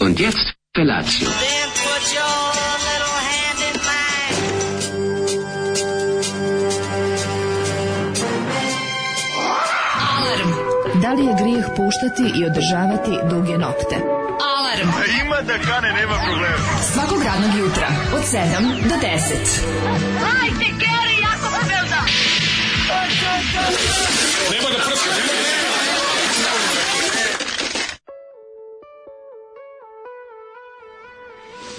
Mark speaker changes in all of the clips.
Speaker 1: Und jetzt Felatio.
Speaker 2: Then put your little hand in mine.
Speaker 3: Alarm. Da li je grijeh puštati i održavati duge nokte? Alarm.
Speaker 4: Ima da kane, nema problema.
Speaker 3: Svakog radnog jutra od 7 do 10.
Speaker 2: Hajde, Geri, jako se velda.
Speaker 4: Nema da prska, nema da...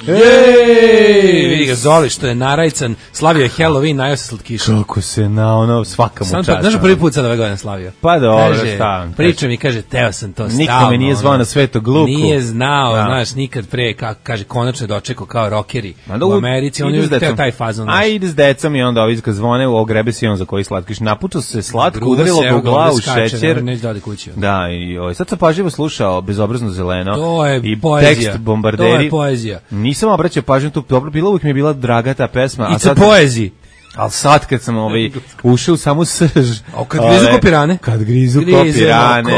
Speaker 5: Ej, vidi ga Zoli što je narajcan, slavio je Halloween, najao se slatkiša.
Speaker 6: Kako se na ono svaka mu čast.
Speaker 5: Znaš prvi put sad ove godine slavio?
Speaker 6: Pa dobro,
Speaker 5: kaže,
Speaker 6: šta?
Speaker 5: Priča mi, kaže, teo sam to stalno.
Speaker 6: Niko me nije zvao na Svetog Luku.
Speaker 5: Nije znao,
Speaker 6: da.
Speaker 5: Znaš, nikad pre, kaže, konačno je dočekao kao rockeri u Americi, on je teo taj fazon.
Speaker 6: A ide s decom i onda ovi kad zvone, ogrebe se i on za koji slatkiš. Napučao se slatko, udarilo ga u glavu šećer.
Speaker 5: Neće da ode kući.
Speaker 6: Da, i sad sam pažljivo slušao Bezobrazno zeleno.
Speaker 5: To je
Speaker 6: i
Speaker 5: poezija.
Speaker 6: Tekst Bombarderi.
Speaker 5: To je poezija.
Speaker 6: Nisam obraćao pažnju tu, dobro, bilo uvijek mi je bila draga ta pesma.
Speaker 5: It's a poeziji.
Speaker 6: Ali sad kad sam ušao u samu srž...
Speaker 5: Kad grizu kopirane?
Speaker 6: Kad grizu kopirane.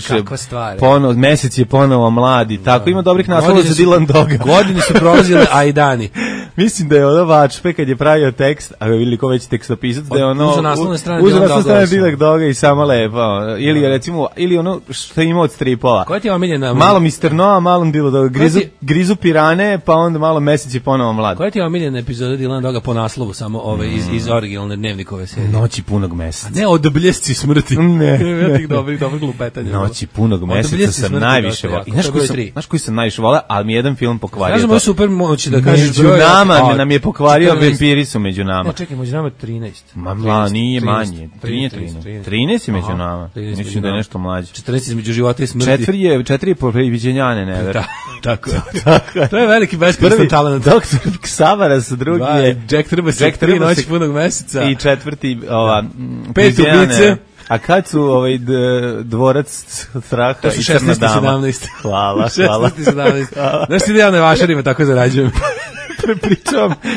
Speaker 5: Kakva stvar.
Speaker 6: Mesec je ponovo mladi. Tako ima dobrih naslova za Dylan Doga.
Speaker 5: Godine su prolazile, a i dani.
Speaker 6: Mislim da je ono Vačpe kad je pravio tekst, a vidjeli ko već tekstopisac, da je ono...
Speaker 5: Uza naslovne strane
Speaker 6: Dylan Doga i samo lepo. Ili recimo, ili ono što ima od stripova.
Speaker 5: Koja ti je omiljena?
Speaker 6: Malo Mr. Noah, malo Dylan Doga. Grizu pirane, pa onda malo Mesec je ponovo mladi.
Speaker 5: Koja ti je omiljena epizoda Dylan Doga po naslovu, samo iz originalne dnevnikove serije?
Speaker 6: Noći punog meseca.
Speaker 5: Ne, od bljesci smrti.
Speaker 6: Ne.
Speaker 5: Dobrih glupetanja.
Speaker 6: Noći punog meseca sam najviše volao. Znaš koji sam najviše volao, ali mi jedan film pokvario.
Speaker 5: Kažemo je super moći da kažeš
Speaker 6: među nama, nam je pokvario Vampiri su među nama.
Speaker 5: Ne, čekaj, među nama 13.
Speaker 6: Ma, nije manje. 13 je među nama. Mislim da je nešto mlađe.
Speaker 5: 14 između života i smrti.
Speaker 6: 4 je po previđenjane, ne ver.
Speaker 5: Tako. To je veliki beskoristan talent.
Speaker 6: Doktor Ksavaras, drugi je
Speaker 5: Jack Trbas, 3 noći punog meseca.
Speaker 6: I četvrti,
Speaker 5: pet ubice.
Speaker 6: A kad su dvorac straha i crna dama?
Speaker 5: 16 i 17.
Speaker 6: Hvala.
Speaker 5: 16 i 17. Znaš ti da ja na vašarima tako zarađujem?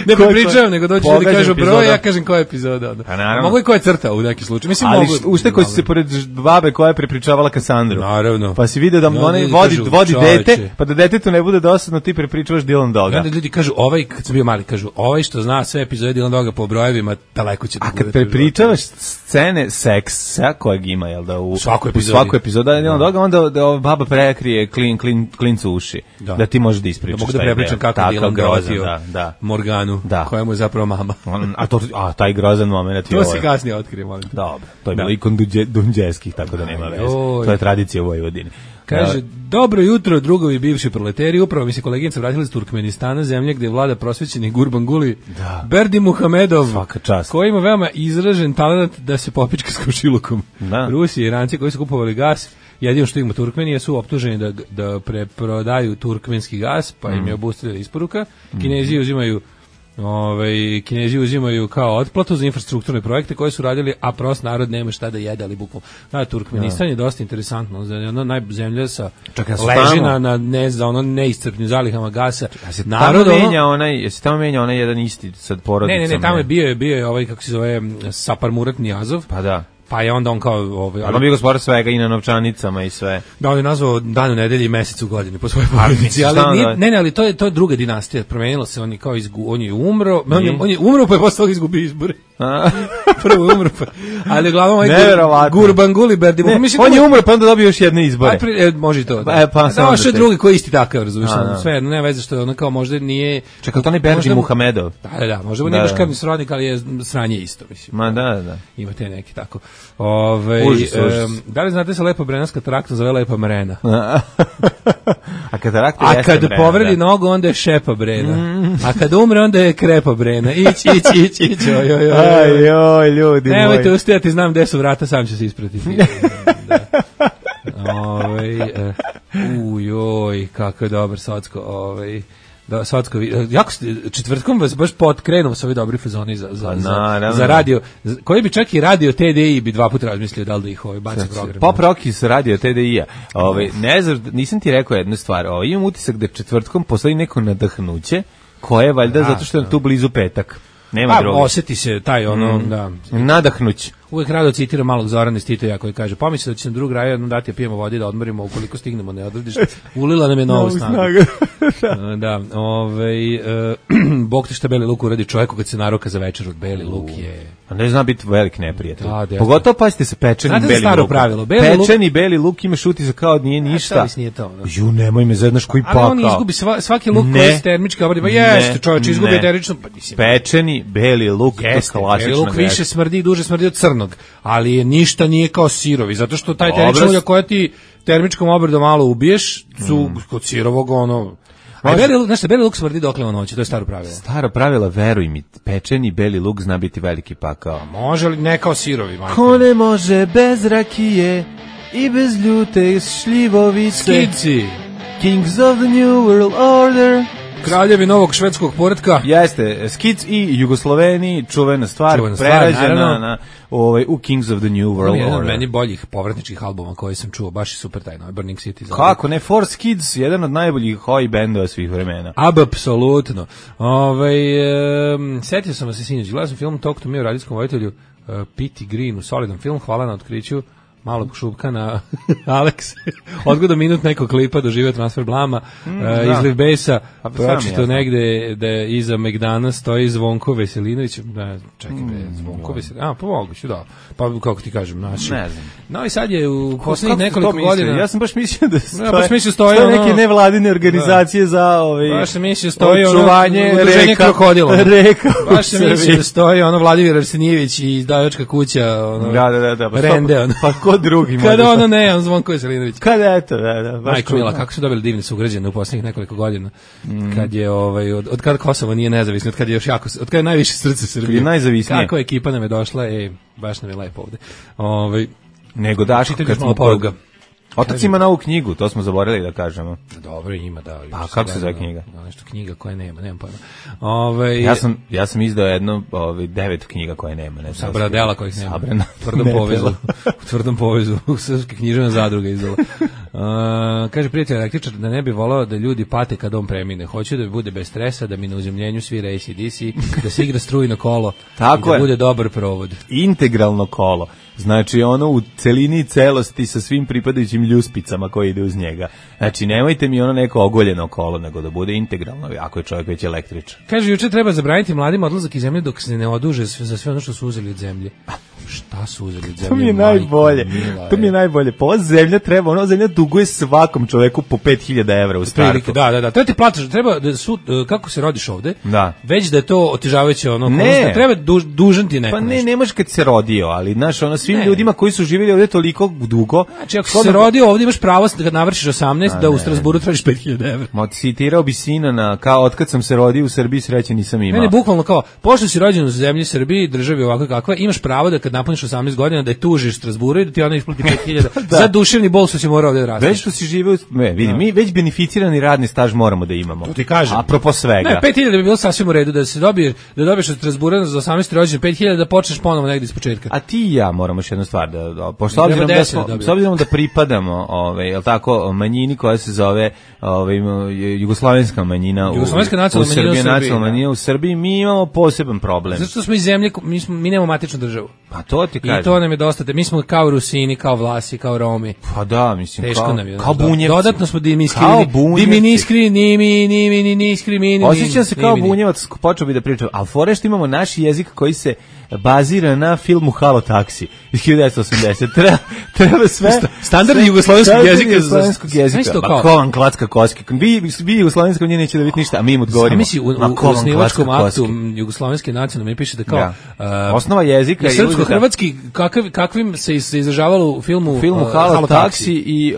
Speaker 5: Ne prepričavam, nego dođu ljudi kažu broj, ja kažem koja je epizoda. Mogu i koja je crta u neki slučaju. Mislim,
Speaker 6: ali ušte koji su se pored babe koja je prepričavala Kasandru.
Speaker 5: Naravno.
Speaker 6: Pa si vidio da onaj vodi dete, pa da detetu ne bude dosadno, ti prepričavaš Dylan Doga.
Speaker 5: Onda ljudi kažu, kad sam bio mali, kažu, što zna sve epizode Dylan Doga po brojevima, daleko će da bude.
Speaker 6: A kad prepričavaš scene seksa kojeg ima, jel da, u svaku epizodu Dylan Doga, onda baba prekrije klincu uši. Da ti možeš da ispričaš.
Speaker 5: Mogu da prepričam kako Dylan grozio Morganu, koja mu je zapravo mama.
Speaker 6: A taj grozan moment je
Speaker 5: to se kasnije otkrije, molim.
Speaker 6: Dobro, to je bilo i kod Dunđeskih, tako da nema veze. To je tradicija u Vojvodini.
Speaker 5: Kaže, dobro jutro, drugovi bivši proleteri, upravo mi se koleginica vratila iz Turkmenistana, zemlje gdje vlada prosvećeni Gurbanguly Berdi Muhamedov, koji ima veoma izražen talent da se popička s komšilukom. Rusi i Iranci koji su kupovali gas, jedino što ima Turkmenije, su optuženi da preprodaju turkmenski gas, pa im je obustavljena isporuka. Kinezi uzimaju kao otplatu za infrastrukturne projekte koje su radili, a prost narod nema šta da jede, ali bukvalno. Turkmenistan je dosta interesantno, ona zemlja sa leži na neiscrpnim zalihama gasa.
Speaker 6: Jesi tamo menja onaj jedan isti sad porodicom?
Speaker 5: Ne, tamo je bio je kako se zove Sapar Murat Nijazov.
Speaker 6: Pa da.
Speaker 5: Pa je onda on kao...
Speaker 6: Ali on bio gospodar svega i na novčanicama i sve.
Speaker 5: Da, on je nazvao dan u nedelji i mesec u godini po svojoj porodici. Ali to je druga dinastija. Promenilo se, on je umro. On je umro pa je posle toga izgubio izbore. Prvo je umro pa. Ali uglavnom Gurbanguly Berdi.
Speaker 6: On je umro pa onda dobio još jedne izbore.
Speaker 5: Može i to.
Speaker 6: Da,
Speaker 5: što je drugi koji isti takav, razumiješ. Sve, nema veze što je ono kao možda nije...
Speaker 6: Čekaj, to ne Berdi Muhamedov.
Speaker 5: Da, možda nije baš krvni srodnik, ali je sranje isto, mislim.
Speaker 6: Ma da.
Speaker 5: Ima te neki tako. Da li znate se Lepa Brena s kataraktom zove Lepa Mrena?
Speaker 6: A
Speaker 5: kad povredi nogu onda je Šepa Brena. A kad umre onda je Krepa Brena. Ić.
Speaker 6: Ajoj, ljudi moji.
Speaker 5: Nemojte ustajati, znam gde su vrata, sam će se ispratiti. Kako je dobar Socko. Jako četvrtkom vas baš krenuo sa ovi dobri fazoni za radio, koji bi čak i radio TDI bi dva puta razmislio da li da ih baci program.
Speaker 6: Pop Rocky sa radio TDI-a. Ne znam, nisam ti rekao jednu stvar. Imam utisak da četvrtkom postoji neko nadahnuće koje je valjda zato što je tu blizu petak. Nema droge.
Speaker 5: Osjeti se taj
Speaker 6: Nadahnuć.
Speaker 5: uvek rado citiram malog Zorana iz Titoja koji kaže, pomisli da će nam drug raja dati pijemo vodi da odmorimo ukoliko stignemo ne odrediš, ulila nam je novu snagu. Da, Bog te šta beli luk uradi čovjeku kad se naroka za večer od beli luk je...
Speaker 6: A ne zna biti velik neprijatelj. Pogotovo pazite se pečeni beli luk.
Speaker 5: Pravilo,
Speaker 6: pečeni beli luk imaš utisak kao nije ništa.
Speaker 5: Nije to.
Speaker 6: Ju, nemoj me znaš koji pakao.
Speaker 5: Ali on izgubi svaki luk koji je termički obradi. Pa jeste, čovječ, izgubi termično.
Speaker 6: Pečeni beli luk,
Speaker 5: jeste, beli luk više smrdi i duže smrdi od crnog, ali je ništa nije kao sirovi, zato što taj termičko ulje koje ti termičkom obradom malo ubiješ, su kod sirovog beli luk smrdi dokle on hoće, to je staro pravilo. Staro pravilo,
Speaker 6: veruj mi, pečeni beli luk zna biti veliki pakao.
Speaker 5: A može li ne kao sirovi?
Speaker 6: Ko ne može bez rakije i bez ljute šljivovice?
Speaker 5: Skici!
Speaker 6: Kings of the New World Order.
Speaker 5: Kraljevi novog švedskog poretka.
Speaker 6: Jeste, Skic i Jugosloveni, čuvena stvar prerađena u Kings of the New World Order.
Speaker 5: Jedan od meni boljih povratničkih albuma koji sam čuo, baš je super taj novi Burning City.
Speaker 6: Kako ne, Force Kids, jedan od najboljih hoi bendova svih vremena.
Speaker 5: Apsolutno. Setio sam se sinoć, gledao sam film Talk to Me o radijskom vojitelju P.T. Greenu, solidan film, hvala na otkriću malog šupkana Alex, odgoda minut nekog klipa doživio transfer blama, izliv besa, pročito negde da je iza Megdana stoji Zvonko Veselinović, čekaj, Zvonko Veselinović, pa moguće, da, pa kako ti kažem, naši.
Speaker 6: Ne znam.
Speaker 5: Novi Sad je u posljednjih nekoliko godina.
Speaker 6: Ja sam baš mislio da stoje neke nevladine organizacije za
Speaker 5: očuvanje krokodila. Baš sam mislio da stoji Vladimir Arsenijević i izdavačka kuća, Rende,
Speaker 6: pa ko drugi može.
Speaker 5: Kada ono ne, on Zvonko Veselinović.
Speaker 6: Kada eto, da.
Speaker 5: Majko Mila, kako su dobili divne sugrađane u posljednjih nekoliko godina. Kad je od kada Kosovo nije nezavisno, od kada je još jako, od kada je najviše srce Srbije.
Speaker 6: Kad je najzavisnije.
Speaker 5: Kako ekipa nam je došla, baš nam je lepo ovde.
Speaker 6: Nego Daško kad smo poruga. Otac ima novu knjigu, to smo zaboravili da kažemo.
Speaker 5: Dobro, ima, da.
Speaker 6: Pa kako se zove knjiga?
Speaker 5: Nešto knjiga koje nemam pojma.
Speaker 6: Ja sam izdao jedno 9 knjiga koje nema.
Speaker 5: Sabra dela kojih nema. U tvrdom povezu. U srpske književne zadruge izdala. Kaže prijatelj električar da ne bi volao da ljudi pate kad on premine. Hoću da bude bez stresa, da mi na uzemljenju svira AC/DC, da se igra strujno kolo i da bude dobar provod.
Speaker 6: Integralno kolo. Znači ono u celini celosti sa svim pripadajućim ljuspicama koje ide uz njega. Znači nemojte mi ono neko ogoljeno kolo, nego da bude integralno, ako je čovjek već električan.
Speaker 5: Kaže, juče treba zabraniti mladim odlazak iz zemlje dok se ne oduže za sve ono što su uzeli od zemlje. Šta su uzeli od zemlje?
Speaker 6: To mi je najbolje. To mi je najbolje. Pa ova zemlja treba, ona zemlja duguje svakom čoveku po 5.000 evra u startu.
Speaker 5: Da. To ti plaćaš, treba da kako se rodiš ovde, već da je to otežavajuće
Speaker 6: ne.
Speaker 5: Treba dužan ti neko.
Speaker 6: Pa ne možeš kad se rodio, ali znaš, svim ljudima koji su živjeli ovde toliko dugo.
Speaker 5: Znači, ako se rodio ovde imaš pravo da kad navršiš 18 da u Strasburu tražiš 5.000 evra.
Speaker 6: Citirao bi sina kao otkad sam se rodio u Srbiji sreće nisam imao.
Speaker 5: Ne, bukvalno kao, pošto si rođen u zemlji Srbiji, državi ovako kakva, imaš pravo da kad napuniš 18 godina da je tužiš Strasburu i da ti ona isplati 5.000 za duševni bol što si morao ovde rasti.
Speaker 6: Već što si živeo, mi već beneficirani radni staž moramo da imamo.
Speaker 5: To ti kažem.
Speaker 6: Apropo svega.
Speaker 5: Ne, 5.000 bi bilo sasvim u redu da dobiješ od Strasbura za 18 rođendan 5.000 da počneš ponovo negdje iz početka.
Speaker 6: A ti i ja moramo još jednu stvar s obzirom da pripadamo jel tako, manjini koja se zove jugoslovenska manjina u Srbiji, mi imamo poseban problem.
Speaker 5: Zato što smo iz zemlje, mi nemamo matičnu državu.
Speaker 6: Pa to ti kažem.
Speaker 5: I to nam je dosta, mi smo kao Rusini, kao Vlasi, kao Romi.
Speaker 6: Pa da, mislim,
Speaker 5: teško nam je,
Speaker 6: kao bunjevci.
Speaker 5: Dodatno smo dimiskrini.
Speaker 6: Osjećam se kao bunjevac, počeo bi da pričam, ali fore što imamo naš jezik koji se bazira na filmu Halo taksi iz 1980. Treba sve
Speaker 5: standardni jugoslovenski jezik.
Speaker 6: Ma ko vam klacka koske? Vi jugoslovenska nije neće da vidite ništa, a mi im odgovorimo.
Speaker 5: Misli u osnivačkom aktu jugoslovenske nacionalne mi piše da kao
Speaker 6: osnova jezika
Speaker 5: je srpsko-hrvatski kakvim se izražavalo u filmu
Speaker 6: Halo taksi i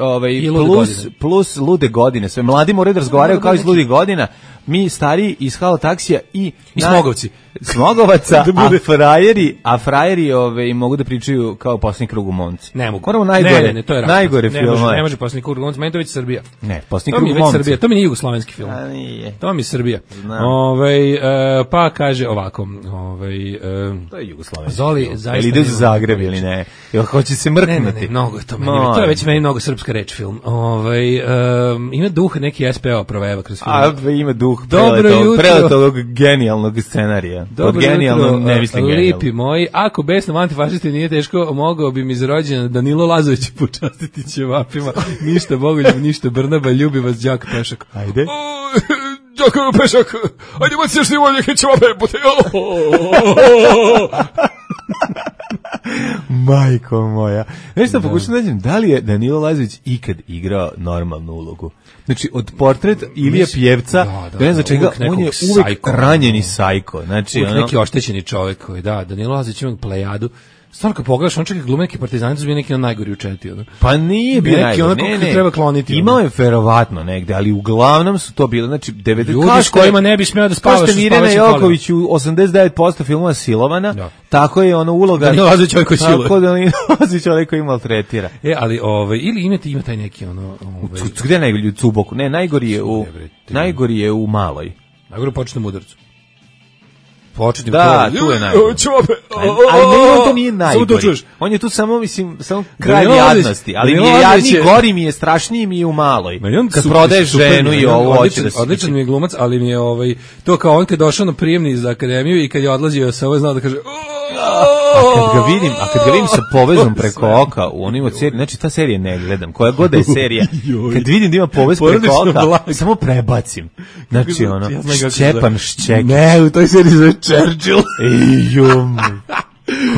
Speaker 6: plus lude godine. Sve mladi moraju da razgovaraju kao iz ludih godina. Mi stariji iz Halo taksija i
Speaker 5: Smogovci.
Speaker 6: Smogovaca, a frajeri mogu da pričaju kao posljednji krug u momci.
Speaker 5: Ne mogu.
Speaker 6: Moramo najgore filmove.
Speaker 5: Ne može posljednji krug u momci, meni to već Srbija.
Speaker 6: Ne, posljednji krug u momci.
Speaker 5: To mi nije jugoslovenski film. To mi je Srbija. Pa kaže ovako.
Speaker 6: To je jugoslovenski
Speaker 5: Zoli, zaista.
Speaker 6: Ili ide u Zagreb ili ne? Ili hoće se mrknuti?
Speaker 5: Ne, mnogo je to meni. To je već meni mnogo srpska reč film. Ima duh neki SPO proveva kroz film.
Speaker 6: Ima duh preletog genijalnog scenarija. Od genijalno ne mislim genijalno.
Speaker 5: Lepi moji, ako besnom antifašisti nije teško, mogao bi mi za rođendan Danilo Lazović počastiti ćevapima. Ništa Bogoljub, ništa Brnaba, ljubi vas đak Pešak.
Speaker 6: Ajde.
Speaker 5: Đak Pešak, ajde baci još nivo neke ćevape, bute.
Speaker 6: Majko moja. Nešto pokušam da nađem, da li je Danilo Lazović ikad igrao normalnu ulogu? Znači, od portret Ilije Pjevca, ne znam čega, on je uvek ranjeni sajko. Znači,
Speaker 5: uvek neki oštećeni čovjek koji, Danilo Lazović ima plejadu. Stvarno kad pogledaš, on čak i glume neki partizani su bili neki najgori u četi.
Speaker 6: Pa nije bio najgori,
Speaker 5: ne. Treba kloniti.
Speaker 6: Imao je verovatno negde, ali uglavnom su to bile, znači, 90...
Speaker 5: Ljudi s kojima ne bi smeo da spavaš.
Speaker 6: Kao što je Mirjana Joković u 89% filmova silovana, tako je ono uloga...
Speaker 5: Danilo Lazović ovaj koji siluje.
Speaker 6: Tako Danilo Lazović ovaj koji maltretira.
Speaker 5: Ali, ili ima taj neki,
Speaker 6: Gde je najgori? U Cuboku? Ne, najgori je u Maloj.
Speaker 5: Najgori u početnom udarcu.
Speaker 6: Tu je najgori. Ali ne, to nije najgori. On je tu samo, samo kraj jadnosti. Ali mi je jadniji, gori mi je, strašniji mi je u Maloj. Kad prodaješ ženu i ovo hoće da se...
Speaker 5: Odličan mi je glumac, ali mi je to kao on kad je došao na prijemni za akademiju i kad je odlazio sa ovo znao da kaže...
Speaker 6: A kad ga vidim sa povezom preko oka u onim od serije, znači ta serija ne gledam, koja god da je serija, kad vidim da ima povez preko oka, samo prebacim. Znači Šćepan Šćekić.
Speaker 5: Ne, u toj seriji zove Churchill.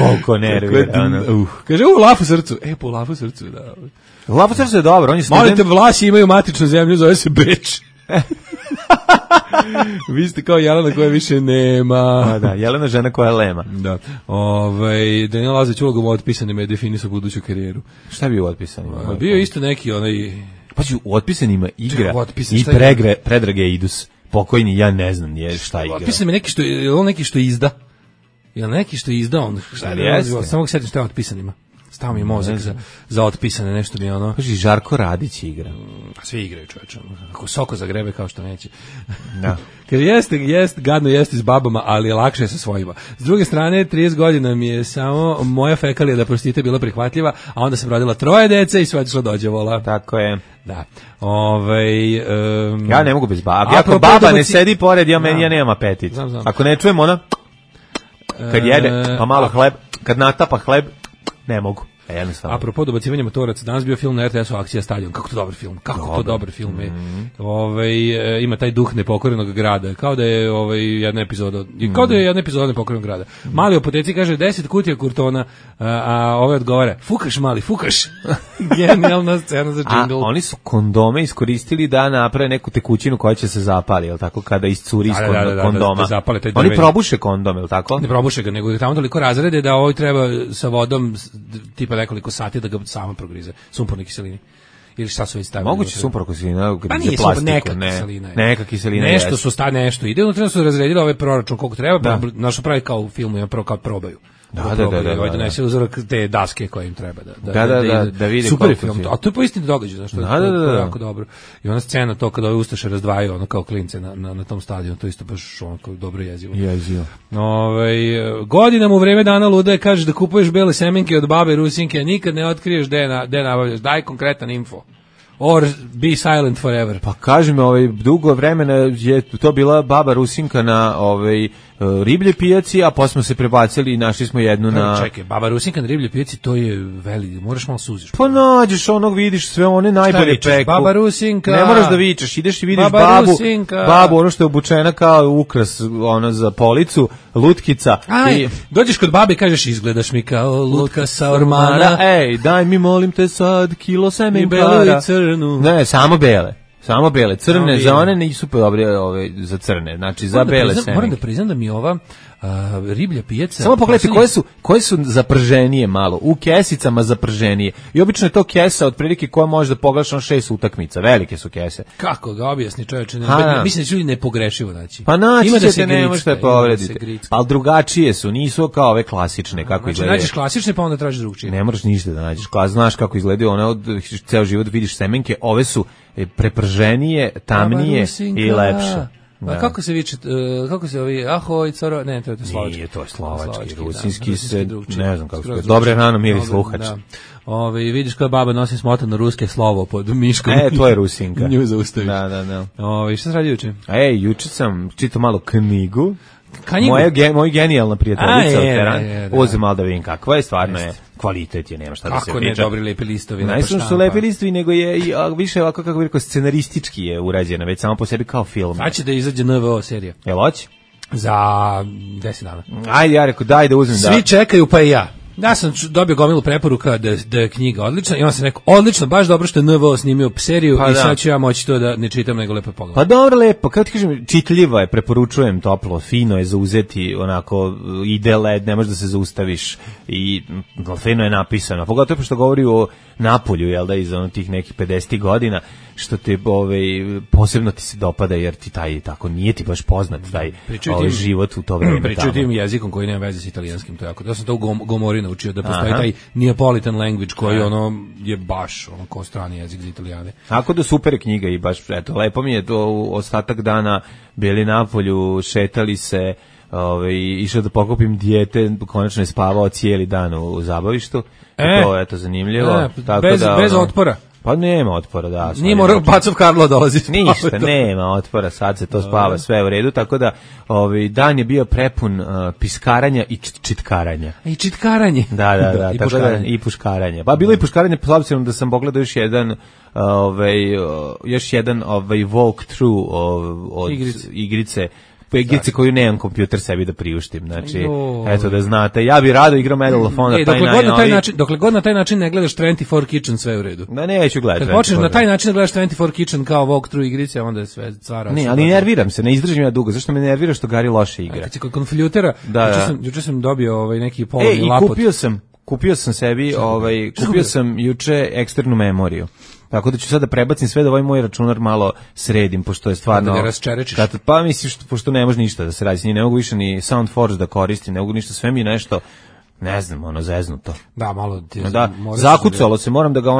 Speaker 6: Koliko nervira.
Speaker 5: Kaže, lafu srcu. Po lafu srcu, da.
Speaker 6: Lafu srcu je dobro, on je student.
Speaker 5: Molite, Vlasi imaju matičnu zemlju, zove se Beč. Vi ste kao Jelena koja više nema.
Speaker 6: Da, Jelena žena koja lema.
Speaker 5: Da. Danilo Lazović ulogom u Otpisanima je definisao buduću karijeru.
Speaker 6: Šta bi u Otpisanima?
Speaker 5: Bio isto neki
Speaker 6: Pa u Otpisanima igra i Predrage Idus. Pokojni, ja ne znam šta igra.
Speaker 5: Otpisan je neki što izda. Je neki što izda on? Samo ga setim šta je Otpisanima. Stao mi je mozak za Otpisane, nešto mi je ono...
Speaker 6: Kaži, Žarko Radić igra.
Speaker 5: Svi igraju, čovječe. Ako Soko zagrebe kao što neće.
Speaker 6: Da.
Speaker 5: Kad gadno jeste s babama, ali lakše je sa svojima. S druge strane, 30 godina mi je samo moja fekalija da prostite bila prihvatljiva, a onda sam rodila 3 dece i sve otišlo dođevola.
Speaker 6: Tako je.
Speaker 5: Da.
Speaker 6: Ja ne mogu bez baba. Ako baba ne sedi pored, ja nemam apetit. Ako ne čujem ona, kad jede, pa malo hleb, kad natapa hleb, ne mogu.
Speaker 5: Apropo dobacivanja motoraca, danas bio film na RTS-u Akcija Stadion. Kako to dobar film je. Ima taj duh nepokorenog grada. Kao da je jedna epizoda nepokorenog grada. Mali opoteci kaže 10 kutija kurtona, a odgovara, fukaš mali, fukaš. Genijalna scena za džingl.
Speaker 6: A oni su kondome iskoristili da naprave neku tekućinu koja će se zapali, jel tako, kada iscuri iz kondoma. Oni probuše kondom, jel tako?
Speaker 5: Ne probuše ga, nego tamo toliko razrede da treba sa vodom tipa nekoliko sati da ga sama progrize, sumporne kiseline. Ili šta su već stavili?
Speaker 6: Moguće sumporna kiselina,
Speaker 5: pa nije neka kiselina.
Speaker 6: Neka kiselina.
Speaker 5: Nešto su nešto ide, unutra su razredili ovaj proračun koliko treba, našo pravi kao u filmu, ja prvo kao probaju. Da donese uzorak te daske koje im treba
Speaker 6: da vidi
Speaker 5: super film, a to je po istini događaj, znači to je jako dobro. I ona scena to kada ove ustaše razdvajaju ono kao klince na tom stadionu, to isto baš onako dobro jezivo. Godinama u vreme dana lude kažeš da kupuješ bele semenke od babe Rusinke, a nikad ne otkriješ gde nabavljaš. Daj konkretan info. Or be silent forever.
Speaker 6: Pa kaži mi, dugo vremena je to bila baba Rusinka na riblje pijaci, a posle smo se prebacili i našli smo jednu na...
Speaker 5: Čekaj, baba Rusinka na riblje pijaci, to je veli, moraš malo suziš.
Speaker 6: Pa nađeš vidiš sve one najbolje peku.
Speaker 5: Baba Rusinka.
Speaker 6: Ne moraš da vičeš, ideš i vidiš babu, ono što je obučena kao ukras za policu, lutkica.
Speaker 5: Dođeš kod babe i kažeš, izgledaš mi kao lutka sa ormana.
Speaker 6: Ej, daj mi molim te sad kilo semenkara.
Speaker 5: I belu i crnu.
Speaker 6: Ne, samo bele, crne za one nisu dobre za crne, znači za bele semenke.
Speaker 5: Moram da priznam da mi ova riblja pijaca...
Speaker 6: Samo pogledajte koje su zaprženije malo, u kesicama zaprženije. I obično je to kesa otprilike koja može da pogledaš 6 utakmica, velike su kese.
Speaker 5: Kako ga objasni čovječe? Mislim da će ljudi nepogrešivo naći.
Speaker 6: Pa naći ćete, ne možete da povredite. Ali drugačije su, nisu kao ove klasične, kako izgledaju.
Speaker 5: Nađeš klasične pa onda tražiš drugčije.
Speaker 6: Ne moraš ništa da nađeš, znaš kako izgledaju, one ceo život vidiš semenke, ove su preprženije, tamnije i lepše.
Speaker 5: A kako se viče, kako se ahoj, coro, ne, to je slovački.
Speaker 6: Nije, to je slovački, rusinski se, ne znam kako se, dobre rano miri sluhač.
Speaker 5: Vidiš koja baba nosi smotano ruske slovo pod miškom.
Speaker 6: To je Rusinka.
Speaker 5: Nju zaustaviš.
Speaker 6: Da.
Speaker 5: Šta se radi juče?
Speaker 6: Juče sam čitao malo knjigu. Moja genijalna prijateljica od Teran, uzem malo da vidim kakva je, stvarno je, kvalitet je, nema šta da se priča.
Speaker 5: Kako ne dobri lepi listovi.
Speaker 6: Najsam što su lepi listovi, nego je i više ovako, kako bih rekao, scenaristički je urađena, već samo po sebi kao film.
Speaker 5: Znači da izađe NVO serija.
Speaker 6: Jel hoće?
Speaker 5: Za 10 dana.
Speaker 6: Ajde, ja rekao, daj da uzmem.
Speaker 5: Svi čekaju, pa i ja. Ja sam dobio gomilu preporuka da je knjiga odlična i on se rekao, odlično, baš dobro što je NVO snimio seriju i sad ću ja moći to da ne čitam nego lepo pogledam.
Speaker 6: Pa dobro, lepo, kako ti kažem, čitljiva je, preporučujem toplo, fino je za uzeti, onako, ide led, ne možeš da se zaustaviš i fino je napisano, pogotovo što govori o Napolju, jel da, iz tih nekih 50 godina, što te posebno ti se dopada, jer ti taj tako nije ti baš poznat taj život u to vreme.
Speaker 5: Pričaju tim jezikom koji nema veze s italijanskim, to je jako. Ja sam to u Gomori naučio da postoji taj Neapolitan language koji je baš ko strani jezik za Italijane.
Speaker 6: Tako da super knjiga i baš eto lepo mi je to ostatak dana bili na polju, šetali se, išao da pokupim dijete, konačno je spavao cijeli dan u zabavištu. To je eto zanimljivo. Tako
Speaker 5: bez otpora.
Speaker 6: Pa nema otpora, da.
Speaker 5: Nije morao Pacov Karlo dolazi.
Speaker 6: Ništa, nema otpora, sad se to spava, sve u redu, tako da dan je bio prepun piskaranja i čitkaranja.
Speaker 5: I čitkaranje.
Speaker 6: Da, i puškaranje. I puškaranje. Pa bilo i puškaranje, s obzirom da sam pogledao još jedan walkthrough od igrice, koju nemam kompjuter sebi da priuštim, znači, eto da znate, ja bi rado igrao Medal of Honor,
Speaker 5: dokle god na taj način ne gledaš 24 Kitchen, sve u redu.
Speaker 6: Ma neću gledati.
Speaker 5: Kad počneš na taj način da gledaš 24 Kitchen kao walkthrough igrice, onda je sve cvara.
Speaker 6: Ne, ali nerviram se, ne izdržim ja dugo, zašto me nervira što Gari loše igra.
Speaker 5: Kad si kod konfljutera, juče sam dobio neki polovni lapot.
Speaker 6: Kupio sam sebi, kupio sam juče eksternu memoriju. Tako da ću sada prebacim sve da ovaj moj računar malo sredim, pošto je stvarno...
Speaker 5: Da ga rasčerečiš.
Speaker 6: Pa misliš, pošto ne može ništa da se radi, ne mogu više ni SoundForge da koristim, ne mogu ništa, sve mi nešto, ne znam, zeznuto.
Speaker 5: Da, malo ti...
Speaker 6: Da, zakucalo se, moram da ga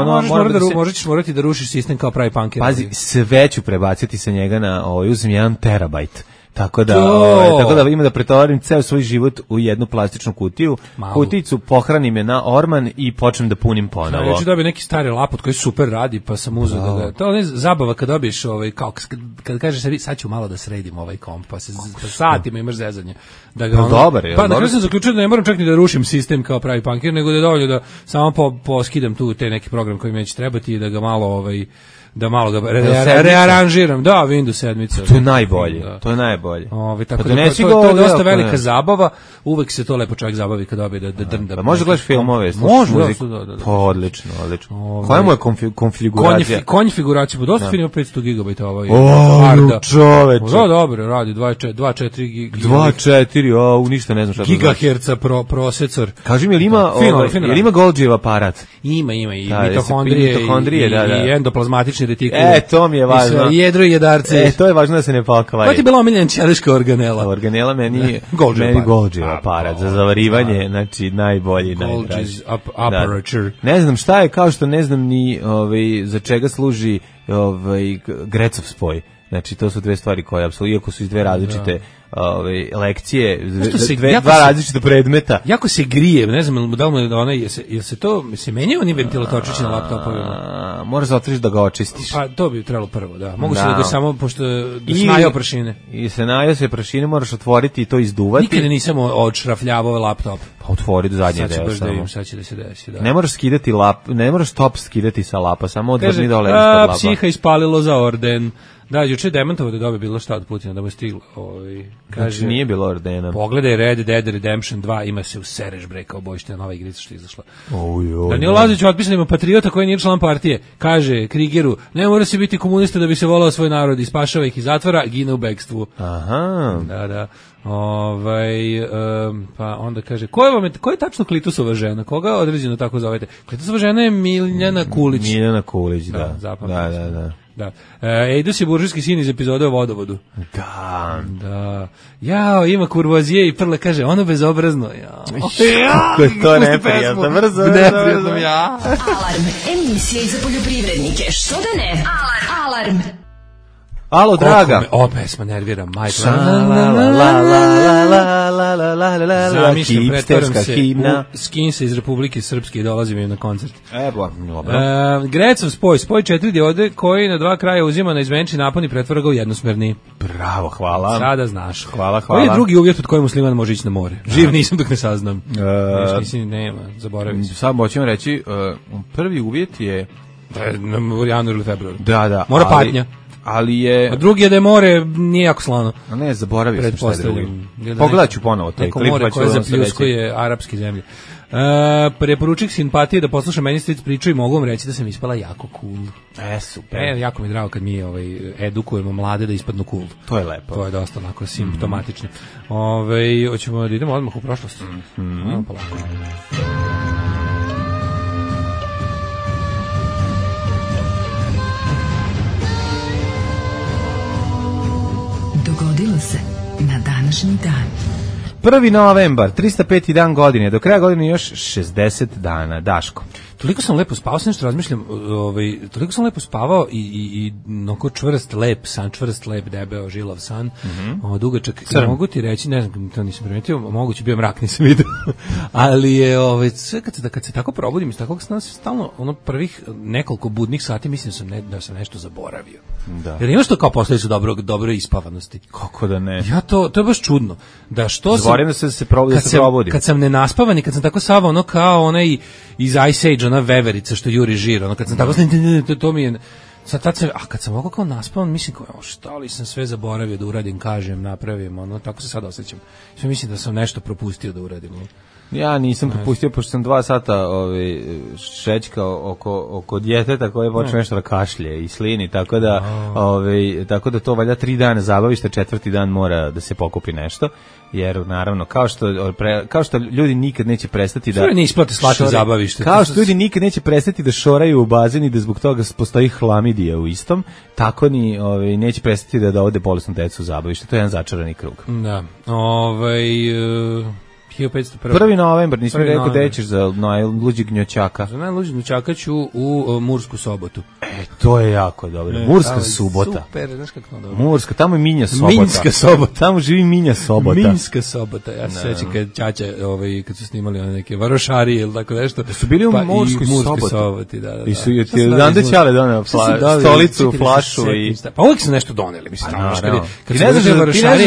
Speaker 5: Možeš morati da rušiš sistem kao pravi punker.
Speaker 6: Pazi, sve ću prebaciti sa njega na, uzem 1 terabajt. Tako da ima da pretovarim ceo svoj život u jednu plastičnu kutiju. Kuticu pohranim je na orman i počnem da punim ponovo.
Speaker 5: Ja ću dobiti neki stari lapot koji super radi, pa sam uzeo da ga... To je zabava kad dobiješ, kao kad kažeš sebi, sad ću malo da sredim ovaj komp, pa satima imaš zezanje. Pa na kraju sam zaključio da ne moram čak ni da rušim sistem kao pravi punker, nego da je dovoljno da samo poskidam tu te neki program koji mi neće trebati i da ga malo da malo ga rearanžiram. Da, Windows 7.
Speaker 6: To je najbolje. To je najbolje.
Speaker 5: Tako da to je dosta velika zabava. Uvek se to lepo čovjek zabavi kad dobije da drnda.
Speaker 6: Može gledaš filmove,
Speaker 5: slušaš
Speaker 6: muziku. Pa odlično. Koja mu je konfiguracija?
Speaker 5: Konfiguracija, dosta film 500 GB ovaj.
Speaker 6: Čoveče.
Speaker 5: Da, dobro, radi 2.4 GB.
Speaker 6: 2.4, ništa ne znam šta.
Speaker 5: Gigaherca procesor.
Speaker 6: Kaži mi, jel ima Golgijev aparat?
Speaker 5: Ima i mitohondrije i endoplazmatični retikul.
Speaker 6: To mi je važno.
Speaker 5: I jedro i jedarce.
Speaker 6: To je važno da se ne pakvari.
Speaker 5: Koja ti je bila omiljena ćeliška organela?
Speaker 6: Organela meni Golgijev aparat za zavarivanje, znači najbolji, najdraži.
Speaker 5: Apparature.
Speaker 6: Ne znam šta je, kao što ne znam ni za čega služi Grecov spoj. Znači, to su dve stvari koje, apsolutno, iako su iz dve različite lekcije, dva različita predmeta.
Speaker 5: Jako se grije, ne znam, da li jel se menjaju oni ventilatorčići na laptopovima?
Speaker 6: Moraš zatvoriš da ga očistiš.
Speaker 5: Pa, to bi trebalo prvo, da. Mogu se da ga samo, pošto snajao prašine.
Speaker 6: I se najao se prašine, moraš otvoriti i to izduvati.
Speaker 5: Nikada nisam odšrafljavao laptop.
Speaker 6: Pa otvoriti zadnji deo samo.
Speaker 5: Sad će da se desi, da.
Speaker 6: Ne moraš skidati ne moraš top skidati sa lapa, samo odvrni dole ispod lapa.
Speaker 5: Psiha ispalilo za orden. Da, juče demantovo da dobije bilo šta od Putina, da mu je stiglo.
Speaker 6: Kaže, znači nije bilo ordena.
Speaker 5: Pogledaj Red Dead Redemption 2, ima se u sereš bre kao bojište, nova igrica što je izašla. Danilo Lazić otpisanima patriota koji nije član partije. Kaže Krigeru, ne mora se biti komunista da bi se volao svoj narod i spašava ih iz zatvora, gine u bekstvu.
Speaker 6: Aha.
Speaker 5: Da. Pa onda kaže, ko je tačno Klitusova žena? Koga određeno tako zovete? Klitusova žena je Miljana Kulić.
Speaker 6: Miljana Kulić, da.
Speaker 5: Da. Ejdus je buržujski sin iz epizode o vodovodu. Da. Jao, ima kurvozije i Prle kaže, ono bezobrazno.
Speaker 6: Kako je to neprijatno. Brzo.
Speaker 3: Alarm, emisija za poljoprivrednike. Što da ne? Alarm.
Speaker 6: Alo, draga.
Speaker 5: O, pesma nervira, majko.
Speaker 6: Zamišljam, pretvaram se
Speaker 5: u Skinsa iz Republike Srpske i dolazim im na koncert.
Speaker 6: Dobro.
Speaker 5: Grecov spoj 4 diode koji na 2 kraja uzima na izmenični napon i pretvara ga u jednosmerni.
Speaker 6: Bravo, hvala.
Speaker 5: Sada znaš.
Speaker 6: Hvala.
Speaker 5: Koji je drugi uvjet od kojeg musliman može ići na more? Živ nisam dok ne saznam. Mislim, nema, zaboravim se.
Speaker 6: Sad moćemo reći, prvi uvjet je...
Speaker 5: U januaru ili februaru.
Speaker 6: Da.
Speaker 5: Mora patnja.
Speaker 6: Ali je...
Speaker 5: A drugi je da je more nije jako slano.
Speaker 6: A ne, zaboravio sam šta je drugi. Pogledat ću ponovo taj klip.
Speaker 5: Neko more koje zapljuskuje arapske zemlje. Preporučik simpatije da poslušam meni stric priču i mogu vam reći da sam ispala jako cool.
Speaker 6: Super.
Speaker 5: Jako mi je drago kad mi edukujemo mlade da ispadnu cool.
Speaker 6: To je lepo.
Speaker 5: To je dosta onako simptomatično. Hoćemo da idemo odmah u prošlost. Polako.
Speaker 3: Dogodilo se na današnji dan.
Speaker 6: 1. novembar, 305. dan godine, do kraja godine još 60 dana. Daško.
Speaker 5: Toliko sam lepo spavao, sam nešto razmišljam, toliko sam lepo spavao i onako čvrst, lep, debeo, žilav san, dugačak. Mogu ti reći, ne znam, to nisam primetio, moguće bio mrak, nisam vidio, ali je, sve kad se tako probudim iz takvog sna, stalno, prvih nekoliko budnih sati mislim da sam nešto zaboravio.
Speaker 6: Da.
Speaker 5: Jer imaš to kao posljedicu dobre ispavanosti.
Speaker 6: Kako da ne?
Speaker 5: Ja to je baš čudno. Da što
Speaker 6: Zaboravim da se probudim.
Speaker 5: Kad sam nenaspavan i kad sam tako savao, kao onaj iz Ice Age, ona veverica što juri žir, kad sam tako to mi je kad sam ovako kao naspavan, mislim kao šta li sam sve zaboravio da uradim, kažem, napravim, tako se sad osjećam. Sve mislim da sam nešto propustio da uradim.
Speaker 6: Ja nisam propustio, pošto sam 2 sata šećkao oko djeteta koje počne nešto da kašlje i slini, tako da to valjda 3 dana zabavište, 4. dan mora da se pokupi nešto, jer naravno, kao što ljudi nikad neće prestati da...
Speaker 5: ne isplate slati zabavište.
Speaker 6: Kao što ljudi nikad neće prestati da šoraju u bazen i da zbog toga postoji hlamidija u istom, tako ni neće prestati da dovode bolesnu decu u zabavište. To je jedan začarani krug.
Speaker 5: Da. 1501.
Speaker 6: 1. novembar, nisam rekao da ćeš za najluđi gnjoćaka.
Speaker 5: Za najluđi gnjoćaka ću u Mursku Sobotu.
Speaker 6: To je jako dobro. Murska subota.
Speaker 5: Super, znaš kako to dobro.
Speaker 6: Murska, tamo je Minja Sobota.
Speaker 5: Minska Sobota.
Speaker 6: Tamo živi Minja Sobota.
Speaker 5: Minska Sobota. Ja se sećam kad ćaća, kad su snimali neke varošarije ili tako nešto.
Speaker 6: Da su bili u Murskoj
Speaker 5: Soboti. Da.
Speaker 6: I su Dande Ćale doneo stolicu, flašu i...
Speaker 5: Pa uvijek su nešto doneli, mislim.
Speaker 6: Ti ne znaš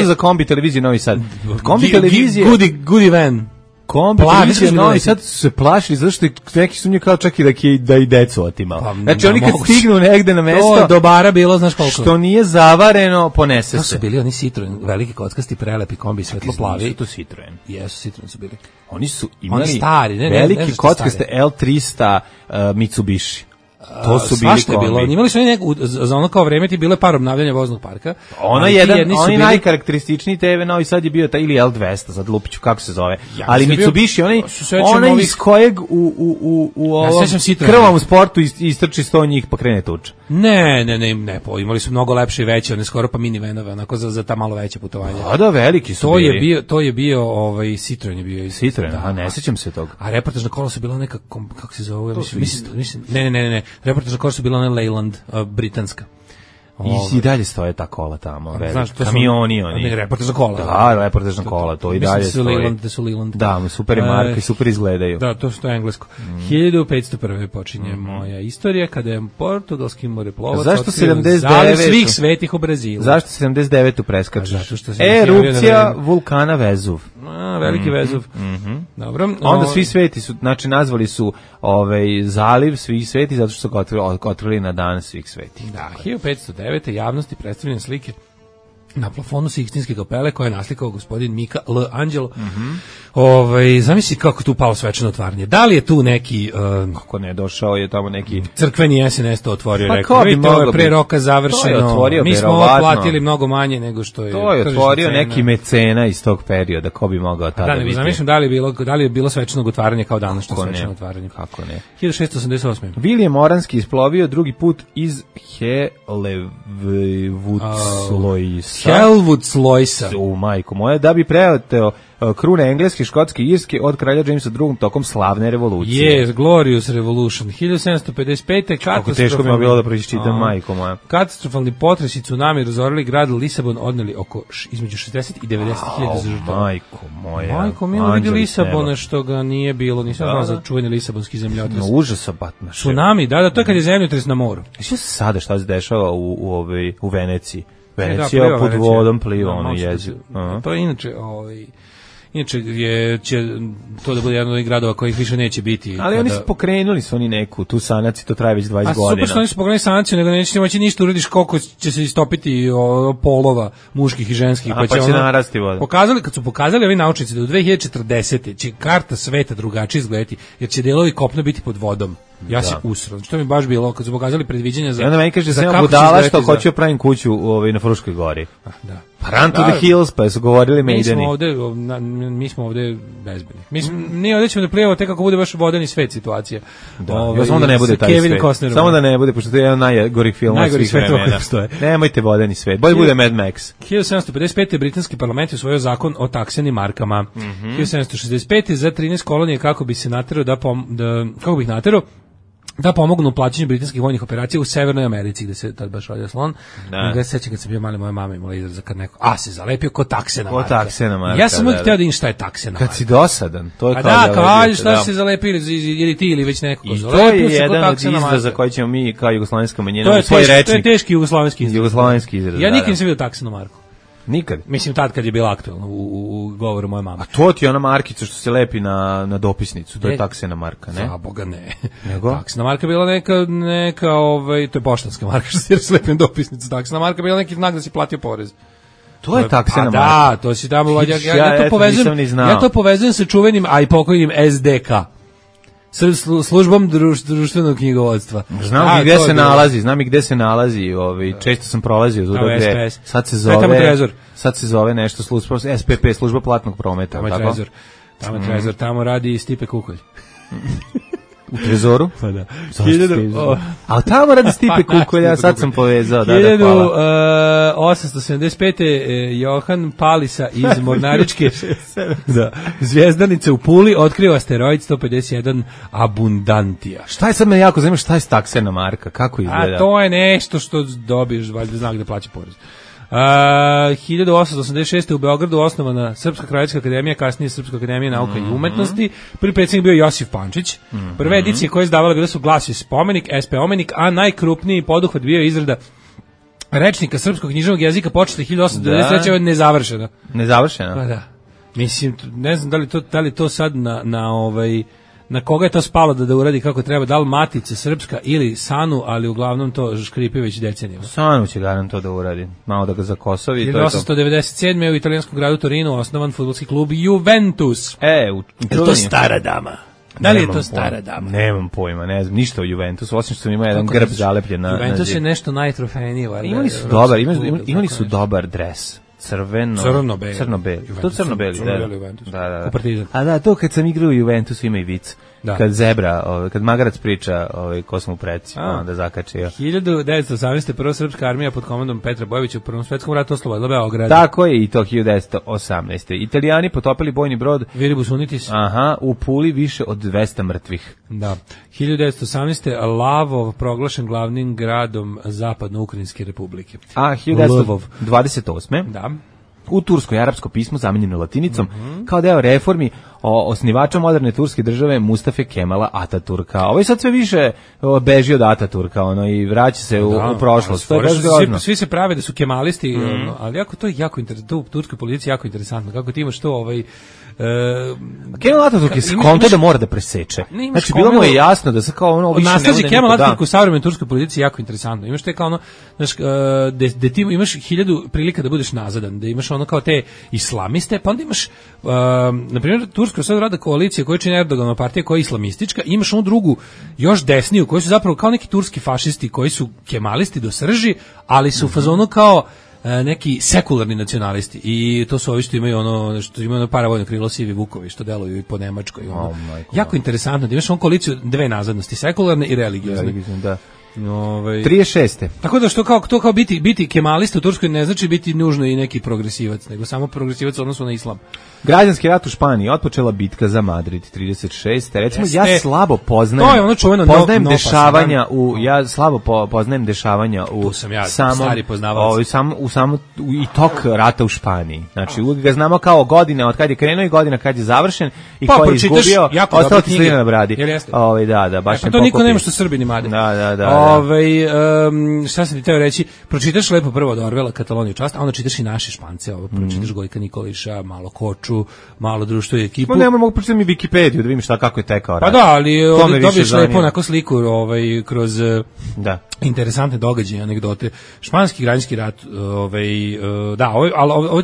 Speaker 6: za kombi televizije Novi Sad. Kombi televizije...
Speaker 5: Goody van.
Speaker 6: Kombi televizije Novi Sad su se plašili zato što neki su nje kao čak i da i decu otimao. Znači oni kad stignu negde na mesto...
Speaker 5: To je dobara bilo, znaš koliko.
Speaker 6: Što nije zavareno, ponese se.
Speaker 5: To su bili oni Citroen, veliki kockasti, prelepi kombi, svetlo plavi.
Speaker 6: Nisu to Citroen.
Speaker 5: Jesu, Citroen su bili.
Speaker 6: Oni su imali veliki kockaste L300 Mitsubishi. To su bili kombi.
Speaker 5: Bilo. Imali su oni za ono kao vreme ti bilo je par obnavljanja voznog parka.
Speaker 6: Oni najkarakterističniji TV Novi Sad je bio taj ili L200, sad lupiću kako se zove. Ali Mitsubishi, onaj iz kojeg u ovom krvavom sportu istrči 100 njih pa krene tuča.
Speaker 5: Ne, imali su mnogo lepše i veće, one skoro pa minivanove, onako za ta malo veće putovanja.
Speaker 6: Da, veliki su bili.
Speaker 5: To je bio Citroen je bio.
Speaker 6: Citroen, ne sećam se toga.
Speaker 5: A reportažna kola su bila neka, kako se zove? Mislim, ne. Reportažna kola su bila ona Leyland, britanska.
Speaker 6: I dalje stoje ta kola tamo, kamioni oni.
Speaker 5: Reportažna kola.
Speaker 6: Da, reportažna kola, to i dalje stoji.
Speaker 5: Da su Leyland.
Speaker 6: Da, super je marka i super izgledaju.
Speaker 5: Da, to je englesko. 1501. počinje moja istorija, kada je portugalski moreplovac otkrio zaliv svih svetih u Brazilu.
Speaker 6: Zašto 79. preskačeš? Erupcija vulkana Vezuv.
Speaker 5: Veliki Vezuv. Dobro.
Speaker 6: Onda svi sveti su, znači nazvali su zaliv svih sveti zato što su ga otvorili na dan svih sveti.
Speaker 5: Da, 1509. javnosti predstavljene slike na plafonu Sikstinske kapele koje je naslikao gospodin Mika L. Angelo. Zamisli kako tu palo svečano otvaranje. Da li je tu neki...
Speaker 6: Kako ne, došao je tamo neki...
Speaker 5: Crkveni SNS to otvorio, rekao. Vidite, ovo je pre roka završeno. Mi smo ovo platili mnogo manje nego što je...
Speaker 6: To je otvorio neki mecena iz tog perioda, ko bi mogao tada biti.
Speaker 5: Zamišljam da li je bilo svečanog otvaranje kao danas što svečano otvaranje.
Speaker 6: Kako ne.
Speaker 5: 1688.
Speaker 6: William Moranski isplovio drugi put iz Helvoetsluisa.
Speaker 5: Helvoetsluisa.
Speaker 6: U majku moja, da bi preleteo krune engleske, škotske i irske od kralja Jamesa II tokom slavne revolucije.
Speaker 5: Yes, Glorious Revolution. 1755.
Speaker 6: Kako teško mi je bilo da pročitam, majko moja.
Speaker 5: Katastrofalni potres i tsunami razorili grad Lisabon, odneli oko između 60 i 90.000 žrtava.
Speaker 6: Majko moja.
Speaker 5: Majko, mi vidi Lisabona što ga nije bilo, nisam znao za čuveni lisabonski zemljotres.
Speaker 6: Užasa batna.
Speaker 5: Tsunami, da, to je kad je zemljotres na moru.
Speaker 6: Šta se sada šta se dešava u Veneciji? Venecija pod vodom pliva, ono jezivo.
Speaker 5: To je inače će to da bude jedan od onih gradova kojih više neće biti.
Speaker 6: Ali oni su pokrenuli oni neku tu sanaciju, to traje već 20 godina.
Speaker 5: A super što oni su pokrenuli sanaciju, nego neće moći ništa uradiš koliko će se istopiti polova muških i ženskih.
Speaker 6: Pa će narasti voda.
Speaker 5: Kad su pokazali ovi naučnici da u 2040. će karta sveta drugačije izgledati, jer će delovi kopna biti pod vodom. Ja se usro. Što mi baš bilo kad su pokazali predviđanja za.
Speaker 6: I onda meni kaže da sam budala što hoću pravim kuću na Fruškoj gori.
Speaker 5: Da.
Speaker 6: Pa Run to the Hills, pa su govorili Maideni.
Speaker 5: Mi smo ovde bezbedni. Nije ovde ćemo da plijevamo tek kako bude baš vodeni svet situacija.
Speaker 6: Samo da ne bude taj svet. Samo da ne bude, pošto to je jedan najgorih filmova svih vremena. Nemojte vodeni svet. Bolje bude Mad Max.
Speaker 5: 1755. britanski parlament je usvojio zakon o taksenim markama. 1765. za 13 kolonije kako bi se naterao da pomognu u plaćanju britanskih vojnih operacija u Severnoj Americi, gde se tad baš rodio slon. Ja se sećam kad sam bio mali, moja mama imala izraz kad neko se zalepio ko taksena marka. Ja sam uvijek hteo da im šta je taksena marka.
Speaker 6: Kad si dosadan, to je kao
Speaker 5: da kao šta se zalepili, ili ti ili već neko.
Speaker 6: I to je jedan od izraza koji ćemo mi kao jugoslovenska manjina u svoj rečnik.
Speaker 5: To je teški jugoslovenski
Speaker 6: izraz.
Speaker 5: Ja nikad nisam vidio taksenu marku.
Speaker 6: Nikad.
Speaker 5: Mislim tad kad je bila aktuelna u govoru moje mame.
Speaker 6: A to ti je ona markica što se lepi na dopisnicu, to je taksena marka, ne?
Speaker 5: Za Boga ne. Nego? Taksena marka bila neka to je poštanska marka što se lepi na dopisnicu. Taksena marka bila neki znak da si platio porez.
Speaker 6: To je taksena marka.
Speaker 5: Da, to si tamo ja to povezujem sa čuvenim, a i pokojnim SDK. Službom društvenog knjigovodstva.
Speaker 6: Znam i gde se nalazi, često sam prolazio tu gde. Sad se zove nešto SPP, služba platnog prometa,
Speaker 5: Tamo je Trezor, tamo radi Stipe Kukolj.
Speaker 6: U Trezoru?
Speaker 5: Pa da.
Speaker 6: Ali tamo radi Stipe Kukolja, sad sam povezao.
Speaker 5: 1875. Johan Palisa iz Mornaričke Zvijezdanice u Puli otkrio asteroid 151 Abundantia.
Speaker 6: Šta je sad me jako zanima, šta je taksena marka, kako izgleda?
Speaker 5: A to je nešto što dobiješ, valjda znak da plaća porez. 1886. u Beogradu osnovana Srpska kraljevska akademija, kasnije Srpska akademija nauka i umetnosti. Prvi predsjednik bio Josif Pančić. Prve edicije koje je izdavala bile su Glas i spomenik, SP Omenik, a najkrupniji poduhvat bio je izrada rečnika srpskog književnog jezika počela 1893. je nezavršena.
Speaker 6: Nezavršena?
Speaker 5: Pa da. Mislim, ne znam da li to sad na koga je to spalo da uradi kako treba, da li Matica Srpska ili Sanu, ali uglavnom to škripi već decenijama.
Speaker 6: Sanu će garant to da uradi, malo da ga zakosovi.
Speaker 5: 1897. u italijanskom gradu Torinu osnovan fudbalski klub Juventus.
Speaker 6: Je
Speaker 5: to stara dama? Da li je to stara dama?
Speaker 6: Nemam pojma, ne znam ništo o Juventusu, osim što ima jedan grb zalepljen na
Speaker 5: Juventus je nešto najtrofejnije.
Speaker 6: Imali su dobar dres. Crno-beli. To crno-beli, da. A da, to kad sam igrao u Juventusu ima i vic. Kad kad magarac priča ko sam u preci, onda zakačio.
Speaker 5: 1918. prva srpska armija pod komandom Petra Bojovića u Prvom svetskom ratu oslobodila Beograd.
Speaker 6: Tako je i to 1918. Italijani potopili bojni brod
Speaker 5: Viribus Unitis.
Speaker 6: U Puli više od 200 mrtvih.
Speaker 5: Da. 1918. Lavov proglašen glavnim gradom Zapadno-Ukrajinske republike.
Speaker 6: A 1928.
Speaker 5: Da.
Speaker 6: U tursko i arapsko pismo zamenjeno latinicom kao deo reformi osnivača moderne turske države Mustafe Kemala Ataturka. Ovo je sad sve više beži od Ataturka i vraća se u prošlost. To je baš grozno.
Speaker 5: Svi se prave da su kemalisti, ali to je jako interesantno. U turskoj policiji jako interesantno. Kako ti imaš to
Speaker 6: Kemal Ataturk je skonto da mora da preseče. Znači, bilo mu je jasno da se kao ono više ne bude
Speaker 5: nasleđe Kemal Ataturk u savremenoj turskoj policiji jako interesantno. Imaš te kao da ti imaš 1000 prilika da budeš nazadan, da imaš kao te islamiste, pa onda imaš, na primjer, Turska sad rada koalicija koja čini Erdoganova partija koja je islamistička, imaš onu drugu, još desniju, koji su zapravo kao neki turski fašisti, koji su kemalisti do srži, ali su u fazonu kao neki sekularni nacionalisti i to su ovi što imaju paravojno krilo Sivi Vukovi što deluju i po Nemačkoj. Jako interesantno da imaš koaliciju dve nazadnosti, sekularne i religiozne.
Speaker 6: 36.
Speaker 5: Tako da to kao biti kemalista u Turskoj ne znači biti nužno i neki progresivac, nego samo progresivac u odnosu na islam.
Speaker 6: Građanski rat u Španiji, otpočela bitka za Madrid 36. Recimo ja slabo poznajem.
Speaker 5: To je ono čuveno
Speaker 6: dešavanja ja slabo poznajem dešavanja u i tok rata u Španiji. Znači uvijek ga znamo kao godine od kad je krenuo i godina kad je završen i ko je izgubio, ostao ti slina na bradi. Da, baš
Speaker 5: to niko nema što Srbi ni made.
Speaker 6: Da.
Speaker 5: Šta sam ti teo reći? Pročitaš lepo prvo od Orwella Kataloniju čast, a onda čitaš i naše Špance, pročitaš Gojka Nikolića, malo Koču, malo društvo i ekipu.
Speaker 6: Ne mogu pročitati mi Wikipediju da vidim kako je tekao rat.
Speaker 5: Pa da, ali dobiješ lepo onako sliku kroz interesantne događaje, anegdote. Španski građanski rat, ali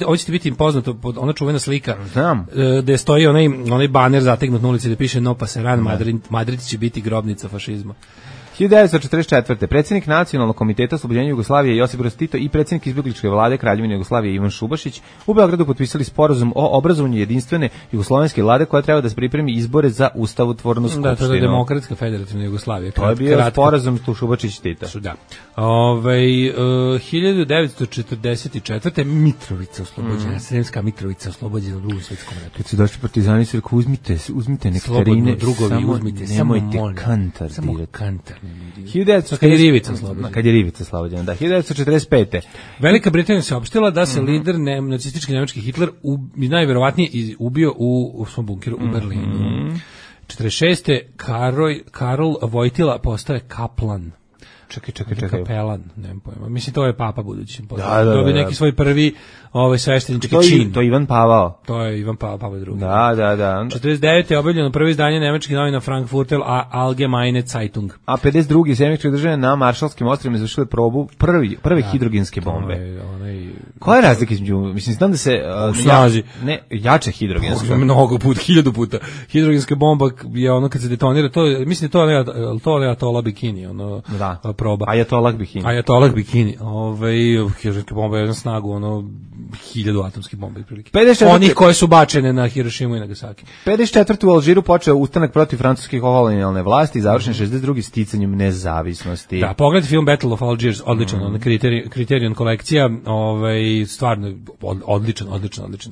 Speaker 5: ovo će ti biti poznato, ona čuvena slika gde stoji onaj baner zategnut na ulici gde piše No pasaran, Madrid će biti grobnica fašizma.
Speaker 6: 1944. Predsjednik Nacionalnog komiteta oslobođenja Jugoslavije Josip Broz Tito i predsjednik izbjegličke vlade Kraljevine Jugoslavije Ivan Šubašić u Beogradu potpisali sporazum o obrazovanju jedinstvene jugoslovenske vlade koja treba da se pripremi izbore za ustavotvornu skupštinu.
Speaker 5: Da, to je Demokratska federativna Jugoslavija.
Speaker 6: To je bio sporazum tu Šubašić-Tita.
Speaker 5: Da. 1944. Mitrovica oslobođena, Sremska Mitrovica oslobođena u Drugom svjetskom ratu.
Speaker 6: Kad su došli partizani su rekao uzmite nektarine, nemojte kantar dirati. Kad je Rivica oslobođena, da. 1945.
Speaker 5: Velika Britanija se opštila da se lider nacistički njemački Hitler najverovatnije ubio u svom bunkeru u Berlinu. 46. Karol Vojtila postaje kaplan.
Speaker 6: Čekaj.
Speaker 5: Kapelan, nemam pojma. Mislim, to je papa budući. Dobio neki svoj prvi sveštenički čin.
Speaker 6: To je Ivan Pavao.
Speaker 5: To je Ivan Pavao II.
Speaker 6: Da.
Speaker 5: 49. je objavljeno prvo izdanje nemačkih novina Frankfurter Allgemeine Zeitung.
Speaker 6: A 52. Zemljičke države na Maršalskim ostrvima izvršile probu prve hidrogenske bombe. Koja je razlika između, mislim, znam da se jače hidrogenska.
Speaker 5: Mnogo puta, 1000 puta. Hidrogenska bomba je ono kad se detonira, mislim to je Ayatollah Bikini, proba.
Speaker 6: Ayatollah
Speaker 5: Bikini. Hidrogenska bomba je na snagu 1000 atomskih bomba prilike. Onih koje su bačene na Hirošimu i Nagasaki.
Speaker 6: 54. u Alžiru počeo ustanak protiv francuske kolonijalne vlasti i završen 62. sticanjem nezavisnosti.
Speaker 5: Da, pogledajte film Battle of Algiers, odličan, Criterion kolekcija, stvarno odličan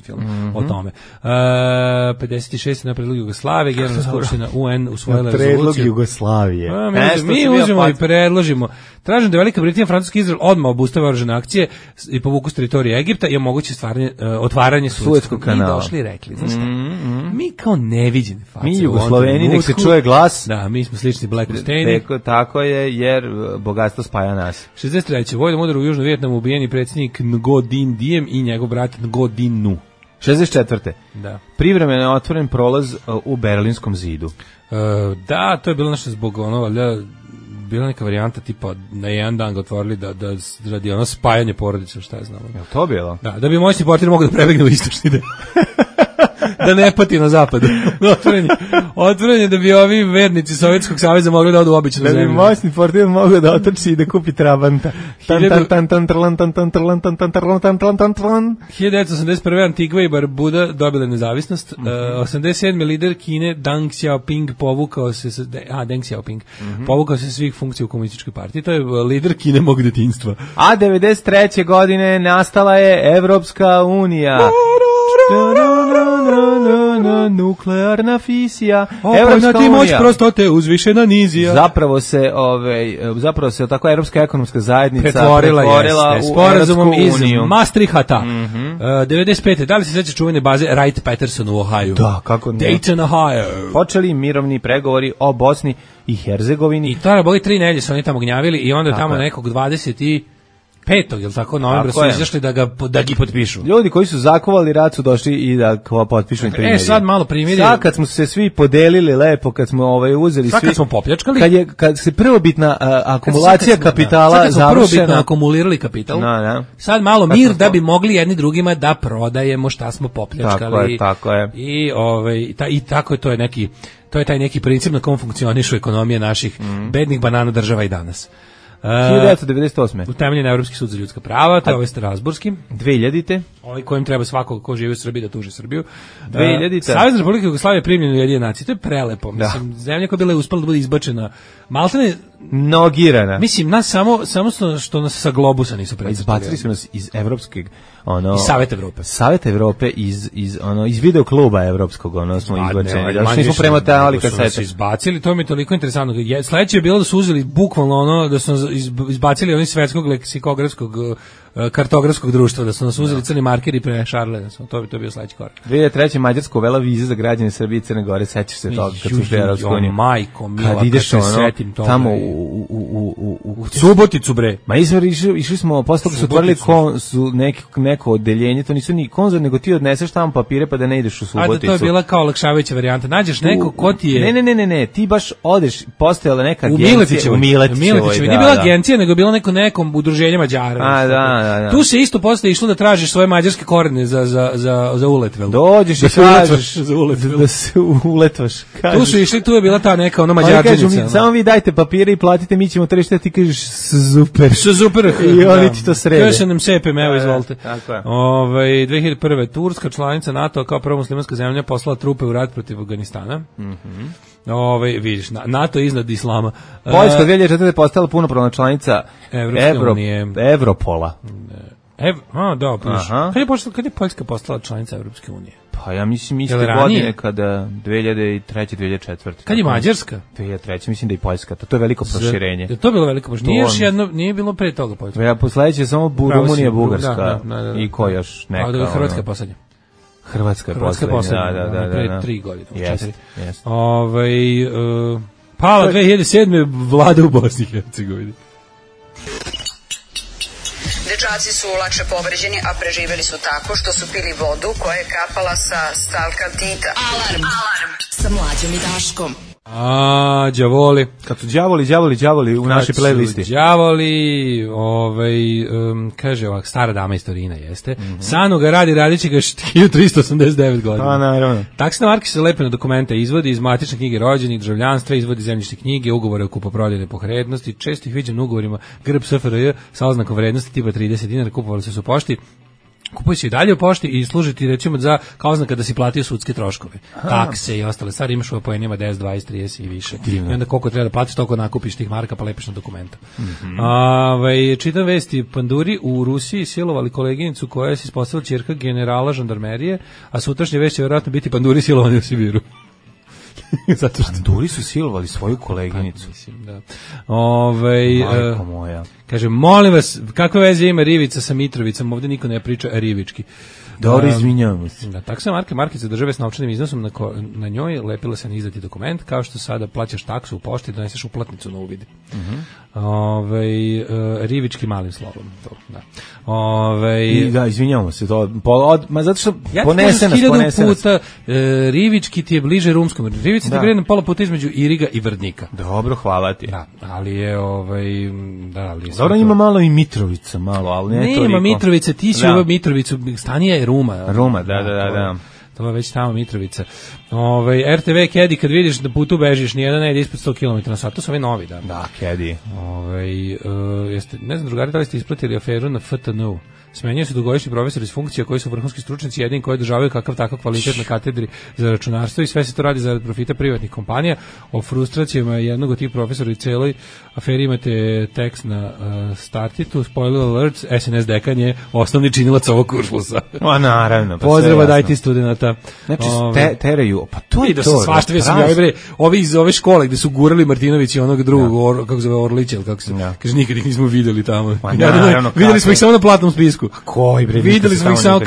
Speaker 5: film o tome. 56. na predlog Jugoslavije, Generalna skupština UN usvojila rezoluciju.
Speaker 6: Predlog Jugoslavije.
Speaker 5: Mi uzmemo i predložimo. Tražim da Velika Britanija, Francuski Izrael odmah obustave oružane akcije i povuku s teritorije Egipta i omogući otvaranje Suetskog kanala. Mi došli i rekli, znaš šta, mi kao neviđeni face.
Speaker 6: Mi Jugosloveni, nek se čuje glas.
Speaker 5: Da, mi smo slični Black Husseini.
Speaker 6: Tako je, jer bogatstvo spaja nas.
Speaker 5: 63. Vojnom udaru u Južnom Vijetnamu ubijeni predsjednik Ngo Dinh Diem i njegov brat Ngo Dinh Nu.
Speaker 6: 64.
Speaker 5: Da.
Speaker 6: Privremeno je otvoren prolaz u Berlinskom zidu.
Speaker 5: Da, to je bilo nešto zbog bila neka varijanta tipa na jedan dan ga otvorili da radi spajanje porodice, šta je znamo.
Speaker 6: Je to bilo?
Speaker 5: Da bi moćni portir mogao da prebegne u istočni deo. Da ne pati na zapadu. Otvorenje da bi ovi vernici Sovjetskog saveza mogli da odu u običnu zemlju.
Speaker 6: Da bi moćni portir mogao da otrči i da kupi Trabanta.
Speaker 5: 1981. Antigva i Barbuda dobile nezavisnost. 87. lider Kine Deng Xiaoping povukao se povukao se svih funkcija u komunističkoj partiji. To je lider Kine mog detinjstva.
Speaker 6: A 93. godine nastala je Evropska unija. Nuklearna fisija.
Speaker 5: Evropska unija. Moć prostote uzvišena nizija.
Speaker 6: Zapravo se tako Evropska ekonomska zajednica
Speaker 5: pretvorila u sporazumom iz Maastrichta. 95. Da li se seća čuvene baze Wright-Patterson u Ohio?
Speaker 6: Da, kako ne.
Speaker 5: Dayton, Ohio.
Speaker 6: Počeli mirovni pregovori o Bosni i Hercegovini.
Speaker 5: I to je boli 3 nedelje su oni tamo gnjavili i onda tamo nekog 25. jel tako, novembra su izašli da gi potpišu.
Speaker 6: Ljudi koji su zakovali rat su došli i da potpišu primirje.
Speaker 5: Sad malo primirje.
Speaker 6: Sad kad smo se svi podelili lepo, kad smo uzeli
Speaker 5: sad
Speaker 6: svi.
Speaker 5: Kad smo popljačkali.
Speaker 6: Kad se prvobitna akumulacija kapitala završena. Sad kad smo prvobitno
Speaker 5: akumulirali kapital. Sad malo mir da bi mogli jedni drugima da prodajemo šta smo popljačkali.
Speaker 6: Tako je.
Speaker 5: I tako je, to je taj neki princip na kom funkcionišu ekonomije naših bednih banana država i danas.
Speaker 6: 1998.
Speaker 5: Utemeljen Evropski sud za ljudska prava, to je ovaj Strasburski.
Speaker 6: 2000.
Speaker 5: kojim treba svako ko živi u Srbiji da tuži Srbiju.
Speaker 6: 2000.
Speaker 5: Savezna Republika Jugoslavija je primljena u Ujedinjene nacije. To je prelepo. Mislim, zemlja koja je bila uspela da bude izbačena, maltene
Speaker 6: nogirana.
Speaker 5: Mislim, nas samo što nas sa globusa nisu preuzeli.
Speaker 6: Izbacili su nas iz evropskog
Speaker 5: iz Saveta Evrope.
Speaker 6: Saveta Evrope iz video kluba evropskog, smo izbačeni. Da smo premotavali kasete.
Speaker 5: Su izbacili, to mi je toliko interesantno. Sledeće je bilo da su uzeli bukvalno da su izbacili oni svetskog leksikografskog kartografskog društva, da su nas uzeli crni markeri pre Šarle, to je bio sledeći korak.
Speaker 6: 2003. Mađarska uvela vize za građane Srbije i Crne Gore, sećaš se toga kad su ušli u Evropsku uniju.
Speaker 5: Majko mila,
Speaker 6: kad ideš tamo
Speaker 5: u Suboticu, bre.
Speaker 6: Ma išli smo, posle toga su otvorili neko odeljenje, to nisu ni konzul, nego ti odneseš tamo papire pa da ne ideš u Suboticu.
Speaker 5: A da, to je bila kao olakšavajuća varijanta. Nađeš neko ko ti je...
Speaker 6: Ne, ti baš odeš, postojala neka agencija
Speaker 5: u Miletićevoj. Nije bila agencija, nego bilo nekom udruženje Mađara.
Speaker 6: Da.
Speaker 5: Tu se isto posle išlo da tražiš svoje mađarske korene za uletvel.
Speaker 6: Dođeš i kažeš da se uletvaš.
Speaker 5: Tu su išli, tu je bila ta neka mađarčenica.
Speaker 6: Samo vi dajte papire i platite, mi ćemo trešiti, ti kažeš super. I oni ti to srede.
Speaker 5: Kaže nam sepem, evo izvolite.
Speaker 6: Tako je.
Speaker 5: 2001. Turska, članica NATO, kao prva muslimanska zemlja, poslala trupe u rat protiv Afganistana. Vidiš, NATO je iznad islama.
Speaker 6: Poljska 2004. postala punopravna članica Evropola.
Speaker 5: Kad je Poljska postala članica Evropske unije?
Speaker 6: Pa ja mislim iste godine kada 2003. 2004.
Speaker 5: Kad je Mađarska?
Speaker 6: 2003. Mislim da i Poljska. To je veliko proširenje.
Speaker 5: To je bilo veliko proširenje. Nije bilo pre toga Poljska.
Speaker 6: Ja posledeće samo Rumunija, Bugarska i ko još neka.
Speaker 5: A Hrvatska je poslednja.
Speaker 6: Hrvatska je poslednja. Da.
Speaker 5: Pre 3 godine.
Speaker 6: Jest.
Speaker 5: Pala 2007. vlada u Bosni i Hercegovini.
Speaker 1: Dečaci su lakše povređeni, a preživeli su tako što su pili vodu koja je kapala sa stalkaltita.
Speaker 3: Alarm sa Mlađom i Daškom.
Speaker 5: Đavoli.
Speaker 6: Kad su đavoli u našoj playlisti.
Speaker 5: Đavoli, kaže ovak, stara dama istorina jeste. Sanu ga radit će ga 1389 godina.
Speaker 6: Pa, naravno.
Speaker 5: Taksna marka se lepe na dokumente izvodi iz matične knjige rođenih, državljanstva, izvodi zemljišne knjige, ugovore o kupoprodajnoj pohrednosti, često ih viđam na ugovorima grb SFRJ sa oznakom vrednosti tipa 30 dinara, kupovali se u pošti. Kupuje se i dalje u pošti i služiti recimo za kao oznaka da si platio sudske troškove, takse i ostale stvari, imaš u poenima 10, 20, 30 i više. Divno. I onda koliko treba da platiš, toliko nakupiš tih marka pa lepiš na dokumenta. Čitam vesti, panduri u Rusiji silovali koleginicu koja je se ispostavila ćerka generala žandarmerije, a sutrašnje već će vjerojatno biti panduri silovani u Sibiru. Zato što
Speaker 6: panduri su silovali svoju koleginicu.
Speaker 5: Mislim, da.
Speaker 6: Majko moja.
Speaker 5: Kaže, molim vas, kakve veze ima Rivica sa Mitrovicom? Ovdje niko ne priča rivički.
Speaker 6: Dobro, izvinjavamo se.
Speaker 5: Da, taksa markica države s novčanim iznosom na njoj lepila se na izdati dokument, kao što sada plaćaš taksu u pošti i doneseš uplatnicu na uvid. Rivički malim slovom. To, da.
Speaker 6: Da, izvinjavamo se. Zato što ponese nas.
Speaker 5: Puta, Rivički ti je bliže rumskom. Rivica ti je pola puta između Iriga i Vrdnika.
Speaker 6: Dobro, hvala ti.
Speaker 5: Da, ali je
Speaker 6: dobro, ima malo i Mitrovica, ali ne toliko.
Speaker 5: Nema Mitrovica, ti si u Mitrovicu, Stanija je Ruma.
Speaker 6: Ruma, da.
Speaker 5: To je već tamo Mitrovica. RTV Kedi, kad vidiš da putu bežiš, nijedan ne ide ispod 100 km/h, to su ovi novi, da.
Speaker 6: Da, Kedi.
Speaker 5: Ne znam, drugari, da li ste isplatili aferu na FTN-u? Smenjuju se dugogodišnji profesori iz funkcija koji su vrhunski stručnjaci, jedini koji održavaju kakav takav kvalitet na katedri za računarstvo i sve se to radi zarad profita privatnih kompanija. O frustracijama jednog od tih profesora i celoj aferi imate tekst na Startitu, spoiler alert, SNS dekan je osnovni činilac ovog kuršlusa.
Speaker 6: Naravno.
Speaker 5: Pozdrava dajte studenata.
Speaker 6: Znači, teraju, pa to je
Speaker 5: to. Svašta ovi iz ove škole gde su gurali Martinović i onog drugog, kako zove Orlića, ili kako se, kaže, nikad ih nismo videli tamo. Videli smo ih samo na platnom spisku.
Speaker 6: Koji bre?
Speaker 5: Videli smo ih samo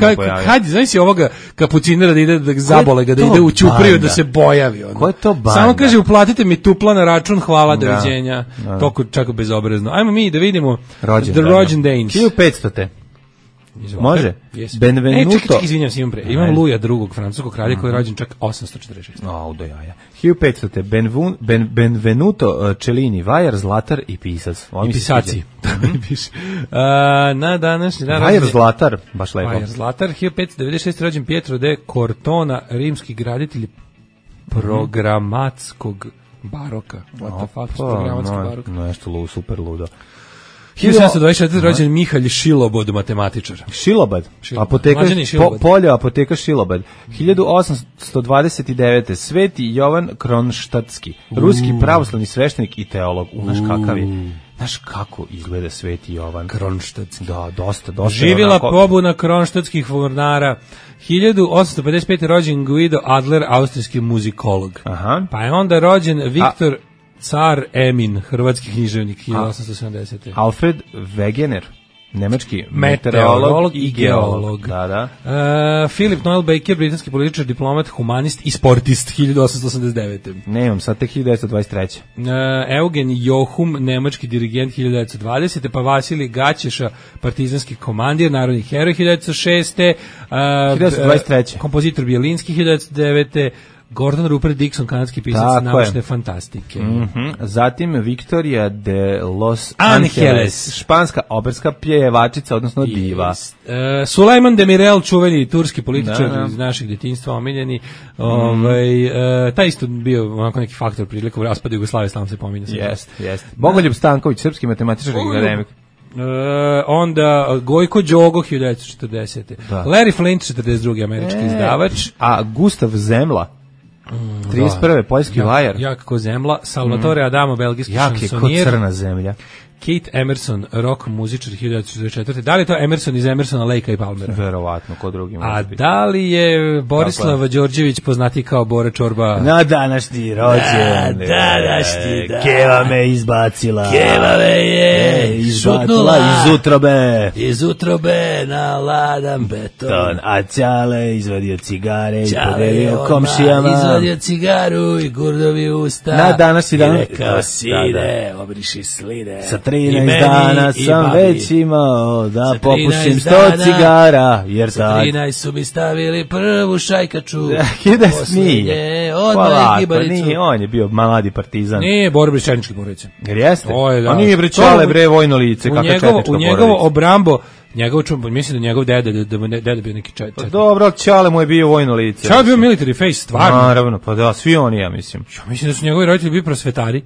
Speaker 5: hajde, znaš si ovoga kapucinera da ide da zabole ga, da ide u ćupriju da se bojavi.
Speaker 6: Ko je to banda?
Speaker 5: Samo kaže, uplatite mi tupla na račun, hvala, doviđenja. Toko čak bezobrazno. Ajmo mi da vidimo The Rođendanes.
Speaker 6: 1500. Može? Benvenuto.
Speaker 5: Čekaj, izvinjam se, imam Luja drugog, francuskog kralja koji je rođen čak 846.
Speaker 6: Do jaja. 1500. Benvenuto Cellini, vajar, zlatar i pisac.
Speaker 5: I pisaci. Na današnji dan...
Speaker 6: Vajar, zlatar, baš lepo.
Speaker 5: Vajar, zlatar, 1596. rođen Pietro de Cortona, rimski graditelj programatskog baroka. What the fuck, programatski barok?
Speaker 6: Nešto super ludo.
Speaker 5: 1724. rođen Mihalj Šilobod, matematičar.
Speaker 6: Šilobad? Polje apoteka Šilobad. 1829. Sveti Jovan Kronštatski, ruski pravoslavni sveštenik i teolog. Znaš kakav je? Znaš kako izgleda Sveti Jovan
Speaker 5: Kronštatski?
Speaker 6: Da, dosta.
Speaker 5: Živjela pobuna kronštatskih mornara. 1855. rođen Guido Adler, austrijski muzikolog.
Speaker 6: Aha.
Speaker 5: Pa je onda rođen Viktor Car Emin, hrvatski književnik, 1870.
Speaker 6: Alfred Wegener, nemački meteorolog i geolog. Da.
Speaker 5: Philip Noel Baker, britanski političar, diplomat, humanist i sportist, 1889.
Speaker 6: Nemam, sad tek 1923.
Speaker 5: Eugen Johum, nemački dirigent, 1920. Pa Vasilij Gaćeša, partizanski komandir, narodni heroj, 1906.
Speaker 6: 1923.
Speaker 5: Kompozitor Bjelinski, 1909. Gordon Rupert Dixon, kanadski pisac naučne fantastike.
Speaker 6: Zatim Victoria de Los Angeles, španska operska pjevačica, odnosno diva.
Speaker 5: Sulejman Demirel, čuveni turski političar iz našeg djetinjstva, omiljeni. Taj isto bio onako neki faktor prilikom raspada Jugoslavije, slavno se pominje.
Speaker 6: Jeste. Bogoljub Stanković, srpski matematičar i akademik.
Speaker 5: Onda Gojko Đogo, 1940. Larry Flint, 42. američki izdavač.
Speaker 6: A Gustav Zemla, 31. poljski vajar.
Speaker 5: Jak ko zemla. Salvatore Adamo, belgijski šansonijer.
Speaker 6: Jak je ko crna zemlja.
Speaker 5: Kate Emerson, rock muzičar, 1944. Da li je to Emerson iz Emersona, Lakea i Palmera?
Speaker 6: Verovatno, ko drugi.
Speaker 5: A da li je Borislav Đorđević poznati kao Bora Čorba?
Speaker 6: Na današnji rođen. Keva me izbacila.
Speaker 5: Keva me je
Speaker 6: izbacila iz utrobe
Speaker 5: na ladan beton.
Speaker 6: A Ćale izvadio cigare i podelio komšijama.
Speaker 5: Izvadio cigaru i gurdovi usta.
Speaker 6: Na današnji dan.
Speaker 5: I rekao, sine, obriši sline.
Speaker 6: Sa 13 dana sam već imao da popušim 100 cigara, jer
Speaker 5: sa 13 su mi stavili prvu šajkaču.
Speaker 6: Posljednje, odmah gibaricu. On je bio mladi partizan.
Speaker 5: Nije, Borbe Četničke porodice.
Speaker 6: Jer jeste? A nije bre Ćale, bre, vojno lice, kakva četnička porodica.
Speaker 5: U njegovo obrambo, mislim da njegov deda bio neki četnik.
Speaker 6: Dobro, Ćale mu je bio vojno lice.
Speaker 5: Ćale bio military face, stvarno.
Speaker 6: Naravno, pa da, svi oni, ja mislim.
Speaker 5: Ja mislim da su njegovi roditelji bili prosvetari.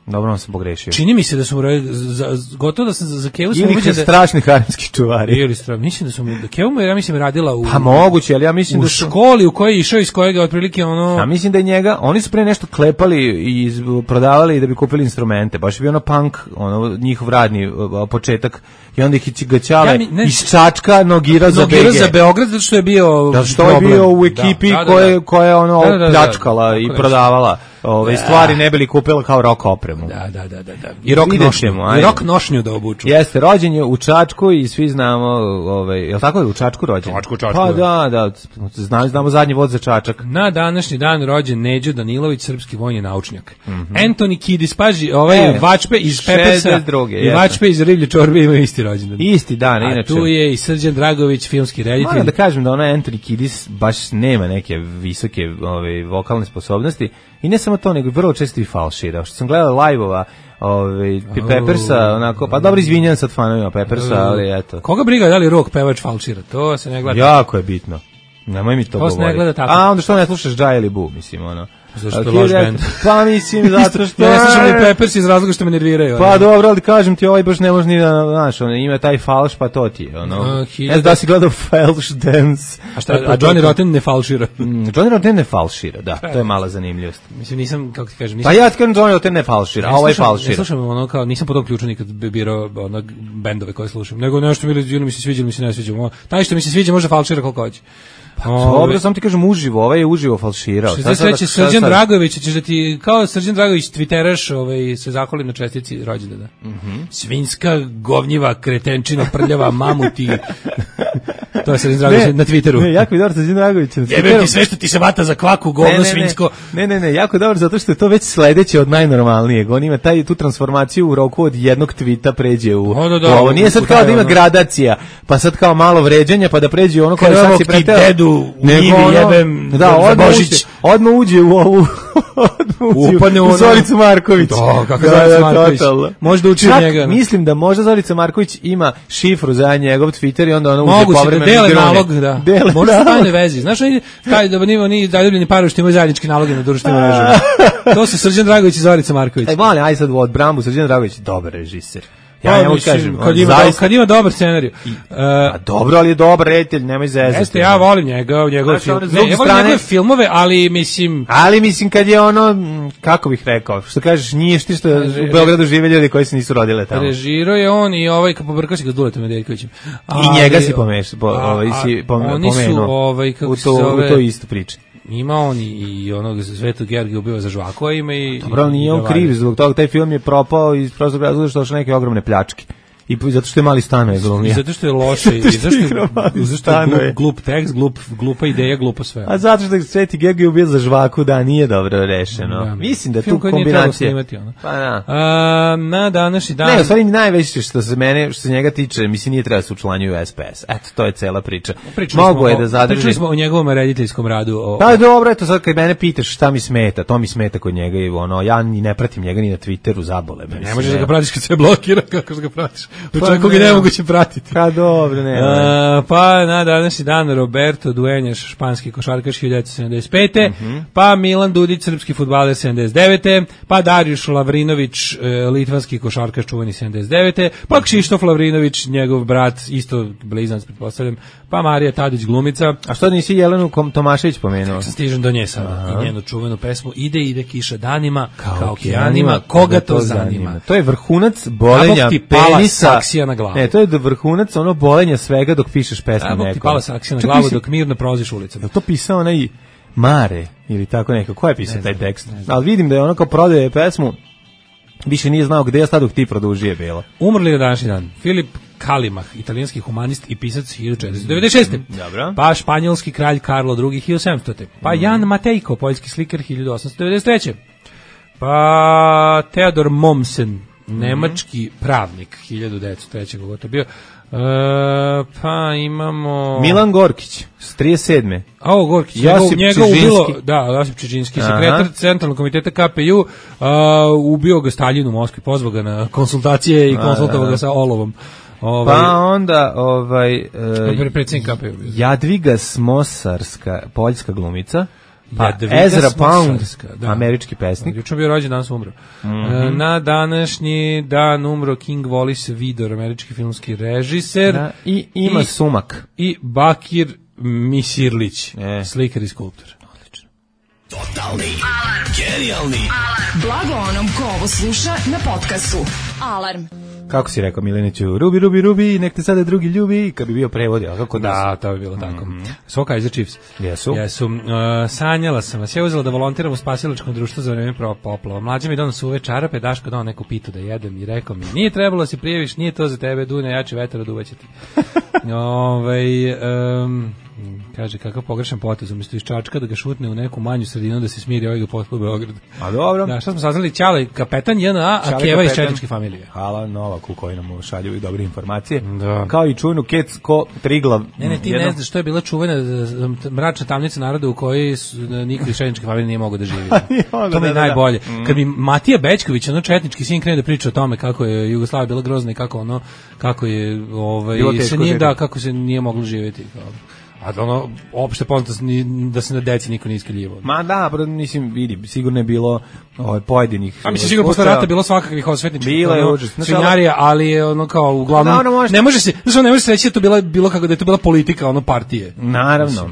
Speaker 6: Dobro, on sam pogrešio.
Speaker 5: Čini mi se da su gotovo da sam za Kevu sam
Speaker 6: uviđen da strašni harimski čuvari.
Speaker 5: Ili strašni. Mislim da su da Kevu mu ja mislim radila u
Speaker 6: Pa moguće, ali ja mislim
Speaker 5: da školi u kojoj je išao iz kojega otprilike ono.
Speaker 6: Ja mislim da je njega, oni su pre nešto klepali i prodavali da bi kupili instrumente. Baš je bio ono punk, ono njihov radni početak. I onda ih ga Ćale iz Čačka nogirao za
Speaker 5: Beograd zato što je bio
Speaker 6: da što je bio u ekipi koja je ono pljačkala i prodavala ove stvari ne bili kupila kao rock opremu.
Speaker 5: Da. I rock nošnju da obuču.
Speaker 6: Jeste, rođen je u Čačku i svi znamo, jel tako je u Čačku rođen?
Speaker 5: Čačku.
Speaker 6: Pa da, znamo zadnji vod za Čačak.
Speaker 5: Na današnji dan rođen Neđo Danilović, srpski vojni naučnjak. Anthony Kiddis, paži, Vačpe iz Peppersa i Vačpe iz Riblje čorbe imaju isti rođendan.
Speaker 6: Isti dan, inače.
Speaker 5: A tu je i Srđan Dragović, filmski reditelj.
Speaker 6: Moram da kažem da Anthony Kiddis baš nema neke visoke vokalne sposobnosti i ne samo to, nego vrlo često i falšira. Što sam gledao live-ova Peppersa, onako, pa dobro izvinjam sad fanovima Peppersa, ali eto.
Speaker 5: Koga briga da li rock pevač falšira? To se ne gleda.
Speaker 6: Jako je bitno. Nemoj mi to govoriti.
Speaker 5: To se ne gleda tako.
Speaker 6: A onda što ne slušaš Džaj ili Bu, mislim, ono.
Speaker 5: Zašto je loš band?
Speaker 6: Pa mislim, zato što...
Speaker 5: Ja ne slušam ni Peppers iz razloga što me nerviraju.
Speaker 6: Pa dobro, ali kažem ti, ovaj baš ne može ni da, znaš, ima taj falš, pa to ti je, ono. Ne znam da si gledao Falš Dance.
Speaker 5: A Johnny Rotten ne falšira?
Speaker 6: Johnny Rotten ne falšira, da, to je mala zanimljivost.
Speaker 5: Mislim, nisam, kako ti kažem,
Speaker 6: pa ja ti kažem Johnny Rotten ne falšira, a ovaj falšira.
Speaker 5: Ne slušam ono kao, nisam po tom ključu nikad birao bendove koje slušam, nego nešto mi se sviđa, mi se ne sviđa. Taj što mi se sviđa može falšira koliko hoće.
Speaker 6: Pa dobro, sam ti kažem uživo, ovaj je uživo falširao.
Speaker 5: Što se reći Srđan Dragović, ćeš da ti, kao Srđan Dragović, twitteraš, se zahvali na čestici rođendana. Svinjska, govnjiva, kretenčina, prljava, mamuti. To je Srđan Dragović na Twitteru.
Speaker 6: Ne, jako je dobro Srđan Dragović na Twitteru.
Speaker 5: Jebe ti sve što ti se vata za kvaku, govno, svinjsko.
Speaker 6: Ne, jako je dobro zato što je to već sledeće od najnormalnijeg. On ima tu transformaciju u roku od jednog tvita pređe u ovo. Nije sad kao da ima gradacija, pa sad kao malo vređanja, pa da pređe ono koje sad si preteo.
Speaker 5: Njivi jebem
Speaker 6: odmah uđe u ovu u Zoricu Marković.
Speaker 5: Kako Zorica Marković? Možda uči njega.
Speaker 6: Mislim da možda Zorica Marković ima šifru za njegov Twitter i onda ona uđe
Speaker 5: povremeno. Moguće da dele nalog, da. Možda su tajne vezi. Znaš, oni zaljubljeni parovi što imaju zajednički naloge na društvenim mrežama. To su Srđan Dragović i Zorica Marković.
Speaker 6: Aj sad u odbrambu Srđan Dragović, dobar režiser. Ja ne mogu kažem.
Speaker 5: Kad ima dobar scenarij.
Speaker 6: Dobro, ali je dobar reditelj, nemoj zezati.
Speaker 5: Jeste, ja volim njegove njegove filmove, ali mislim
Speaker 6: kad je ono, kako bih rekao, što kažeš, nije što u Beogradu žive ljudi koji se nisu rodile tamo.
Speaker 5: Režirao je on i pobrkao si ga s Duletom Nedeljkovićem.
Speaker 6: I njega si pomenuo.
Speaker 5: Kako se zove?
Speaker 6: U to isto priče.
Speaker 5: Ima on i onog Svetog Georgija ubio za žvakova ima i...
Speaker 6: Dobro, nije on kriv zbog toga, taj film je propao iz prostog razloga što došle neke ogromne pljačke. I zato što je mali stanove glumio.
Speaker 5: I zato što je loše, i zašto je glup tekst, glupa ideja, glupo sve.
Speaker 6: A zato što je Sveti Georgij ubio za žvaku, da, nije dobro rešeno. Da. Mislim da tu kombinacija. Pa da.
Speaker 5: Na današnji dan...
Speaker 6: Ne, u stvari najveće što se njega tiče, mislim nije treba se učlanjuju SPS. Eto, to je cela priča. Mogu je da zadrži.
Speaker 5: Pričali smo o njegovom rediteljskom radu.
Speaker 6: Pa dobro, eto sad kad mene pitaš šta mi smeta, to mi smeta kod njega i ja ni ne pratim njega ni na Twitteru, zabole me.
Speaker 5: Ne možeš da ga pratiš kad se blokira, kako ga pratiš. Čovjek koga ne moguće pratiti.
Speaker 6: Pa dobro, ne.
Speaker 5: Pa na današnji dan Roberto Dueñas, španski košarkaš 1975. Pa Milan Dudić, srpski fudbaler 79. Pa Darijuš Lavrinović, litvanski košarkaš čuveni 79. Pa Kšištof Lavrinović, njegov brat, isto blizanac pretpostavljam. Pa Marija Tadić glumica.
Speaker 6: A što nisi Jelenu Tomašević pomenuo?
Speaker 5: Sam stižem do nje sada. I njenu čuvenu pesmu Ide kiša danima, kao okeanima, koga to zanima.
Speaker 6: To je vrhunac bolenja penisa.
Speaker 5: Na glavu.
Speaker 6: Ne, to je vrhunac ono bolenja svega dok pišeš pesmu nekom.
Speaker 5: Ti pala saksija na glavu dok mirno prolaziš ulicom.
Speaker 6: Je to pisao onaj Mare ili tako neko? Ko je pisao taj tekst? Ali vidim da je ono kao prodaje pesmu, više nije znao gde je sad dok ti produžije bilo.
Speaker 5: Umrli na današnji dan Filip Kalimah, italijanski humanist i pisac 1496.
Speaker 6: Dobro.
Speaker 5: Pa španjolski kralj Karlo II 1700. Pa Jan Matejko, poljski slikar 1893. Pa Teodor Mommsen, nemački pravnik 1903. kako to bio. Pa imamo
Speaker 6: Milan Gorkić s 37.
Speaker 5: Gorkić, njega ubilo, Josip Čižinski, sekretar Centralnog komiteta KPU, ubio ga Staljin u Moskvi, pozvao ga na konsultacije i konsultovao ga sa olovom.
Speaker 6: Pa onda
Speaker 5: predsjednik KPU.
Speaker 6: Jadviga Smosarska, poljska glumica. Pa Ezra Pound, američki pesnik.
Speaker 5: Juče bio rođen, danas umro. Na današnji dan umro King Wallace Vidor, američki filmski režiser.
Speaker 6: I ima Sumak.
Speaker 5: I Bakir Misirlić, slikar i skulptor. Odlično.
Speaker 7: Totalni alarm. Genijalni alarm. Blago onom ko ovo sluša na podcastu. Alarm.
Speaker 6: Kako si rekao Mileniću, rubi, rubi, rubi, nek te sada drugi ljubi, kad bi bio prevod, ali kako
Speaker 5: da, to bi bilo tako. So Kaiser Chiefs.
Speaker 6: Jesu.
Speaker 5: Sanjala sam vas, ja uzela da volontiram u spasilačkom društvu za vreme poplava. Mlađa mi donosu suve čarape, Daško dao neku pitu da jedem i rekao mi, nije trebalo da se prijaviš, nije to za tebe, Dunja, jači vetar oduvaće ti. Kaže, kakav pogrešan potez, umjesto iz Čačka da ga šutne u neku manju sredinu da se smiri, ovaj ga potpuno Beograd.
Speaker 6: A dobro.
Speaker 5: Da, šta smo saznali, Ćale, kapetan JNA, a Keva iz četničke familije.
Speaker 6: Hvala Novaku koji nam šalju i dobre informacije. Da. Kao i čuvenu Kecko Triglav.
Speaker 5: Ne, ti ne znaš što je bila čuvena mračna tamnica naroda u kojoj niko iz četničke familije nije mogao da živi. To mi je najbolje. Kad mi Matija Bećković, ono četnički sin, krene da priča o tome kako je Jugoslavija bila grozna i kako se nije moglo živjeti. A ono, opšte poznato da se na deci niko nije iskrivljivao.
Speaker 6: Ma da, mislim, vidi, sigurno je bilo pojedinih...
Speaker 5: A mislim, sigurno posle rata bilo svakakvih osvetničkih
Speaker 6: svinjarija,
Speaker 5: ali je ono kao, uglavnom, ne može se reći da je to bilo kako da je to bila politika, ono, partije.
Speaker 6: Naravno.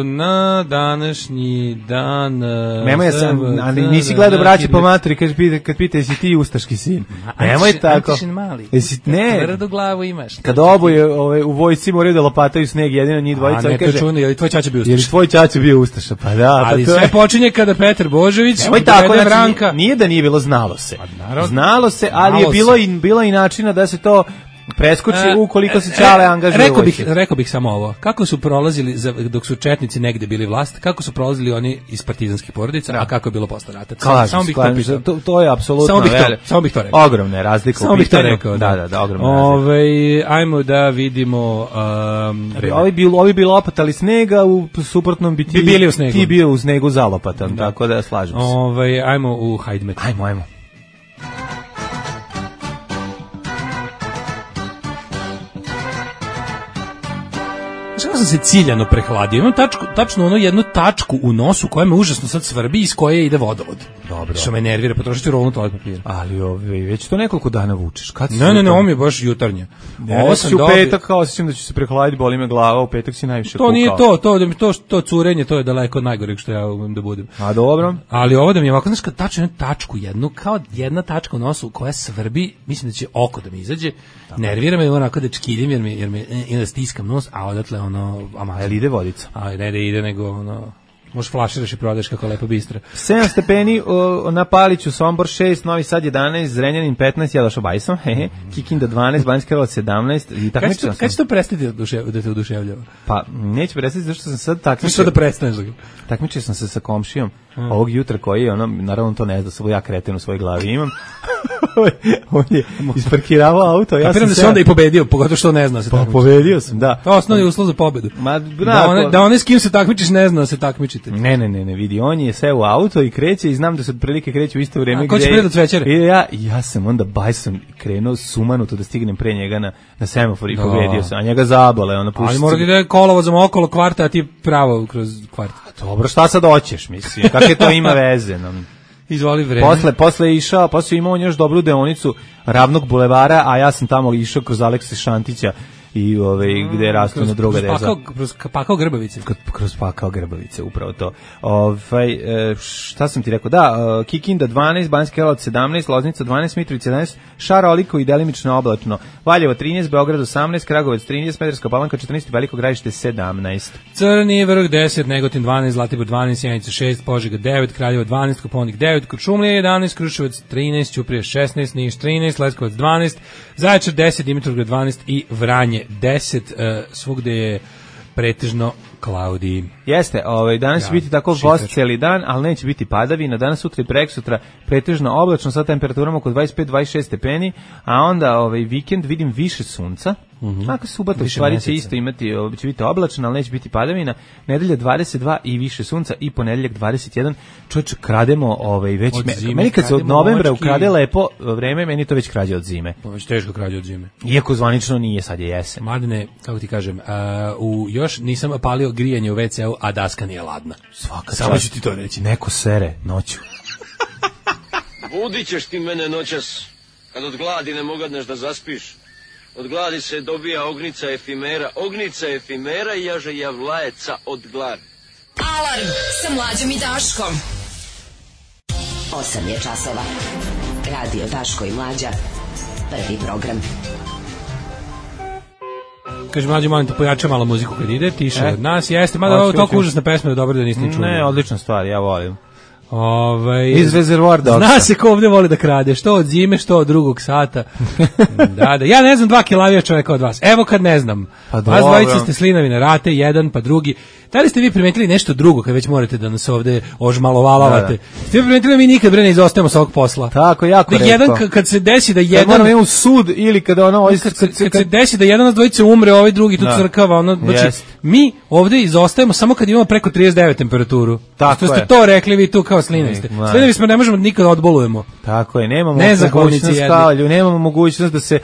Speaker 5: Na današnji dan
Speaker 6: nemoj sam, ali nisi gledao Braće po materi kad pita jesi ti ustaški sin. Nemoj tako.
Speaker 5: Ne, tvrdu glavu imaš.
Speaker 6: Kad oboje u vojsci moraju da lopataju sneg, jedino njih dvojica, on kaže,
Speaker 5: je li tvoj ćaća bio ustaša?
Speaker 6: Je li tvoj ćaća bio ustaša? Pa da.
Speaker 5: Ali sve počinje kada Petar Božović,
Speaker 6: nije da nije bilo, znalo se. Ali je bilo i načina da se to preskoči ukoliko se Ćale angažuje.
Speaker 5: Rekao bih samo ovo. Kako su prolazili dok su četnici negde bili vlast, kako su prolazili oni iz partizanskih porodica, a kako je bilo posle rata. Samo bih to pitao.
Speaker 6: To je apsolutno
Speaker 5: samo bih to rekao.
Speaker 6: Ogromne razlike u pitanju.
Speaker 5: Samo bih to rekao.
Speaker 6: Da, ogromne razlike.
Speaker 5: Ajmo da vidimo
Speaker 6: ovi bi lopatali snega, u suprotnom bi ti bio u snegu zalopatan, tako da slažem se.
Speaker 5: Ajmo u Hajdmet.
Speaker 6: Ajmo.
Speaker 5: Što sam se ciljano prehladio. Imam tačno jednu tačku u nosu koja me užasno sad svrbi, iz koje ide vodovod.
Speaker 6: Dobro.
Speaker 5: Što me nervira, potrošit ću rolnu toalet papira.
Speaker 6: Ali već to nekoliko dana vučeš. Kad
Speaker 5: ne, ovo mi je baš jutarnje.
Speaker 6: Ovo sam u petak, kao osjećam da ću se prehladiti, boli me glava, u petak si najviše kukao.
Speaker 5: To nije to curenje, to je daleko od najgoreg što ja umem da budem.
Speaker 6: A dobro.
Speaker 5: Ali ovo da mi je ovako, znaš, kad tačno tačku jednu, kao jedna tačka u nosu koja svrbi, mislim da će oko da mi izađe, nervira me onako da čkiljim, jer me da stiskam nos, a odatle ono...
Speaker 6: Jel ide vodica?
Speaker 5: A ne da ide, nego ono... Možeš flaširaš i prodaš kako lepo bistra.
Speaker 6: 7 stepeni na Paliću, Sombor 6, Novi Sad 11, Zrenjanin 15, ja došao bajsom, Kikinda 12, Banjska Karlovac 17 i takmičio sam.
Speaker 5: Kad će to prestati da te oduševljava?
Speaker 6: Pa neće prestati zašto sam sad takmičio.
Speaker 5: Što da prestaneš?
Speaker 6: Takmičio sam se sa komšijom ovog jutra koji je, naravno to ne zna, samo ja kreten u svojoj glavi imam. On je isparkiravao auto. Ja
Speaker 5: sam da se onda i pobedio, pogotovo što ne zna se takmiči.
Speaker 6: Pobedio sam, da.
Speaker 5: To je osnovni uslov za pobedu. Da one s kim se takmičiš ne zna da se takmičite.
Speaker 6: Ne, vidi, on je seo u auto i kreće i znam da se otprilike kreće u isto vrijeme.
Speaker 5: A ko će pre do cvećere?
Speaker 6: Ja sam onda bajsom krenuo sumanuto da stignem pre njega na semafor i pobedio sam, a njega zabole.
Speaker 5: Ali mora da ide kolovozom okolo kvarta, a ti pravo kroz kvart.
Speaker 6: Dobro, šta sad hoćeš, mislim, kakve to ima veze?
Speaker 5: Izvoli vreme.
Speaker 6: Posle je imao još dobru deonicu Ravnog bulevara, a ja sam tamo išao kroz Alekse Šantića i gde je rastu na druga deza.
Speaker 5: Kroz Pakao Grbavice.
Speaker 6: Kroz Pakao Grbavice, upravo to. Šta sam ti rekao? Da, Kikinda 12, Banjska Karlovac 17, Loznica 12, Mitrovica 11, Šaroliko i delimično oblačno. Valjevo 13, Beograd 18, Kragujevac 13, Smederevska Palanka 14, Veliko Gradište 17.
Speaker 5: Crni vrh 10, Negotin 12, Zlatibor 12, Sjenica 6, Požega 9, Kraljevo 12, Koponik 9, Kuršumlija 11, Kruševac 13, Ćuprija 16, Niš 13, Leskovac 12, Zaječar 10, Dimitrovgrad 12 i Vranje 10, svugde je pretežno cloudy.
Speaker 6: Jeste, danas će biti tako vost cijeli dan, ali neće biti padavina. Danas, sutra i preksutra pretežno oblačno sa temperaturama oko 25-26 stepeni, a onda vikend vidim više sunca. Ako subota u stvari će isto imati, će biti oblačno, ali neće biti padavina. Nedelja 22 i više sunca i ponedeljak 21. Čovječe, krademo već... Meni kad se od novembra ukrade lepo vreme, meni to već krađe od zime.
Speaker 5: Već teško krađe od zime.
Speaker 6: Iako zvanično nije, sad je jesen.
Speaker 5: Mladine, kako ti kažem, još nisam palio grijanje u WC-u, a daska nije ladna.
Speaker 6: Svaka
Speaker 5: samo ću ti to reći.
Speaker 6: Neko sere noću.
Speaker 8: Budit ćeš ti mene noćas, kad od gladi ne mogadneš da zaspiš. Od gladi se dobija ognica efimera i jaže javlajeca od gladi.
Speaker 7: Alarm sa Mlađom i Daškom. 8 je časova. Radio Daško i Mlađa. Prvi program.
Speaker 5: Kaže, Mlađe, molim te, pojača malo muziku kad ide, tiše od nas, jeste, mada ovo je toliko užasna pesma da dobro da niste čuli.
Speaker 6: Ne, odlična stvar, ja volim. Iz Reservoir Dogsa.
Speaker 5: Zna se ko ovdje voli da krade, što od zime, što od drugog sata. Da, ja ne znam 2 kilavija čoveka od vas. Evo kad ne znam. Vas dvojice ste slinavi na rate, jedan pa drugi. Da li ste vi primetili nešto drugo kad već morate da nas ovde ožmalovalavate? Ste vi primetili da mi nikad ne izostajemo sa ovog posla?
Speaker 6: Tako, jako retko.
Speaker 5: Jedan, kad se desi da jedan...
Speaker 6: Moramo imati u sud ili kada
Speaker 5: kad se desi da jedan od dvojice umre, ovaj drugi tu crkava. Znači, mi ovde izostajemo samo kad imamo preko 39 temperaturu. Što ste to rekli vi tu kao slinavi ste. Slinavi smo, ne možemo nikad odbolujemo.
Speaker 6: Tako je, nemamo mogućnost da se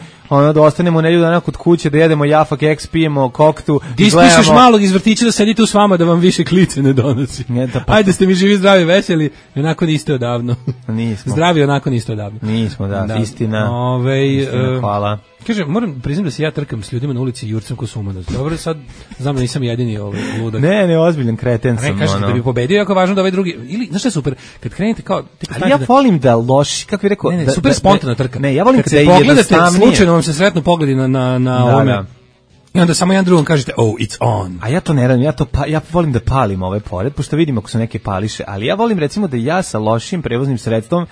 Speaker 6: da ostanemo nedelju dana kod kuće, da jedemo Jafak X, pijemo koktu.
Speaker 5: Ti ispišeš malog iz vrtića da sedite u s vama da vam više klice ne donosi. Ajde, ste mi živi, zdravi, veseli, onako niste odavno.
Speaker 6: Nismo.
Speaker 5: Zdravi, onako niste odavno.
Speaker 6: Nismo, da. Istina, hvala.
Speaker 5: Kaže, moram priznam da se ja trkam s ljudima na ulici i jurcam ko sumanuc. Dobro, sad znam da nisam jedini ludak.
Speaker 6: Ne, ozbiljan kreten sam.
Speaker 5: Kažete da bi pobedio, jako važno da ovaj drugi, ili, znaš šta je super, kad krenete kao...
Speaker 6: Ali ja volim da loši, kako bih rekao...
Speaker 5: Ne, super spontana trka.
Speaker 6: Ne, ja volim
Speaker 5: kad se pogledate, slučajno vam se sretnu pogledi na ovome. I onda samo jedan drugom kažete, oh, it's on.
Speaker 6: A ja to ne radim, ja volim da palim ove pored, pošto vidim ako su neke pališe, ali ja volim recimo da ja sa lošim prevoznim sredstvom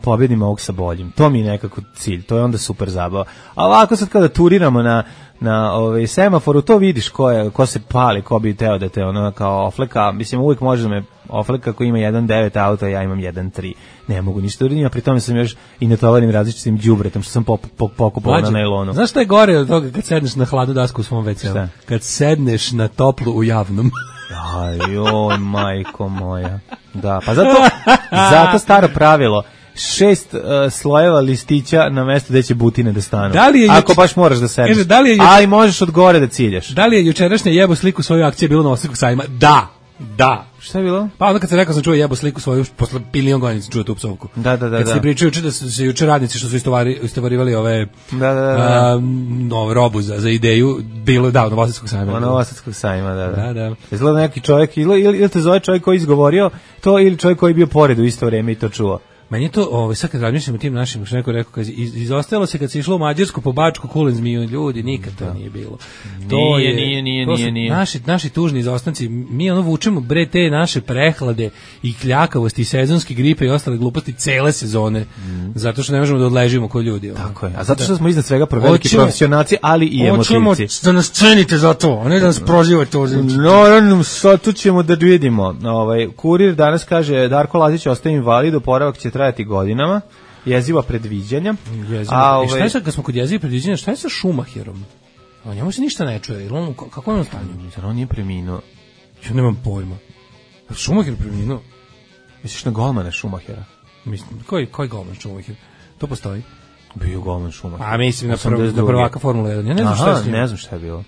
Speaker 6: pobedim ovog sa boljim. To mi je nekako cilj, to je onda super zabava. A ovako sad kada turiramo na semaforu, to vidiš ko se pali, ko bi teo da te kao ofleka, mislim uvijek može da me ofleka ko ima 1.9 auto, ja imam 1.3. Ne mogu ništa uradim, a pri tome sam još i netovarim različitim đubretom što sam pokupao na najlonu.
Speaker 5: Znaš šta je gore od toga kad sedneš na hladnu dasku u svom WC-u? Kad sedneš na toplu u javnom.
Speaker 6: Ajoj, majko moja. Da, pa zato staro pravilo. 6 slojeva listića na mesto gde će butine da stanu. Ako baš moraš da sedneš. Ali možeš od gore da ciljaš.
Speaker 5: Da li je jučerašnje jebo sliku svoju akcije bilo na Osijekog sajma? Da. Da.
Speaker 6: Šta je bilo?
Speaker 5: Pa onda kad sam rekao sam čuo jebo sliku svoju, posle milion godina sam čuo tu psovku.
Speaker 6: Da.
Speaker 5: Kad se pričaju juče da su se juče radnici što su istovarivali ove robu za ideju, bilo da, Novosadskog sajma.
Speaker 6: Novosadskog sajma,
Speaker 5: da.
Speaker 6: Izgleda neki čovjek, ili te zove čovjek koji izgovorio to, ili čovjek koji je bio pored u isto vrijeme i to čuo.
Speaker 5: Meni je to, sad kad razmišljam o tim našim, što neko rekao, izostajalo se kad se išlo u Mađarsku po Bačku, kulen zmiju, ljudi, nikad to nije bilo.
Speaker 6: Nije.
Speaker 5: Naši tužni izostanci, mi vučemo te naše prehlade i kljakavosti, i sezonske gripe i ostale gluposti cele sezone, zato što ne možemo da odležimo ko ljudi.
Speaker 6: Tako je, a zato što smo iznad svega veliki profesionalci, ali i emotivci.
Speaker 5: Hoćemo da nas cenite za to, a ne da nas prozivate ovdje.
Speaker 6: No, sad tu ćemo da vidimo. Kurir danas kaže, Darko Lazić ostaje invalid, oporavak će trajati godinama, jeziva predviđanja.
Speaker 5: A šta je sad, kad smo kod jeziva predviđanja, šta je sa Schumacherom? O njemu se ništa ne čuje, kako je on stanju?
Speaker 6: On nije preminuo.
Speaker 5: Ja nemam pojma. Schumacher preminuo?
Speaker 6: Misliš na golmana Schumachera?
Speaker 5: Mislim, koji golman Schumacher? To postoji?
Speaker 6: Bio golman Schumacher.
Speaker 5: A mislim na prvaka Formula 1. Ja ne znam šta je s njim.
Speaker 6: Ne znam šta je bilo.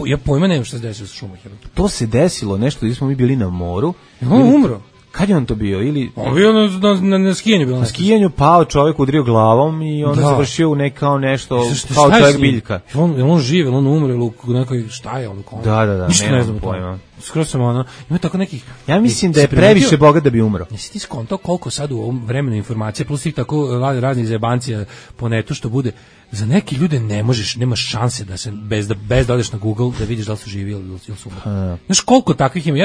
Speaker 5: Ja pojma nemam šta se desilo sa Schumacherom.
Speaker 6: To se desilo nešto gdje smo mi bili na moru.
Speaker 5: On umro.
Speaker 6: Kad je on to bio?
Speaker 5: On bio na skijanju.
Speaker 6: Na skijanju pao čovjek, udrio glavom i onda završio u kao nešto, kao čovjek biljka.
Speaker 5: Je on živ, on umre u nekoj, šta je on?
Speaker 6: Da,
Speaker 5: ništa ne znam pojma. Skroz sam ima tako nekih...
Speaker 6: Ja mislim da je previše bogat da bi umro.
Speaker 5: Jesi ti skontao koliko sad u ovom vremenu informacija, plus tih tako raznih zajebancija po netu što bude, za neki ljude nemaš šanse da se, bez da odeš na Google, da vidiš da li su živi ili su umrli. Znaš koliko takvih ima?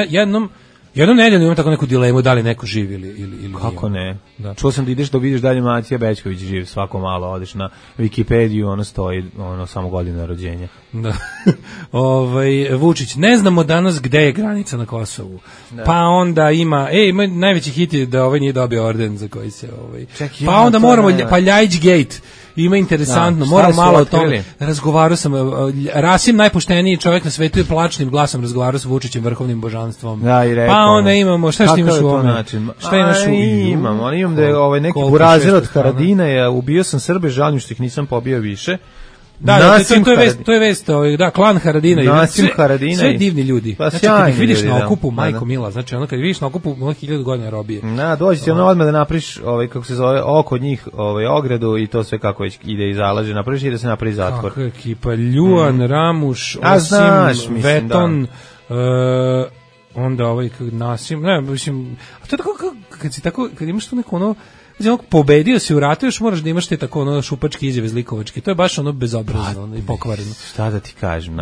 Speaker 5: Jednom nedeljno imam tako neku dilemu da li neko živi ili
Speaker 6: kako ne? Da. Čuo sam da ideš da vidiš dalje Matija Bećković živ, svako malo odeš na Wikipediju, stoji samo godina rođenja.
Speaker 5: Da. Vučić, ne znamo danas gde je granica na Kosovu. Da. Pa onda ima najveći hit je da nije dobio orden za koji se pa onda moramo Ljajić Gate. Ima interesantno, moram malo o tome. Razgovarao sam, Rasim najpošteniji čovjek na svetu je plačnim glasom razgovarao sa Vučićem, vrhovnim božanstvom.
Speaker 6: Da, i rekao.
Speaker 5: Pa onda imamo, šta imaš u ovome? Šta imaš u
Speaker 6: imam da je neki burazer od Haradina, ubio sam Srbe, žalim što ih nisam pobio više.
Speaker 5: Da, to je vest, da, klan Haradina.
Speaker 6: Sve
Speaker 5: divni ljudi.
Speaker 6: Pa
Speaker 5: znači, kad ih vidiš na okupu, majko mila, znači ono kad vidiš na okupu 1000 godina robije.
Speaker 6: Dođi ti odmah da napriš, kako se zove, oko njih, ogradu i to sve kako već ide i zalaže, napriš i da se napravi zatvor.
Speaker 5: Kako je ekipa, Ljuan, Ramuš, Osim, Veton, onda Nasim, ne, mislim, a to je tako, kad imaš tu neko pobedio si u ratu, još moraš da imaš te tako šupačke izjave zlikovačke. To je baš bezobrazno i pokvareno.
Speaker 6: Šta da ti kažem,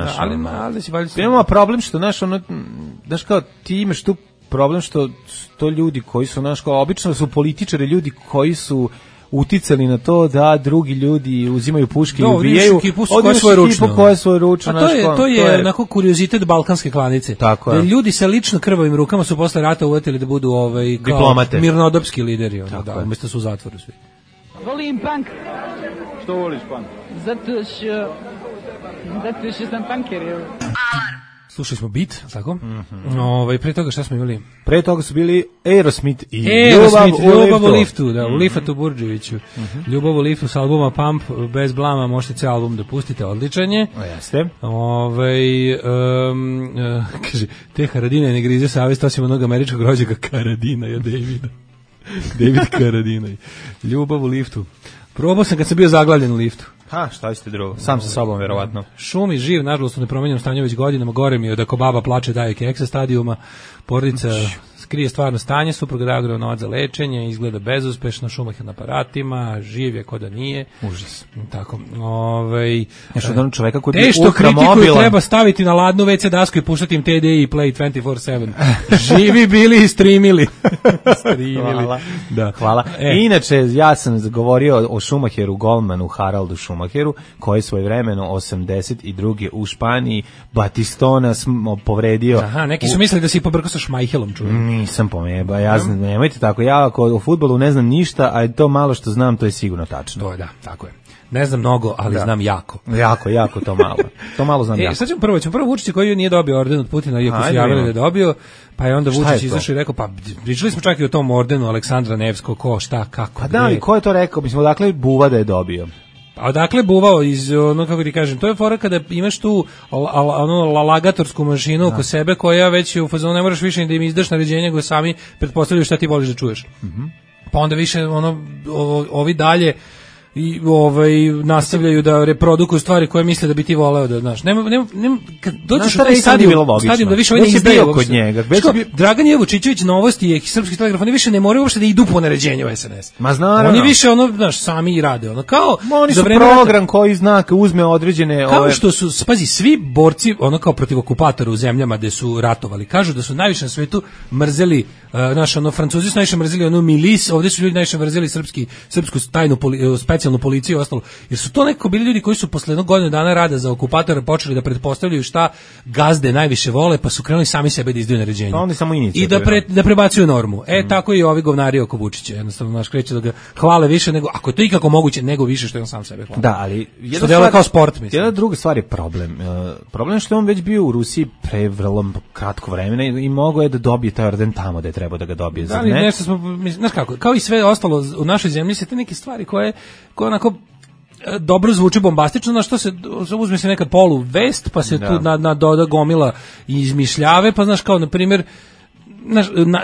Speaker 5: ali si valjda...
Speaker 6: Imamo problem što, znaš kao, ti imaš tu problem što to ljudi koji su, obično su političari, ljudi koji su uticali na to da drugi ljudi uzimaju puške i ubijaju. Koja je svoje ručno.
Speaker 5: A to je onako kuriozitet balkanske klanice.
Speaker 6: Tako
Speaker 5: je. Da ljudi sa lično krvavim rukama su posle rata uvatili da budu kao
Speaker 6: diplomate,
Speaker 5: mirnodopski lideri. Umjesto su u zatvoru svi.
Speaker 9: Volim punk.
Speaker 4: Što voliš punk?
Speaker 9: Zato što sam punker.
Speaker 5: Alarm. Slušali smo Beat, tako? Pre toga šta smo imali?
Speaker 6: Pre toga su bili Aerosmith i
Speaker 5: Ljubav u liftu, da, u Lifatu Burđeviću. Ljubav u liftu s albuma Pump, bez blama, možete cijel album da pustite, odličan je.
Speaker 6: Jeste.
Speaker 5: Kaže, te Haradine ne grize savjest, osim onog američkog rođaka Karadina, Davida. David Karadina. Ljubav u liftu. Probao sam kad sam bio zaglavljen u liftu.
Speaker 6: Šta ste drugo? Sam sa sobom, verovatno.
Speaker 5: Šumi živ, nažalost u nepromenjenom stanju već godinama, gore mi je da ko baba plače daje keksa stadijuma, porodica krije stvarno stanje, suprug dao novac za lečenje, izgleda bezuspešno, Schumacher na aparatima, živ je ko da nije.
Speaker 6: Užas.
Speaker 5: Tako.
Speaker 6: Čoveka koji je
Speaker 5: što kritikuju treba staviti na ladnu WC dasku i puštati im TD i Play 24/7. Živi bili i streamili.
Speaker 6: Hvala.
Speaker 5: Da.
Speaker 6: Hvala. Inače, ja sam govorio o Schumacheru, golmanu Haraldu Schumacheru, koji je svojevremeno 82. u Španiji Batistona povredio.
Speaker 5: Aha, neki su mislili da si pobrkao sa Schmeichelom, čujem.
Speaker 6: Nisam pomeba, nemojte tako, ja o fudbalu ne znam ništa, a to malo što znam, to je sigurno tačno.
Speaker 5: To je, da, tako je. Ne znam mnogo, ali znam jako.
Speaker 6: Jako, to malo. To malo znam jako.
Speaker 5: Sad ćemo prvo Vučić koji nije dobio orden od Putina, iako su javili da je dobio, pa je onda Vučić izašao i rekao, pa pričali smo čak i o tom ordenu Aleksandra Nevskog, ko, šta, kako,
Speaker 6: da, ali ko je to rekao? Mislim, odakle Buva da je dobio?
Speaker 5: A odakle buvao iz, ono, kako ti kažem, to je fora kada imaš tu lagatorsku mašinu oko sebe koja već u fazonu ne moraš više da im izdaš naređenje, nego sami pretpostavljaju šta ti voliš da čuješ. Pa onda više ovi dalje i nastavljaju da reprodukuju stvari koje misle da bi ti voleo da znaš. Nema kad dođeš u taj stadion da više ne izdaju kod njega. Dragan Jevučićević, Novosti i Srpski telegraf, oni više ne moraju uopšte da idu po naređenju SNS.
Speaker 6: Ma naravno.
Speaker 5: Oni više znaš, sami rade, kao
Speaker 6: oni su program koji uzme određene
Speaker 5: kao što su, pazi, svi borci kao protiv okupatora u zemljama gde su ratovali, kažu da su najviše na svetu mrzeli Francuzi su najviše mrzeli milis, ovdje su ljudi najviše mrzeli srpsku tajnu specijalnu policiju i ostalo, jer su to neko bili ljudi koji su posle jednog godinu dana rada za okupatora počeli da pretpostavljaju šta gazde najviše vole, pa su krenuli sami sebe da izdaju naređenja.
Speaker 6: Oni samo
Speaker 5: i da prebacuju normu. Tako i ovi govnari oko Vučića, jednostavno kreće da ga hvale više nego, ako je to ikako moguće, nego više što je on sam sebe hvale.
Speaker 6: Da, ali
Speaker 5: što dela kao sport, mislim.
Speaker 6: Jedna druga stvar je problem. Problem je što je on već bio u Rusiji pre vrlo kratko vremena i mogao je da dobije taj orden tamo da je trebao da ga dobije.
Speaker 5: Da, ali nešto smo, znaš kako, kao i sve ostalo u našoj zemlji se te neke stvari koje onako dobro zvuči bombastično, na što se uzme se nekad polu vest, pa se tu doda gomila i izmišljave, pa znaš kao, na primjer,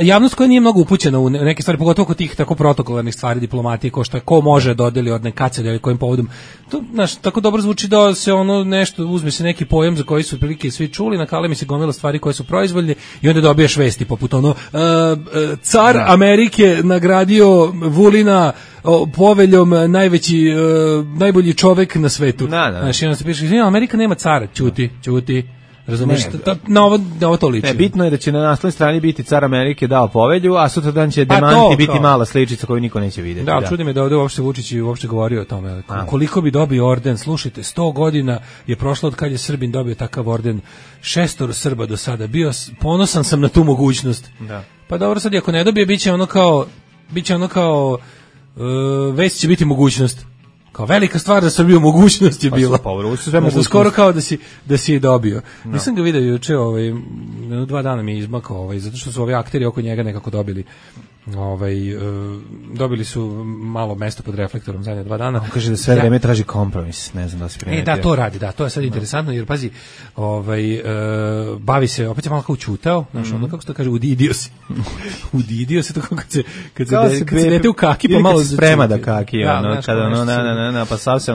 Speaker 5: javnost koja nije mnogo upućena u neke stvari, pogotovo kod tih tako protokolarnih stvari diplomatije, ko može dodeli od nekad ili kojim povodom, to tako dobro zvuči da se nešto, uzme se neki pojam za koji su otprilike svi čuli, nakale mi se gomila stvari koje su proizvoljne i onda dobiješ vesti poput car Amerike nagradio Vulina poveljom najbolji čovek na svetu. Znači, onda se piše, Amerika nema cara, ćuti. Razumeš, na ovo to liči.
Speaker 6: Bitno je da će na naslovnoj strani biti car Amerike dao povelju, a sutradan će demanti biti mala sličica koju niko neće vidjeti.
Speaker 5: Da, čudi me da ovdje uopšte Vučić uopšte govorio o tome. Koliko bi dobio orden? Slušajte, 100 godina je prošlo od kad je Srbin dobio takav orden. 6 Srba do sada. Ponosan sam na tu mogućnost.
Speaker 6: Da.
Speaker 5: Pa dobro, sad ako ne dobije, bit će ono kao već će biti mogućnost. Kao velika stvar za Srbiju mogućnost je bila. Skoro kao da si je dobio. Nisam ga vidio juče, 2 dana mi je izmakao, zato što su ovi akteri oko njega nekako dobili dobili su malo mesto pod reflektorom zadnje 2 dana.
Speaker 6: On kaže da sve vreme traži kompromis, ne znam da se primetio.
Speaker 5: Da, to radi, to je sad interesantno, jer pazi, bavi se, opet je malo kao učutao, znaš, kako se to kaže, udidio se. Udidio se to kad se dete u kaki, pa malo
Speaker 6: sprema da kaki, pa sav se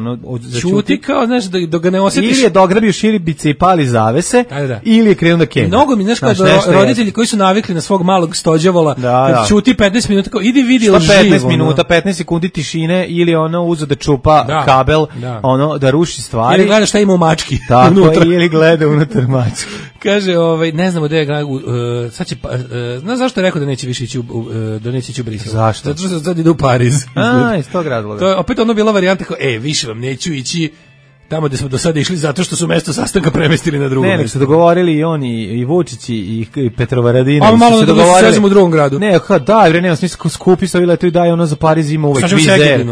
Speaker 5: čuti kao, znaš, da ga ne osjetiš.
Speaker 6: Ili je dograbio širibice i pali zavese, ili je krenuo da kenja.
Speaker 5: Mnogo mi, znaš, kao roditelji koji su navikli na svog malog stođavola, kad čuti 15 minuta, kao idi vidi živo.
Speaker 6: 15 minuta, 15 sekundi tišine, ili uzo da čupa kabel, da ruši stvari.
Speaker 5: Ili gleda šta ima u mački.
Speaker 6: Tako, ili gleda unutar mački.
Speaker 5: Kaže, ne znamo da je sad će, znaš zašto je rekao da neće više ići u Brisel?
Speaker 6: Zašto?
Speaker 5: Zato što sad ide u Pariz.
Speaker 6: Iz tog razloga.
Speaker 5: To je opet bila varijanta kao, više vam neću ići tamo gde smo do sada išli zato što su mesto sastanka premestili na drugo mesto.
Speaker 6: Ne, su dogovorili i oni, i Vučić i Petrovaradina.
Speaker 5: A malo da se sezimo u drugom gradu.
Speaker 6: Ne, nema smisla, skupi se leto i daj za Pariz ima uvek vizer.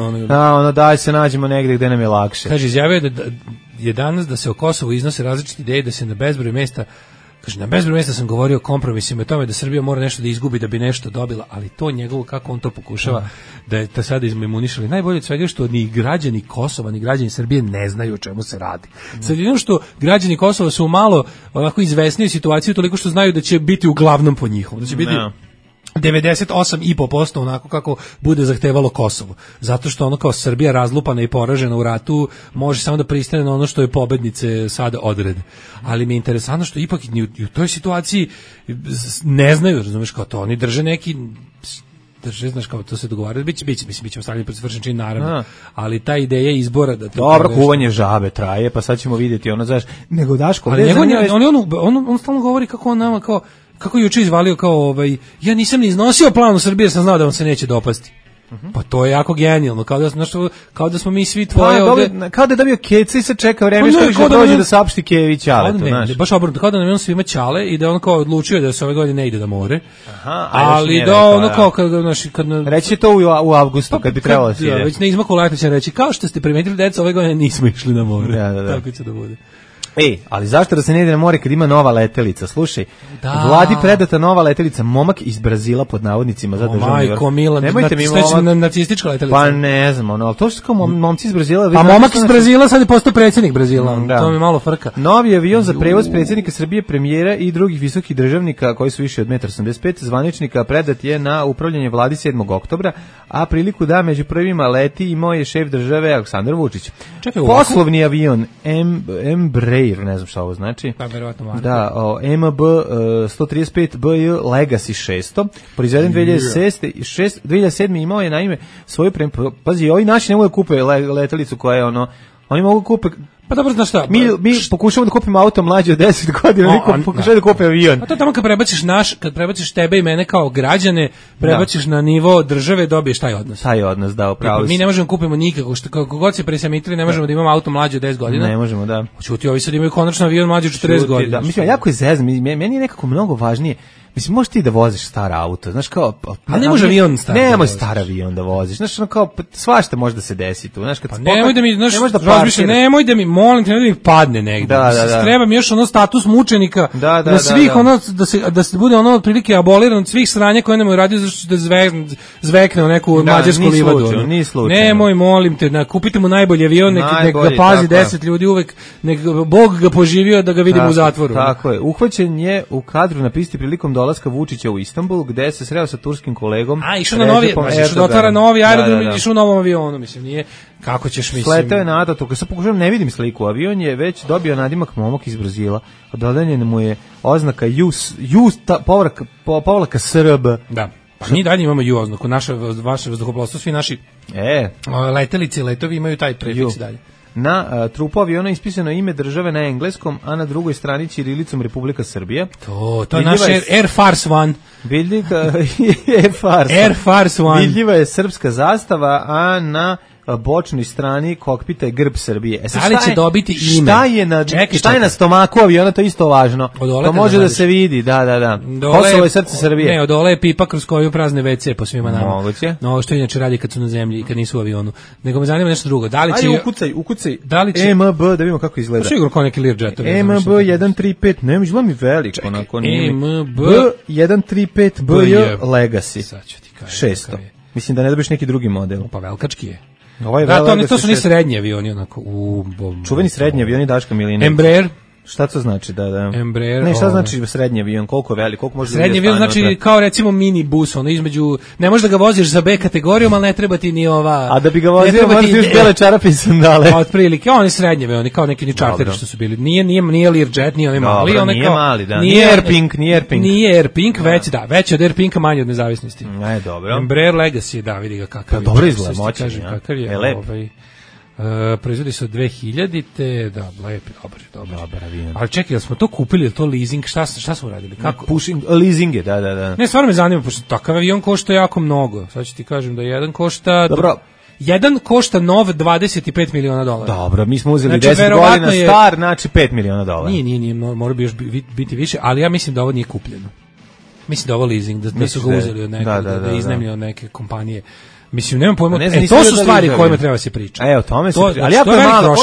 Speaker 6: Daj se nađemo negde gde nam je lakše.
Speaker 5: Kaže, izjavio da je danas da se o Kosovu iznose različite ideje, da se na bezbroj mesta, kaže, na bezbroj mesta sam govorio o kompromisima i tome da Srbija mora nešto da izgubi da bi nešto dobila, ali to njegovo, kako on to pokušava da je to sada izmemunišali. Najbolje od svega što ni građani Kosova, ni građani Srbije ne znaju o čemu se radi. Sad jedino što građani Kosova su malo onako izvesniji situaciju toliko što znaju da će biti uglavnom po njihovom, da će biti 98,5% onako kako bude zahtevalo Kosovo. Zato što kao Srbija razlupana i poražena u ratu može samo da pristane na ono što je pobednice sada odrede. Ali mi je interesantno što ipak ni u toj situaciji ne znaju, razumeš, kao to oni drže neki znaš, kao to se dogovaraju, biće ostavljeni pred svršen čin, naravno, ali ta ideja izbora da...
Speaker 6: Dobro, kuvanje žabe traje, pa sad ćemo vidjeti, nego Daško...
Speaker 5: Ali on stalno govori kako on nama, kako je juče izvalio ja nisam ni iznosio plan u Srbiji jer sam znao da vam se neće dopasti. Pa to je jako genijalno, kao da smo mi svi tvoje ovde...
Speaker 6: Kao da je dobio Keca i se čeka vreme što više dođe da saopšti Kević Aletu, znaš.
Speaker 5: Baš obrnuto, kao da nam je on svima Ćale i da on kao odlučio da se ove godine ne ide da more.
Speaker 6: Ali
Speaker 5: da kao kad...
Speaker 6: Reći to u avgustu kad bi trebalo da se ide.
Speaker 5: Već ne izmaku leta će reći, kao što ste primetili, deca, ove godine nismo išli na more. Tako će da bude.
Speaker 6: Ali zašto da se ne ide na more kad ima nova letelica? Slušaj, Vladi predata nova letelica, momak iz Brazila pod navodnicima za državni vrh. Nemojte mi
Speaker 5: nacistička letelica.
Speaker 6: Pa ne znam, ali to su kao momci iz Brazila.
Speaker 5: Pa momak iz Brazila sad je postao predsjednik Brazila, to mi malo frka.
Speaker 6: Novi avion za prevoz predsjednika Srbije, premijera i drugih visokih državnika koji su više od 1,85 m zvaničnika predat je na upravljanje Vladi 7. oktobra, a priliku da među prvima leti imao je šef države Aleksandar Vučić. Poslovni avion Embraer, ne znam šta ovo znači.
Speaker 5: Pa verovatno marka.
Speaker 6: Da, MB 135 BJ Legacy 600, proizveden 2007. imao je naime svoju pazi, ovi naši ne mogu da kupe letelicu koja je oni mogu kupe.
Speaker 5: Pa dobro, znaš šta?
Speaker 6: Mi pokušamo da kupimo auto mlađe od 10 godina, niko pokušava da kupe avion.
Speaker 5: A to tamo kad prebaciš tebe i mene kao građane, prebaciš na nivo države, dobiješ taj odnos.
Speaker 6: Taj odnos, da, upravo.
Speaker 5: Mi ne možemo kupimo nikako, kako god se presamitili, ne možemo da imamo auto mlađe od 10 godina.
Speaker 6: Ne možemo, da.
Speaker 5: Čuti, ovi sad imaju konačno avion mlađe od 40 godina.
Speaker 6: Da. Mislim, jako je zezno, meni je nekako mnogo važnije. Mislim, možeš ti da voziš star auto, znaš kao...
Speaker 5: Ali ne može avion star.
Speaker 6: Nemoj star avion da voziš, znaš, kao, svašta može da se desi tu, znaš, kad...
Speaker 5: Nemoj da mi, znaš, nemoj da mi, molim te, nemoj da mi padne negde. Da. Treba mi još status mučenika, da svih da se bude otprilike aboliran od svih sranja koje nemoj radio zašto da zvekne u neku mađarsku livadu.
Speaker 6: Ni slučajno.
Speaker 5: Nemoj, molim te, kupite mu najbolji avion, nek ga pazi 10 ljudi uvek, nek Bog ga poživio da ga vidimo u zatvoru.
Speaker 6: Tako je, uhvaćen je u kadru na pisti prilikom dolaska Vučića u Istanbul, gde se sreo sa turskim kolegom.
Speaker 5: Išao na novi, da otvara novi aerodrom, išao u novom avionu, mislim, nije, kako ćeš, mislim.
Speaker 6: Sletao je na Ataturk, sad pokušavam, ne vidim sliku, avion je već dobio nadimak momak iz Brazila, dodeljena mu je oznaka povlaka SRB.
Speaker 5: Da. Pa mi dalje imamo ju oznaku, vaše vazduhoplovstvo, svi naši letelice, letovi imaju taj prefiks dalje.
Speaker 6: Na trupu aviona ispisano ime države na engleskom, a na drugoj strani ćirilicom Republika Srbija.
Speaker 5: To je naš Air Force One. Air Force One.
Speaker 6: Vidljiva je srpska zastava, a na bočnoj strani kokpita je grb Srbije.
Speaker 5: Da li će dobiti ime?
Speaker 6: Šta je na stomaku aviona, to je isto važno. To može da se vidi, da. Kosovo je srce Srbije.
Speaker 5: Ne, odole je pipa kroz koju prazne WC po svima nama.
Speaker 6: Moguće.
Speaker 5: No, što inače radi kad su na zemlji i kad nisu u avionu. Nego me zanima nešto drugo. Da li će...
Speaker 6: Ajde, ukucaj. Da li će... MB, da vidimo kako izgleda.
Speaker 5: Sigurno kao neki Learjetovi.
Speaker 6: MB 135, ne, izgleda mi veliko.
Speaker 5: MB
Speaker 6: 135 BJ Legacy.
Speaker 5: Sad ću ti kažem.
Speaker 6: 600. Mislim da ne dobiš neki drugi model.
Speaker 5: Pa velikački je. To su ni srednji avioni, onako.
Speaker 6: Čuveni srednji avioni Daška Milinović.
Speaker 5: Embraer.
Speaker 6: Šta to znači? Da.
Speaker 5: Embraer.
Speaker 6: Ne, šta znači srednji avion? Koliko je velik? Koliko može
Speaker 5: srednji avion znači kao recimo mini bus, između, ne možeš da ga voziš za B kategorijom, ali ne treba ti ni ova.
Speaker 6: A da bi ga vozio, moraš još bele čarape i sandale.
Speaker 5: Otprilike, oni srednji avioni, kao neki čarteri što su bili. Nije Learjet, nije onaj mali,
Speaker 6: nije mali, da.
Speaker 5: Nije Airpink. Nije Airpink, već od Airpinka manje od nezavisnosti.
Speaker 6: Dobro.
Speaker 5: Embraer Legacy, da, vidi ga kakav je.
Speaker 6: Dobro izgleda, moćan,
Speaker 5: kakav je. Proizvodi se od 2000-te, da, dobar avion. Ali čekaj, smo to kupili, je to leasing, šta smo radili? Kako?
Speaker 6: Pushing, leasinge, da.
Speaker 5: Ne, stvarno me zanima, pošto takav avion košta jako mnogo. Sad ću ti kažem da jedan košta...
Speaker 6: Dobro.
Speaker 5: Jedan košta nov $25 miliona.
Speaker 6: Dobro, mi smo uzeli 10 godina star, znači $5 miliona.
Speaker 5: Nije, mora bi još biti više, ali ja mislim da ovo nije kupljeno. Mislim da ovo leasing, da su ga uzeli od nekog, da je iznajmili od neke kompanije. Mislim, nemam pojma, to su stvari o kojima treba se pričati.
Speaker 6: O tome se priča. Ali jako je malo,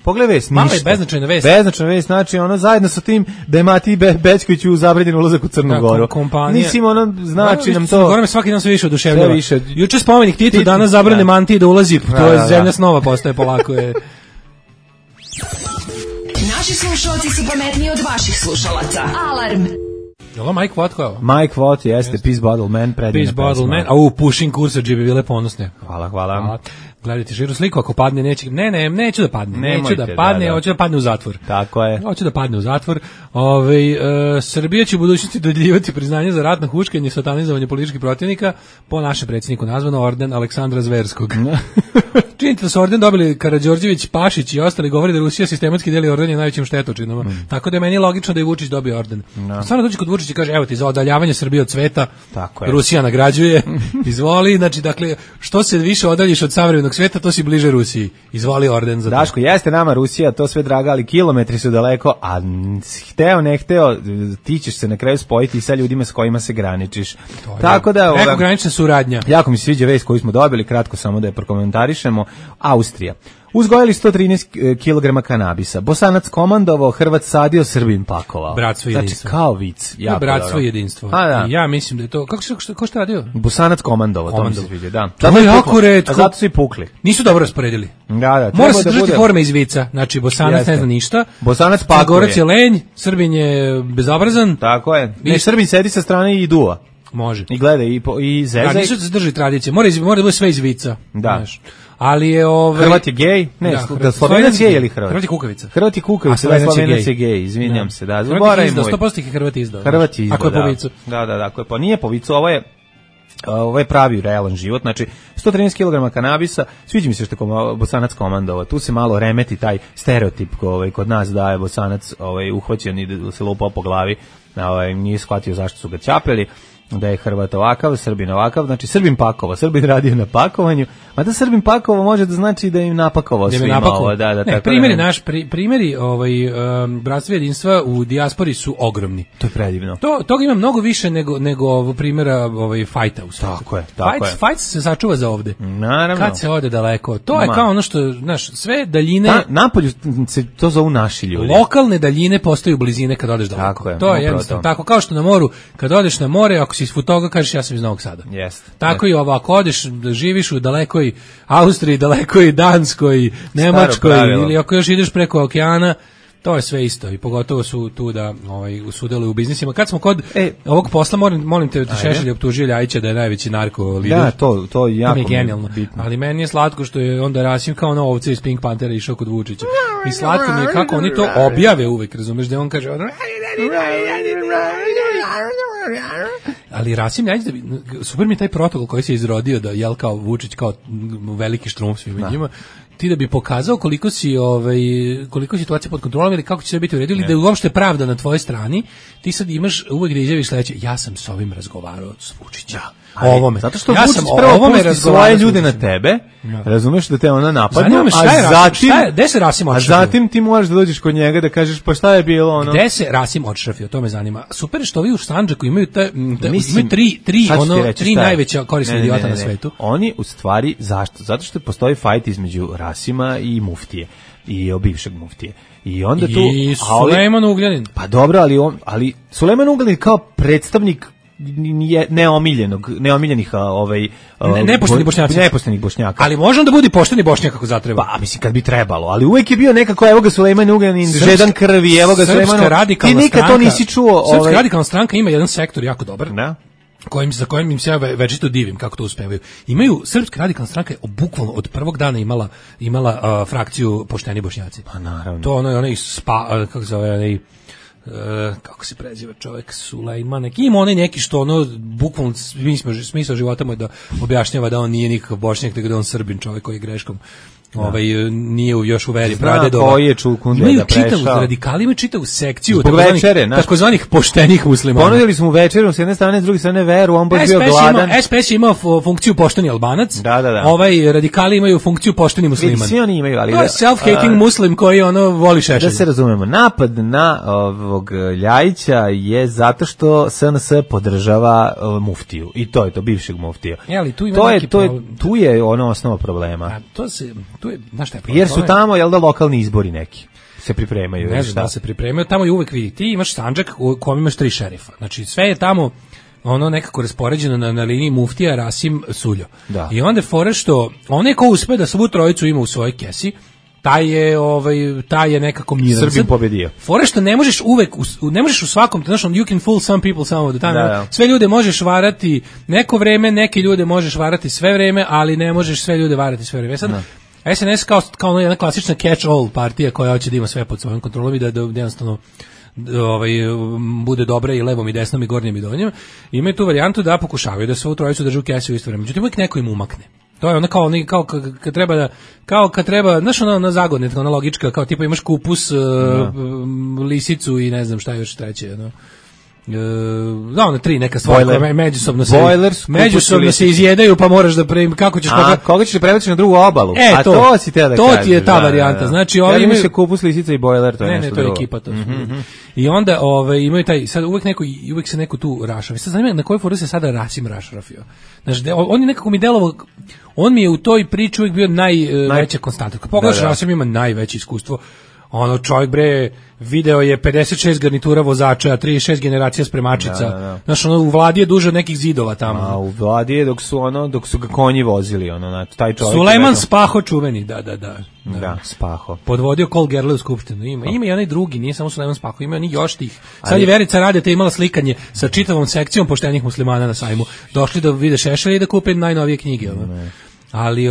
Speaker 6: pogledaj vest,
Speaker 5: malo je beznačajna vest.
Speaker 6: Beznačajna vest, znači ono zajedno sa tim da je Matiji Bećković u zabranjen ulazak u Crnu Goru. Mislim, ono znači nam to...
Speaker 5: Gore me svaki dan sve više oduševljava. Juče spomenik Titu, danas zabrane Mantiji da ulazi, to je zemlja snova postaje polako.
Speaker 7: Naši slušalci su pametniji od vaših slušalaca. Alarm!
Speaker 5: Je ovo Mike Watt koja?
Speaker 6: Mike Watt jeste, Peace Bottle Man, predivna pesma.
Speaker 5: Peace Bottle Man, Pushing Kursadži bi bile ponosne.
Speaker 6: Hvala.
Speaker 5: Gledajte širu sliku, ako padne neće... neću da padne. Hoću da padne u zatvor.
Speaker 6: Tako je.
Speaker 5: Hoću da padne u zatvor. Srbija će u budućnosti dodjeljivati priznanje za ratno huškanje i satanizovanje političkih protivnika, po našem predsjedniku nazvano orden Aleksandra Zverskog. Činite da su orden dobili Karađorđević, Pašić i ostali, govori da Rusija sistematski deli ordenje najvećim štetočinama. Tako da je meni logično da je Vučić dobio orden. Stvarno dođe kod Vučić i kaže, evo ti za odaljavanje Srbije od sveta, Rusija nagrađuje, izvoli, znači, dakle, što se više odaljiš od savremenog sveta, to si bliže Rusiji. Izvoli orden za to.
Speaker 6: Daško, jeste nama Rusija, to sve draga, ali kilometri su daleko, a hteo, ne hteo, ti ćeš se na kraju spojiti sa ljudima s kojima se graničiš. Tako da...
Speaker 5: Prekogranična suradnja.
Speaker 6: Jako mi se sviđa vest koju smo dobili, kratko samo da je prokomentarišemo. Austrija. Uzgojili 113 kg kanabisa. Bosanac komandovao, Hrvat sadio, Srbin pakovao.
Speaker 5: Bratstvo i jedinstvo.
Speaker 6: Znači, kao vic.
Speaker 5: Ja, bratstvo i jedinstvo.
Speaker 6: Da.
Speaker 5: Ja mislim da je to... Ko šta radio?
Speaker 6: Bosanac komandovao, to mi se sviđa, da.
Speaker 5: To je jako retko.
Speaker 6: A zato su i pukli.
Speaker 5: Nisu dobro rasporedili.
Speaker 6: Da.
Speaker 5: Mora se držati forme iz vica. Znači, Bosanac ne zna ništa.
Speaker 6: Bosanac pakuje.
Speaker 5: Crnogorac je lenj, Srbin je bezobrazan.
Speaker 6: Tako je. Ne, Srbin sedi sa strane i duva.
Speaker 5: Može.
Speaker 6: I gleda i zezaj.
Speaker 5: Da, nisu se drži tradicije. Mora da bude sve iz vica.
Speaker 6: Da.
Speaker 5: Znaš. Ali je
Speaker 6: Hrvat je gej? Ne, da Slovenac je ili Hrvat?
Speaker 5: Hrvat je kukavica.
Speaker 6: Hrvat je kukavica, da Slovenac je gej, izvinjam se, da.
Speaker 5: Hrvat je izdao, 100% je Hrvat izdao.
Speaker 6: Hrvat je izdao,
Speaker 5: ako je po vicu.
Speaker 6: Da, ako je po, nije po vicu, ovo je pravi realan život, znači 113 kg kanabisa, sviđa mi se što je Bosanac komandovao, tu se malo remeti taj stereotip kod nas da je Bosanac uhvaćen i da se lupao po glavi, nije shvatio zašto su ga ćapeli, da je Hrvat ovakav, Srbin ovakav, znači Srbin pakovao, Srbin radio na pakovanju, a da Srbin pakovao može da znači da im napakovao svima ovo.
Speaker 5: Primjeri bratstva jedinstva u dijaspori su ogromni.
Speaker 6: To je predivno.
Speaker 5: Toga ima mnogo više nego primjera fajta u svijetu.
Speaker 6: Tako je.
Speaker 5: Fajt se sačuva za ovde.
Speaker 6: Naravno.
Speaker 5: Kad se ode daleko. To je kao ono što, znaš, sve daljine...
Speaker 6: Napolju se to zovu naši ljudi.
Speaker 5: Lokalne daljine postaju blizine kad odeš daleko. To je jednostavno. Tako kao što na moru, kad odeš na more, ako si iz Futoga, kažeš ja sam iz Novog Sada. Tako i ovo, ako odeš da živiš u dalekoj Austriji, dalekoj Danskoj, Nemačkoj, ili ako još ideš preko okeana, to je sve isto i pogotovo su tu da sudeluju u biznisima. Kad smo kod ovog posla, molim te, Šešelj optužio Ljajića da je najveći narko lider.
Speaker 6: Da, to je jako
Speaker 5: genijalno.
Speaker 6: Bitno.
Speaker 5: Ali meni je slatko što je onda Rasim kao ono ovce iz Pink Panthera išao kod Vučića. I slatko mi je kako oni to objave uvek, razumeš, da on kaže ali Rasim Ljajić, super mi je taj protokol koji se izrodio da jel kao Vučić kao veliki štrumf svima njima, ti da bi pokazao koliko si situacija pod kontrolom ili kako će sve biti u redu ili da je uopšte pravda na tvojoj strani, ti sad imaš uvek da izjaviš sledeće, ja sam s ovim razgovarao s Vučićem. Ovome.
Speaker 6: Zato što Vučić prvo pusti svoje ljude na tebe, razumeš da te ona napadne,
Speaker 5: gde se Rasim odšrafio?
Speaker 6: A zatim ti moraš da dođeš kod njega da kažeš pa šta je bilo ono?
Speaker 5: Gde se Rasim odšrafio, to me zanima. Super što ovi u Sandžaku imaju tri najveća korisna idiota na svetu.
Speaker 6: Oni u stvari, zašto? Zato što postoji fajt između Rasima i muftije i bivšeg muftije. I onda tu
Speaker 5: Sulejman Ugljanin.
Speaker 6: Pa dobro, ali Sulejman Ugljanin kao predstavnik neomiljenih nepoštenih Bošnjaka.
Speaker 5: Ali može da bude pošteni Bošnjak kako zatreba.
Speaker 6: Pa mislim kad bi trebalo, ali uvek je bio nekako evo ga Sulejman Ugljanin, žedan krvi, evo ga Sulejman. Ti nikad to nisi čuo.
Speaker 5: Srpska radikalna stranka ima jedan sektor jako dobar.
Speaker 6: Da.
Speaker 5: Za kojim im se ja večito divim kako to uspevaju. Srpska radikalna stranka je bukvalno od prvog dana imala frakciju pošteni Bošnjaci. Pa naravno. To onaj kako se zove kako se preziva čovjek Sulejman, ima onaj neki što bukvalno smisao života mu je da objašnjava da on nije nikakav Bošnjak, nego da on Srbin, čovjek koji je greškom nije još u veri pradedova.
Speaker 6: Koji je Čulkunde da prešao.
Speaker 5: Radikali imaju čitavu sekciju
Speaker 6: takozvanih
Speaker 5: poštenih muslimana.
Speaker 6: Ponudili smo večeru s jedne strane, s druge strane veru, on baš bio gladan.
Speaker 5: SPS je imao funkciju pošteni Albanac, radikali imaju funkciju pošteni musliman.
Speaker 6: Svi oni imaju, ali...
Speaker 5: To je self-hating muslim koji voli Šešelja.
Speaker 6: Da se razumemo, napad na ovog Ljajića je zato što SNS podržava muftiju. I to je to, bivšeg muftija. Tu je osnova problema.
Speaker 5: Tu je, znaš šta je problem?
Speaker 6: Jer su tamo, jel da, lokalni izbori neki se pripremaju.
Speaker 5: Ne znam da se pripremaju, tamo je uvek vidi. Ti imaš Sandžak u kojem imaš 3 šerifa. Znači sve je tamo nekako raspoređeno na liniji muftija, Rasim, Suljo. Da. I onda fore što onaj ko uspe da svu trojicu ima u svojoj kesi, taj je nekako miran.
Speaker 6: Srbin pobedio.
Speaker 5: Fore što ne možeš uvek, ne možeš u svakom, znaš, you can fool some people some of the time. Sve ljude možeš varati neko vreme, neke ljude možeš varati sve vreme, ali ne možeš sve ljude varati sve vreme. Sad, SNS kao jedna klasična catch-all partija koja hoće da ima sve pod svojom kontrolom i da jednostavno bude dobra i levom i desnom i gornjem i donjem. Imaju tu varijantu da pokušavaju da svu trojicu drže u kesi u isto vreme. Međutim, uvijek neko im umakne. To je kao kad treba, znaš ona zagodnica, ona logička, kao tipa imaš kupus, lisicu i ne znam šta još treće, da, ona 3 neka stvar koja međusobno se izjedaju, pa moraš da kako ćeš
Speaker 6: koga ćeš prebaciš na drugu obalu. To si te da kažeš.
Speaker 5: To ti je ta varijanta. Znači,
Speaker 6: ovi imaju se kupus, lisica i bojler, to je nešto drugo.
Speaker 5: Ne, to je ekipa to. I onda imaju taj sad uvek se neko tu rašavi. Sad zanima na kojoj foru se sada Rasim rašrafio. Znači, on je nekako mi delovao, on mi je u toj priči uvek bio najveća konstanta. Kad pogledaš, Rasim ima najveće iskustvo. Ono, čovjek bre, video je 56 garnitura vozača, 36 generacija spremačica. Znaš, ono, u vladi je duže od nekih zidova tamo.
Speaker 6: A u vladi je dok su ga konji vozili, ono, taj čovjek.
Speaker 5: Sulejman Spaho čuveni, da.
Speaker 6: Da, Spaho.
Speaker 5: Podvodio Kol Gerle u skupštinu. Ima i onaj drugi, nije samo Sulejman Spaho, ima oni još tih. Sad je Verica Radeta imala slikanje sa čitavom sekcijom poštenih muslimana na sajmu. Došli da vide Šešelja i da kupe najnovije knjige, ono. Ali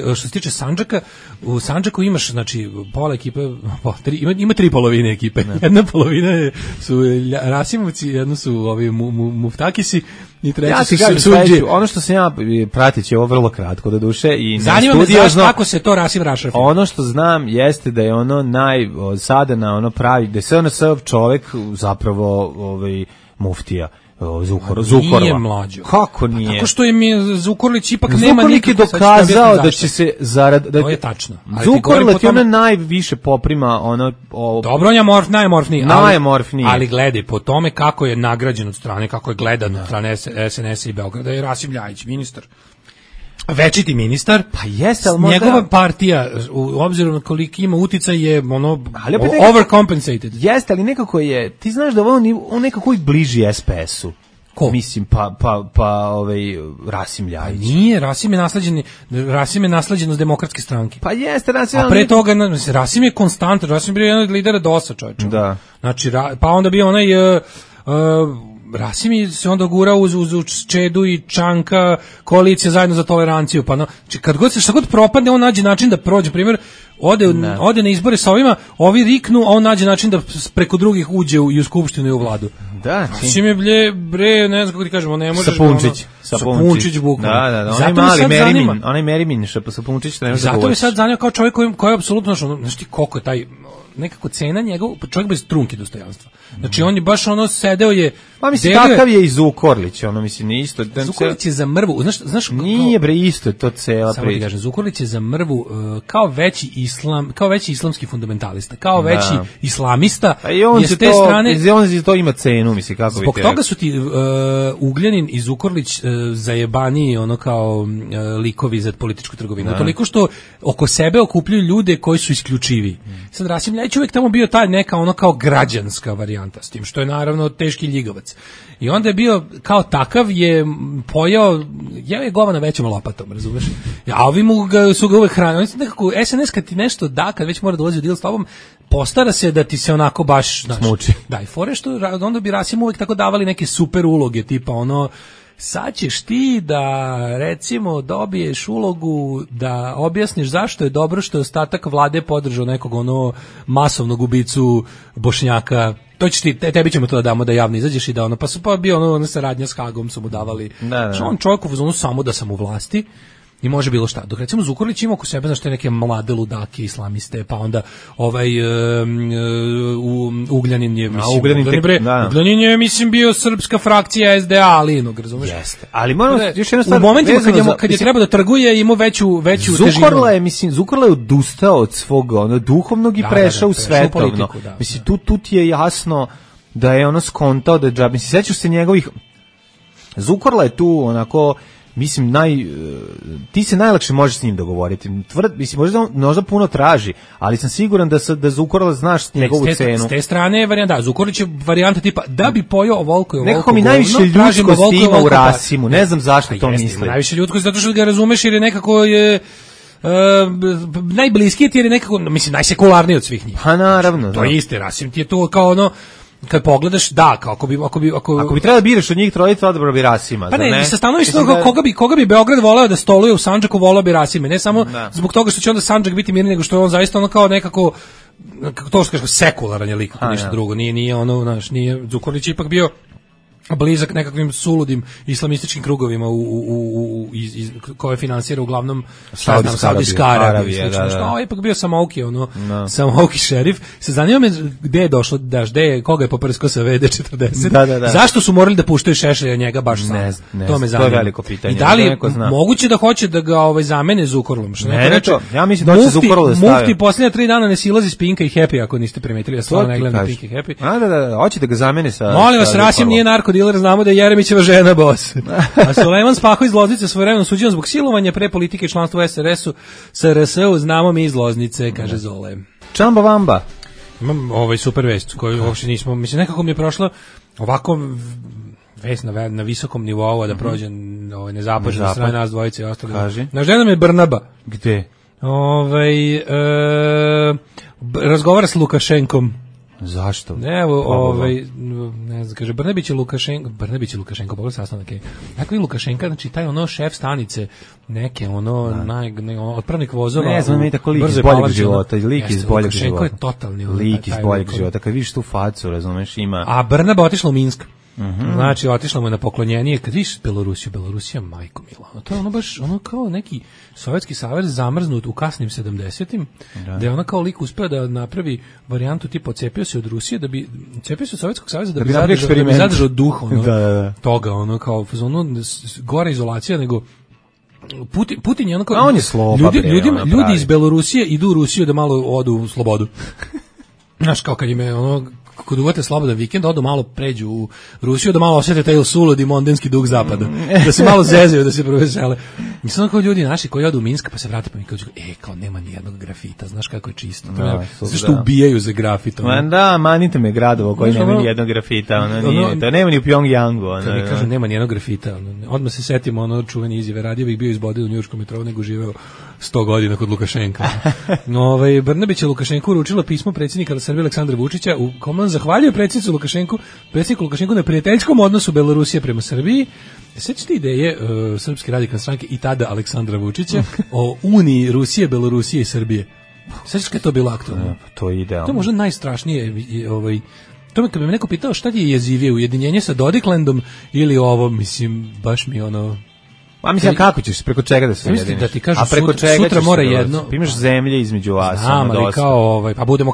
Speaker 5: što se tiče Sandžaka, u Sandžaku imaš, znači, pola ekipe, ima 3 polovine ekipe. Jedna polovina su Rasimovci, jedna su ovi Muftakisi i treća su Sudžije.
Speaker 6: Ono što sam ja pratići, ovo vrlo kratko do duše i
Speaker 5: zanima me kako se to Rasim rašrafio.
Speaker 6: Ono što znam jeste da je ono sada na ono pravi, da je sve ono sav čovjek zapravo muftija. Zukorla.
Speaker 5: Nije mlađo.
Speaker 6: Kako nije?
Speaker 5: Tako što je Zukorlić ipak nema nikakve...
Speaker 6: Zukorlić je dokazao da će se
Speaker 5: to je tačno.
Speaker 6: Zukorlić je ono najviše poprima
Speaker 5: Dobro, on je najmorfniji.
Speaker 6: Najmorfniji.
Speaker 5: Ali gledaj, po tome kako je nagrađen od strane, kako je gledan od strane SNS-a i Beograda je Rasim Ljajić, ministar. Večiti ministar,
Speaker 6: pa jeste, ali možda...
Speaker 5: njegova partija, u obzirom na koliki ima uticaj, je overcompensated.
Speaker 6: Jeste, ali nekako je, ti znaš da on nekako i bliži SPS-u.
Speaker 5: Ko?
Speaker 6: Mislim, Rasim Ljajić.
Speaker 5: Nije, Rasim je nasleđen s Demokratske stranke.
Speaker 6: Pa jeste, Rasim...
Speaker 5: A pre toga, Rasim je konstantan, Rasim je bio jedan od lidera DOS-a, čovječa.
Speaker 6: Da.
Speaker 5: Znači, pa onda bio onaj... Rasim se onda gura uz Čedu i Čanka, koalicija zajedno za toleranciju, pa šta god propadne, on nađe način da prođe, primjer, ode na izbore sa ovima, ovi riknu, a on nađe način da preko drugih uđe i u skupštinu i u vladu.
Speaker 6: Da,
Speaker 5: Rasim je bre, ne znam kako ti kažemo, ne možeš...
Speaker 6: Sapunčić bukvalno. Da, onaj Merimin, Sapunčić, ne možeš da govoriš.
Speaker 5: Zato mi sad zanima kao čovjek koji je apsolutno, znaš ti koliko je taj... nekako cena njegov, čovjek bez trunke dostojanstva. Znači on je baš sedeo je...
Speaker 6: Pa mislim, takav je i Zukorlić, mislim, nije isto.
Speaker 5: Zukorlić je za mrvu, znaš...
Speaker 6: Nije bre, isto je to cela priča.
Speaker 5: Samo ti kažem, Zukorlić je za mrvu kao veći islamski fundamentalista, kao veći islamista.
Speaker 6: A i on to ima cenu, mislim, kako
Speaker 5: zbog toga su ti Ugljanin i Zukorlić zajebani kao likovi za političku trgovinu. Toliko što oko sebe okupljaju ljude koji su isključivi. Sad Rasim Ljajić uvijek tamo bio taj neka kao građanska varijanta, s tim što je naravno teški ljigavac. I onda je bio kao takav, je pojao, je govana većom lopatom, razumeš? A ovi su ga uvek hranili. Oni su nekako, SNS kad ti nešto da, kad već mora dolazi u deal s tobom, postara se da ti se onako baš...
Speaker 6: smuči.
Speaker 5: Da, i fore što onda bi Rasim uvek tako davali neke super uloge, tipa sad ćeš ti da, recimo, dobiješ ulogu da objasniš zašto je dobro što je ostatak vlade podržao nekog masovnog ubicu Bošnjaka. To ćeš ti, tebi ćemo to da damo da javno izađeš i da pa bio saradnja s Hagom su mu davali. Što on čovjek u fazonu samo da sam u vlasti i može bilo šta. Dok recimo Zukorlić ima oko sebe, znaš, te neke mlade ludake, islamiste, pa onda Ugljanin je, Ugljanin je, mislim, bio srpska frakcija SDA, ali razumeš?
Speaker 6: Jeste. Ali moramo još jedna stvar.
Speaker 5: U momentima kad je treba da trguje, ima veću težinu.
Speaker 6: Zukorla je odustao od svog duhovnog i prešao u svetovno. Mislim, tu ti je jasno da je skontao da je džab. Mislim, sećaš se njegovih... Zukorla je tu onako... Mislim, ti se najlakše možeš s njim dogovoriti. Mislim, možda puno traži, ali sam siguran da Zukorla znaš njegovu cenu.
Speaker 5: S te strane je varijanta, Zukorlić je varijanta tipa da bi pojao ovoliko i ovoliko.
Speaker 6: Nekako mi najviše ljudskosti ima u Rasimu, ne znam zašto to misli.
Speaker 5: Najviše ljudskosti zato što ga razumeš jer je nekako najbliskiji ti jer je nekako, mislim, najsekularniji od svih njih.
Speaker 6: Pa naravno.
Speaker 5: To je isti, Rasim ti je to kao kad pogledaš, da, ako
Speaker 6: bi trebalo da biraš od njih trojica, odabro bi Rasima.
Speaker 5: Pa ne, sa stanovišta koga bi Beograd voleo da stoluje u Sandžaku, voleo bi Rasime, ne samo zbog toga što će onda Sandžak biti mirniji, nego što je on zaista kao nekako, to što kažeš, sekularan je lik, ništa drugo, nije nije Zukorlić ipak bio blizak nekakvim suludim islamističkim krugovima koje finansira uglavnom Saudijska Arabija. Što ipak bio samouki, samouki šerif. Se zanima me gde je došlo, koga je poprsko sa VD40. Zašto su morali da puštaju Šešelja njega baš sam? To me zanima.
Speaker 6: To je veliko pitanje.
Speaker 5: I da li moguće da hoće da ga zamene Zukorlom?
Speaker 6: Ja mislim da hoće Zukorlu da stave.
Speaker 5: Mufti posljednja 3 dana ne silazi s Pinka i Happy, ako niste primetili. Ja stvarno ne gledam Pink i Happy.
Speaker 6: Da, hoće da ga zamene sa...
Speaker 5: Molim vas, Rasim nije narkodiler, znamo da je Jeremićeva žena bos. A Sulejman Spaho iz Loznice svojevremeno suđen zbog silovanja pre politike i članstva u SRS-u, znamo mi iz Loznice, kaže Zole.
Speaker 6: Čamba Vamba.
Speaker 5: Imam super vest koju uopšte nismo, mislim, nekako mi je prošlo ovako vest na visokom nivou, a da prođe nezapažena strane nas dvojice i ostali. Naš žena je Brnaba.
Speaker 6: Gde?
Speaker 5: Razgovara s Lukašenkom.
Speaker 6: Zašto?
Speaker 5: Evo, ne znam, kaže, Brnabić je Lukašenko, pogledaj sastanak. Dakle, Lukašenka, znači, taj šef stanice, neke, otpravnik vozova.
Speaker 6: Ne znam, tako lik iz boljeg života, lik iz boljeg života.
Speaker 5: Lukašenko je totalni.
Speaker 6: Lik iz boljeg života, kad vidiš tu facu, razumeš, ima...
Speaker 5: A Brnaba otišla u Minsk. Znači, otišla mu je na poklonjenje, kad vidiš Belorusija, majko mila. To je baš, kao neki Sovjetski savez zamrznut u kasnim 70-im, da je ona kao lik uspeo da napravi varijantu tipa odcepio se od Rusije, odcepio se od Sovjetskog saveza da bi zadržao duh toga, kao gore izolacija nego Putin je kao...
Speaker 6: on je sloba,
Speaker 5: ljudi iz Belorusije idu u Rusiju da malo odu u slobodu. Znaš, kao kad im je kod uvate slobodan vikend, odu malo pređu u Rusiju, da malo osjete taj suludi mondenski dug zapada, da se malo zezaju, da se provesele. Mislim, kao ljudi naši koji odu u Minsk, pa se vrate pa mi kažu, kao nema ni jednog grafita, znaš kako je čisto. Zašto ubijaju za grafit?
Speaker 6: Manite me gradovo koji nema ni jednog grafita, to nema ni u Pjongjangu.
Speaker 5: Kad mi kažu nema ni jednog grafita, odmah se setimo čuvene izjave, radije bih bio izboden u njujorškom metrovu nego živeo 100 godina kod Lukašenka. Brnabić je Lukašenku uručila pismo predsjednika Srbije Aleksandra Vučića u kom on zahvaljuje predsjedniku Lukašenku na prijateljskom odnosu Belorusije prema Srbiji. Sećate ideje Srpske radikalne stranke i tada Aleksandra Vučića o uniji Rusije, Belorusije i Srbije? Sećaš kad je to bilo aktualno?
Speaker 6: To je idealno.
Speaker 5: To je možda najstrašnije. To me kad bi me neko pitao šta ti je jezivije, ujedinjenje sa Dodiklandom ili ovo, mislim, baš mi
Speaker 6: A mislim, kako ćeš, preko čega da se ujediniš?
Speaker 5: Da ti kažu, a preko sutra mora jedno...
Speaker 6: Imaš zemlje između vas.
Speaker 5: Znam, ali pa budemo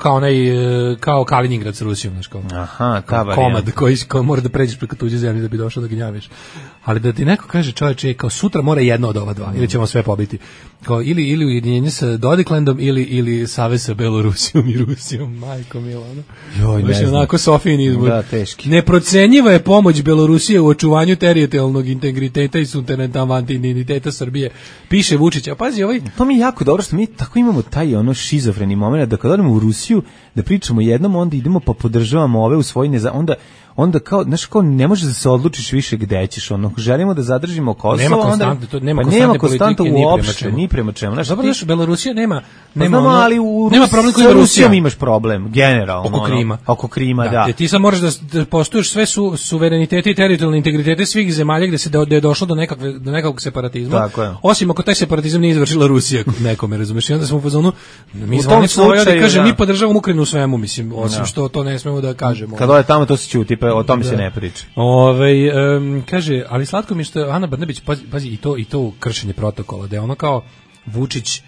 Speaker 5: kao Kaliningrad sa Rusijom, znaš, kao komad koji mora da pređeš preko tuđe zemlje da bi došao da gnjaviš. Ali da ti neko kaže, čovječe, kao sutra mora jedno od ova dva, ili ćemo sve pobiti. Kao ili ujedinjenje sa Dodiklandom ili savez sa Belorusijom i Rusijom, majko milo,
Speaker 6: Joj, ne znam.
Speaker 5: Onako Sofijin izbor.
Speaker 6: Da, teški.
Speaker 5: Neprocenjiva je pomoć Belorusije u očuvanju teritorijalnog integriteta i suvereniteta Srbije, piše Vučić. A pazi,
Speaker 6: to mi je jako dobro što mi tako imamo taj šizofreni moment da kad odemo u Rusiju da pričamo jednom, onda idemo pa podržavamo ove u svoj onda kao, znaš, kao ne možeš da se odlučiš više gde ćeš, želimo da zadržimo Kosovo, nema konstante uopšte, ni prema čemu.
Speaker 5: Dobro, znaš, Belorusija nema
Speaker 6: ali
Speaker 5: nema problem koji ima
Speaker 6: Rusija. Imaš problem, generalno. Oko Krima, da.
Speaker 5: Ti sad moraš da poštuješ sve suverenitete i teritorijalne integritete svih zemalja gde je došlo do nekakvog separatizma. Osim ako taj separatizam nije izvršila Rusija nekome, razumeš? I onda smo u fazonu, mi zvanično kaže, mi podržavamo Ukrajinu u svemu, mislim, osim što to ne smemo da kažemo.
Speaker 6: Kad ode tamo to se ćuti, o tome se ne priča.
Speaker 5: Kaže, ali slatko mi je što Ana Brnabić, pazi, i to kršenje protokola, da je ono kao Vučić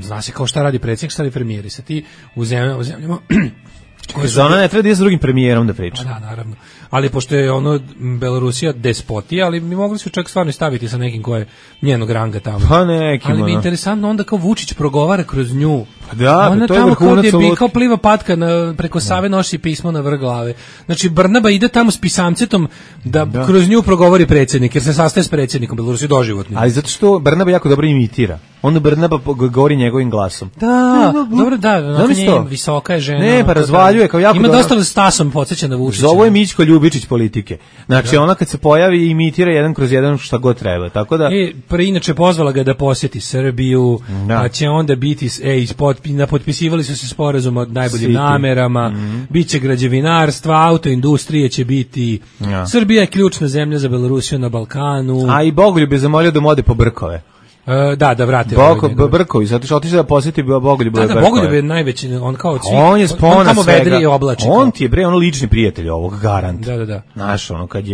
Speaker 5: zna se kao šta radi predsjednik, šta radi premijer, i sad ti u zemljama
Speaker 6: za ona ne treba da je s drugim premijerom da priča.
Speaker 5: Da, naravno. Ali pošto je Belorusija despotija, ali mi mogli su čak stvarno staviti sa nekim ko je njenog ranga tamo.
Speaker 6: Pa nekim.
Speaker 5: Ali mi je interesantno onda kao Vučić progovara kroz nju.
Speaker 6: Da,
Speaker 5: ona
Speaker 6: to je
Speaker 5: vrhunac. Ona kao pliva patka preko Save, nosi pismo na vrh glave. Znači Brnaba ide tamo s pisamcetom da kroz nju progovori predsjednik, jer se sastaje s predsjednikom Belorusije doživotno.
Speaker 6: Ali zato što Brnaba jako dobro imitira. Onda Brnaba govori njegovim glasom.
Speaker 5: Da, dobro, visoka je žena.
Speaker 6: Ne, pa razvaljuje kao jako.
Speaker 5: Ima dosta da Stasom podsjeća na Vučića.
Speaker 6: Ovo je Mićko Ljubičić politike. Znači ona kad se pojavi imitira jedan kroz jedan šta god treba. Tako da
Speaker 5: inače pozvala ga da posjeti Srbiju, a će onda biti potpisivali su se sporazum o najboljim namerama, biće građevinarstva, autoindustrije će biti. Srbija je ključna zemlja za Belorusiju na Balkanu.
Speaker 6: A i Bogoljub je zamolio da mu ode po brkove.
Speaker 5: Da vrate.
Speaker 6: Brković, zato što otišao da posjeti Bogoljub Brković.
Speaker 5: Da, Bogoljub je najveći, on kao od svih.
Speaker 6: On je spona svega.
Speaker 5: On
Speaker 6: ti je bre, ono lični prijatelj ovog, garant.
Speaker 5: Da.
Speaker 6: Znaš, ono, kad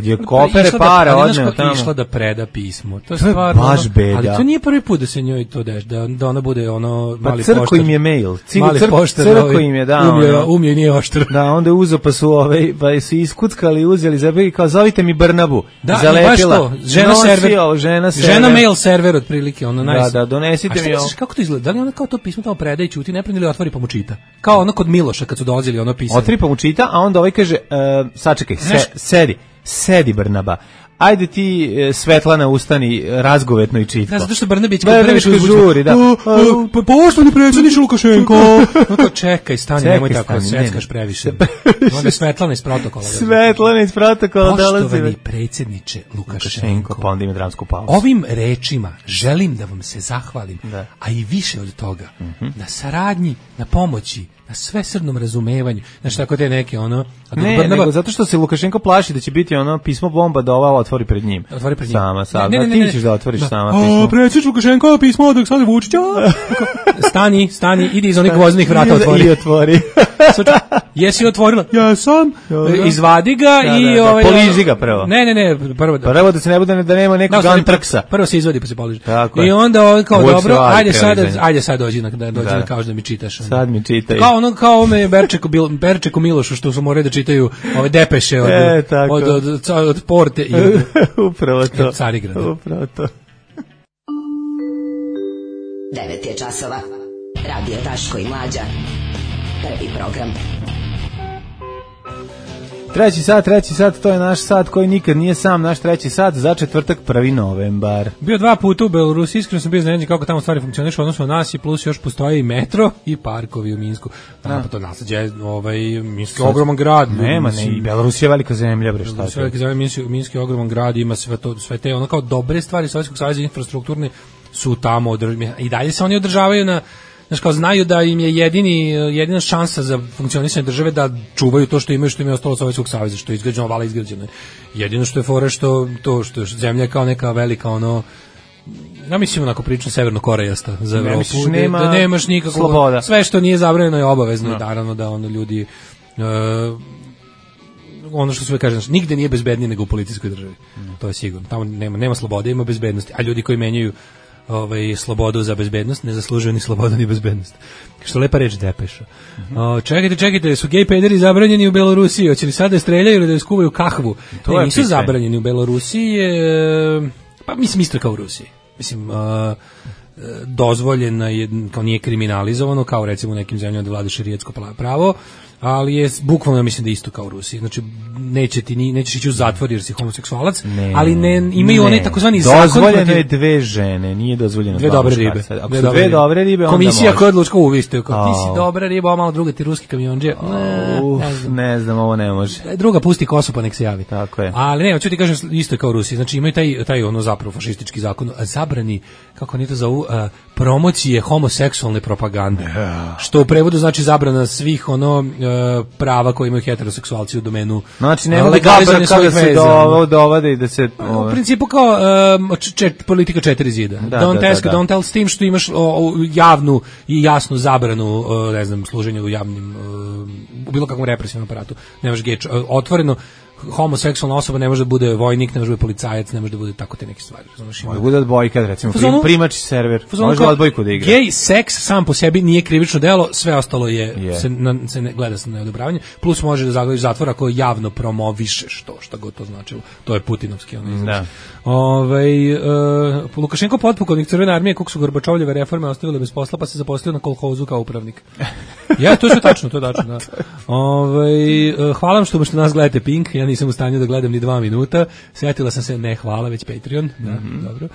Speaker 6: je kofere para odneo tamo.
Speaker 5: Išla da preda pismo. To je stvarno
Speaker 6: baš beda.
Speaker 5: Ali to nije prvi put da se njoj to deš, da ona bude ono mali poštar.
Speaker 6: Pa crko im je mail.
Speaker 5: Crko
Speaker 6: im je dao.
Speaker 5: Umio i nije oštar.
Speaker 6: Da, onda je uzeo pa su su iskuckali, uzeli za i kao zovite mi Brnabu.
Speaker 5: Da,
Speaker 6: zalepila.
Speaker 5: Baš to. Žena mail server otprilike, ono
Speaker 6: Da, donesite mi ovo.
Speaker 5: Kako to izgleda? Da li ona kao to pismo tamo predaje ćuti, ne preni ili otvori pa mu čita? Kao ono kod Miloša kad su dolazili ono pisanje.
Speaker 6: Otvori pa mu čita, a onda ovaj kaže sačekaj, sedi Brnaba. Ajde ti Svetlana ustani razgovetno i čitko.
Speaker 5: Da, zato što Brnabić
Speaker 6: žuri, da.
Speaker 5: Poštovani predsjedniče Lukašenko. No čekaj, stani, nemoj tako, seckaš previše. Onda Svetlana iz protokola.
Speaker 6: Svetlana iz protokola dolazi.
Speaker 5: Poštovani predsjedniče Lukašenko.
Speaker 6: Pa onda ima dramsku pauzu.
Speaker 5: Ovim rečima želim da vam se zahvalim, a i više od toga, na saradnji, na pomoći, na svesrdnom razumevanju. Znaš, tako te neke, ono...
Speaker 6: nego zato što se Lukašenko plaši da će biti ono pismo bomba da ova otvori pred njim.
Speaker 5: Otvori pred njim.
Speaker 6: Sama. Ti ćeš da otvoriš sama pismo.
Speaker 5: Predsjednič Lukašenko, pismo od Aleksandra Vučića. Stani, idi iz onih gvozdenih vrata, otvori.
Speaker 6: I otvori.
Speaker 5: Jesi otvorila? Ja sam. Izvadi ga i...
Speaker 6: Poliži ga prvo.
Speaker 5: Ne,
Speaker 6: prvo da se ne bude da nema nekog antraksa.
Speaker 5: Prvo se izvadi pa se poliži. I onda kao dobro, ajde sad dođi da kažeš da mi čitaš.
Speaker 6: Sad mi čitaj.
Speaker 5: Kao ome Berčeku Milošu što su morali da čitaju ove depeše od Porte i
Speaker 6: upravo to.
Speaker 5: Carigrada.
Speaker 6: Upravo to.
Speaker 7: 9 je časova. Radio Daško i Mlađa. Prvi program.
Speaker 6: Treći sat, to je naš sat koji nikad nije sam, naš treći sat za četvrtak 1. novembar.
Speaker 5: Bio 2 puta u Belorusiji, iskreno sam bio iznenađen kako tamo stvari funkcionišu, odnosno nas i plus još postoji i metro i parkovi u Minsku. Pa to naslađe, Minsk je ogroman grad.
Speaker 6: Nema, i Belorusija je velika zemlja, bre, šta
Speaker 5: je. Velika zemlja, Minsk je ogroman grad, ima sve te ono kao dobre stvari Sovjetskog saveza infrastrukturne su tamo i dalje se oni održavaju na. Znaš, kao znaju da im je jedina šansa za funkcionisanje države da čuvaju to što imaju ostalo od Sovjetskog saveza, što je izgrađeno, vala izgrađeno. Jedino što je fora što je zemlja je kao neka velika ja mislim onako prilično severno-korejasta za Evropu, da nemaš nikakvu sloboda. Sve što nije zabranjeno je obavezno, naravno da ljudi ono što sve kaže, nigde nije bezbednije nego u policijskoj državi. To je sigurno. Tamo nema slobode, ima bezbednosti, a ljudi koji menjaju slobodu za bezbednost ne zaslužuju ni slobodu ni bezbednost. Što lepa reč depeša. Čekajte, su gej pederi zabranjeni u Belorusiji? Hoće li sad da streljaju ili da skuvaju kahvu? Ne, nisu zabranjeni u Belorusiji. Pa mislim isto kao u Rusiji. Mislim, dozvoljeno je, kao nije kriminalizovano, kao recimo u nekim zemljama da vlada šerijatsko pravo, ali je bukvalno, mislim da isto kao u Rusiji. Znači, nećeš ići u zatvor jer si homoseksualac, ali imaju one takozvani zakon.
Speaker 6: Dozvoljeno je 2 žene, nije dozvoljeno 2
Speaker 5: dobre ribe.
Speaker 6: Ako su 2 dobre ribe, onda
Speaker 5: komisija koja odlučka uviste, ti si dobra riba, a malo druga ti ruski kamionđe.
Speaker 6: Ne znam, ovo ne može.
Speaker 5: Druga pusti kosu pa nek se javi.
Speaker 6: Tako je.
Speaker 5: Ali ne, hoću ti kažem isto kao u Rusiji. Znači, imaju taj zapravo fašistički zakon, zabrani, kako oni to zovu, promocije homoseksualne propagande. Što u prevodu znači zabrana svih prava koje imaju heteroseksualci u domenu.
Speaker 6: Znači nema legalizovanja svojih veza. Dovode i da se
Speaker 5: u principu kao politika 4 zida. Don't tell, s tim što imaš javnu i jasnu zabranu, ne znam, služenja u javnim u bilo kakvom represivnom aparatu. Nemaš otvoreno homoseksualna osoba ne može da bude vojnik, ne može da bude policajac, ne može da bude tako te neke stvari.
Speaker 6: Može bude odbojka, recimo, primač server, može da odbojku da igra.
Speaker 5: Gej seks sam po sebi nije krivično delo, sve ostalo se ne gleda sa neodobravanje, plus može da zagledaš zatvor ako javno promovišeš to, šta god to značilo. To je putinovski izraz. Lukašenko potpukovnik Crvene armije, kog su Gorbačovljeve reforme ostavile bez posla, pa se zaposlio na kolhozu kao upravnik. Ja, to je tačno, da. Hvala vam što nas gledate Pink, ja nisam u stanju da gledam ni 2 minuta. Sjetila sam se, ne hvala, već Patreon. Dobro.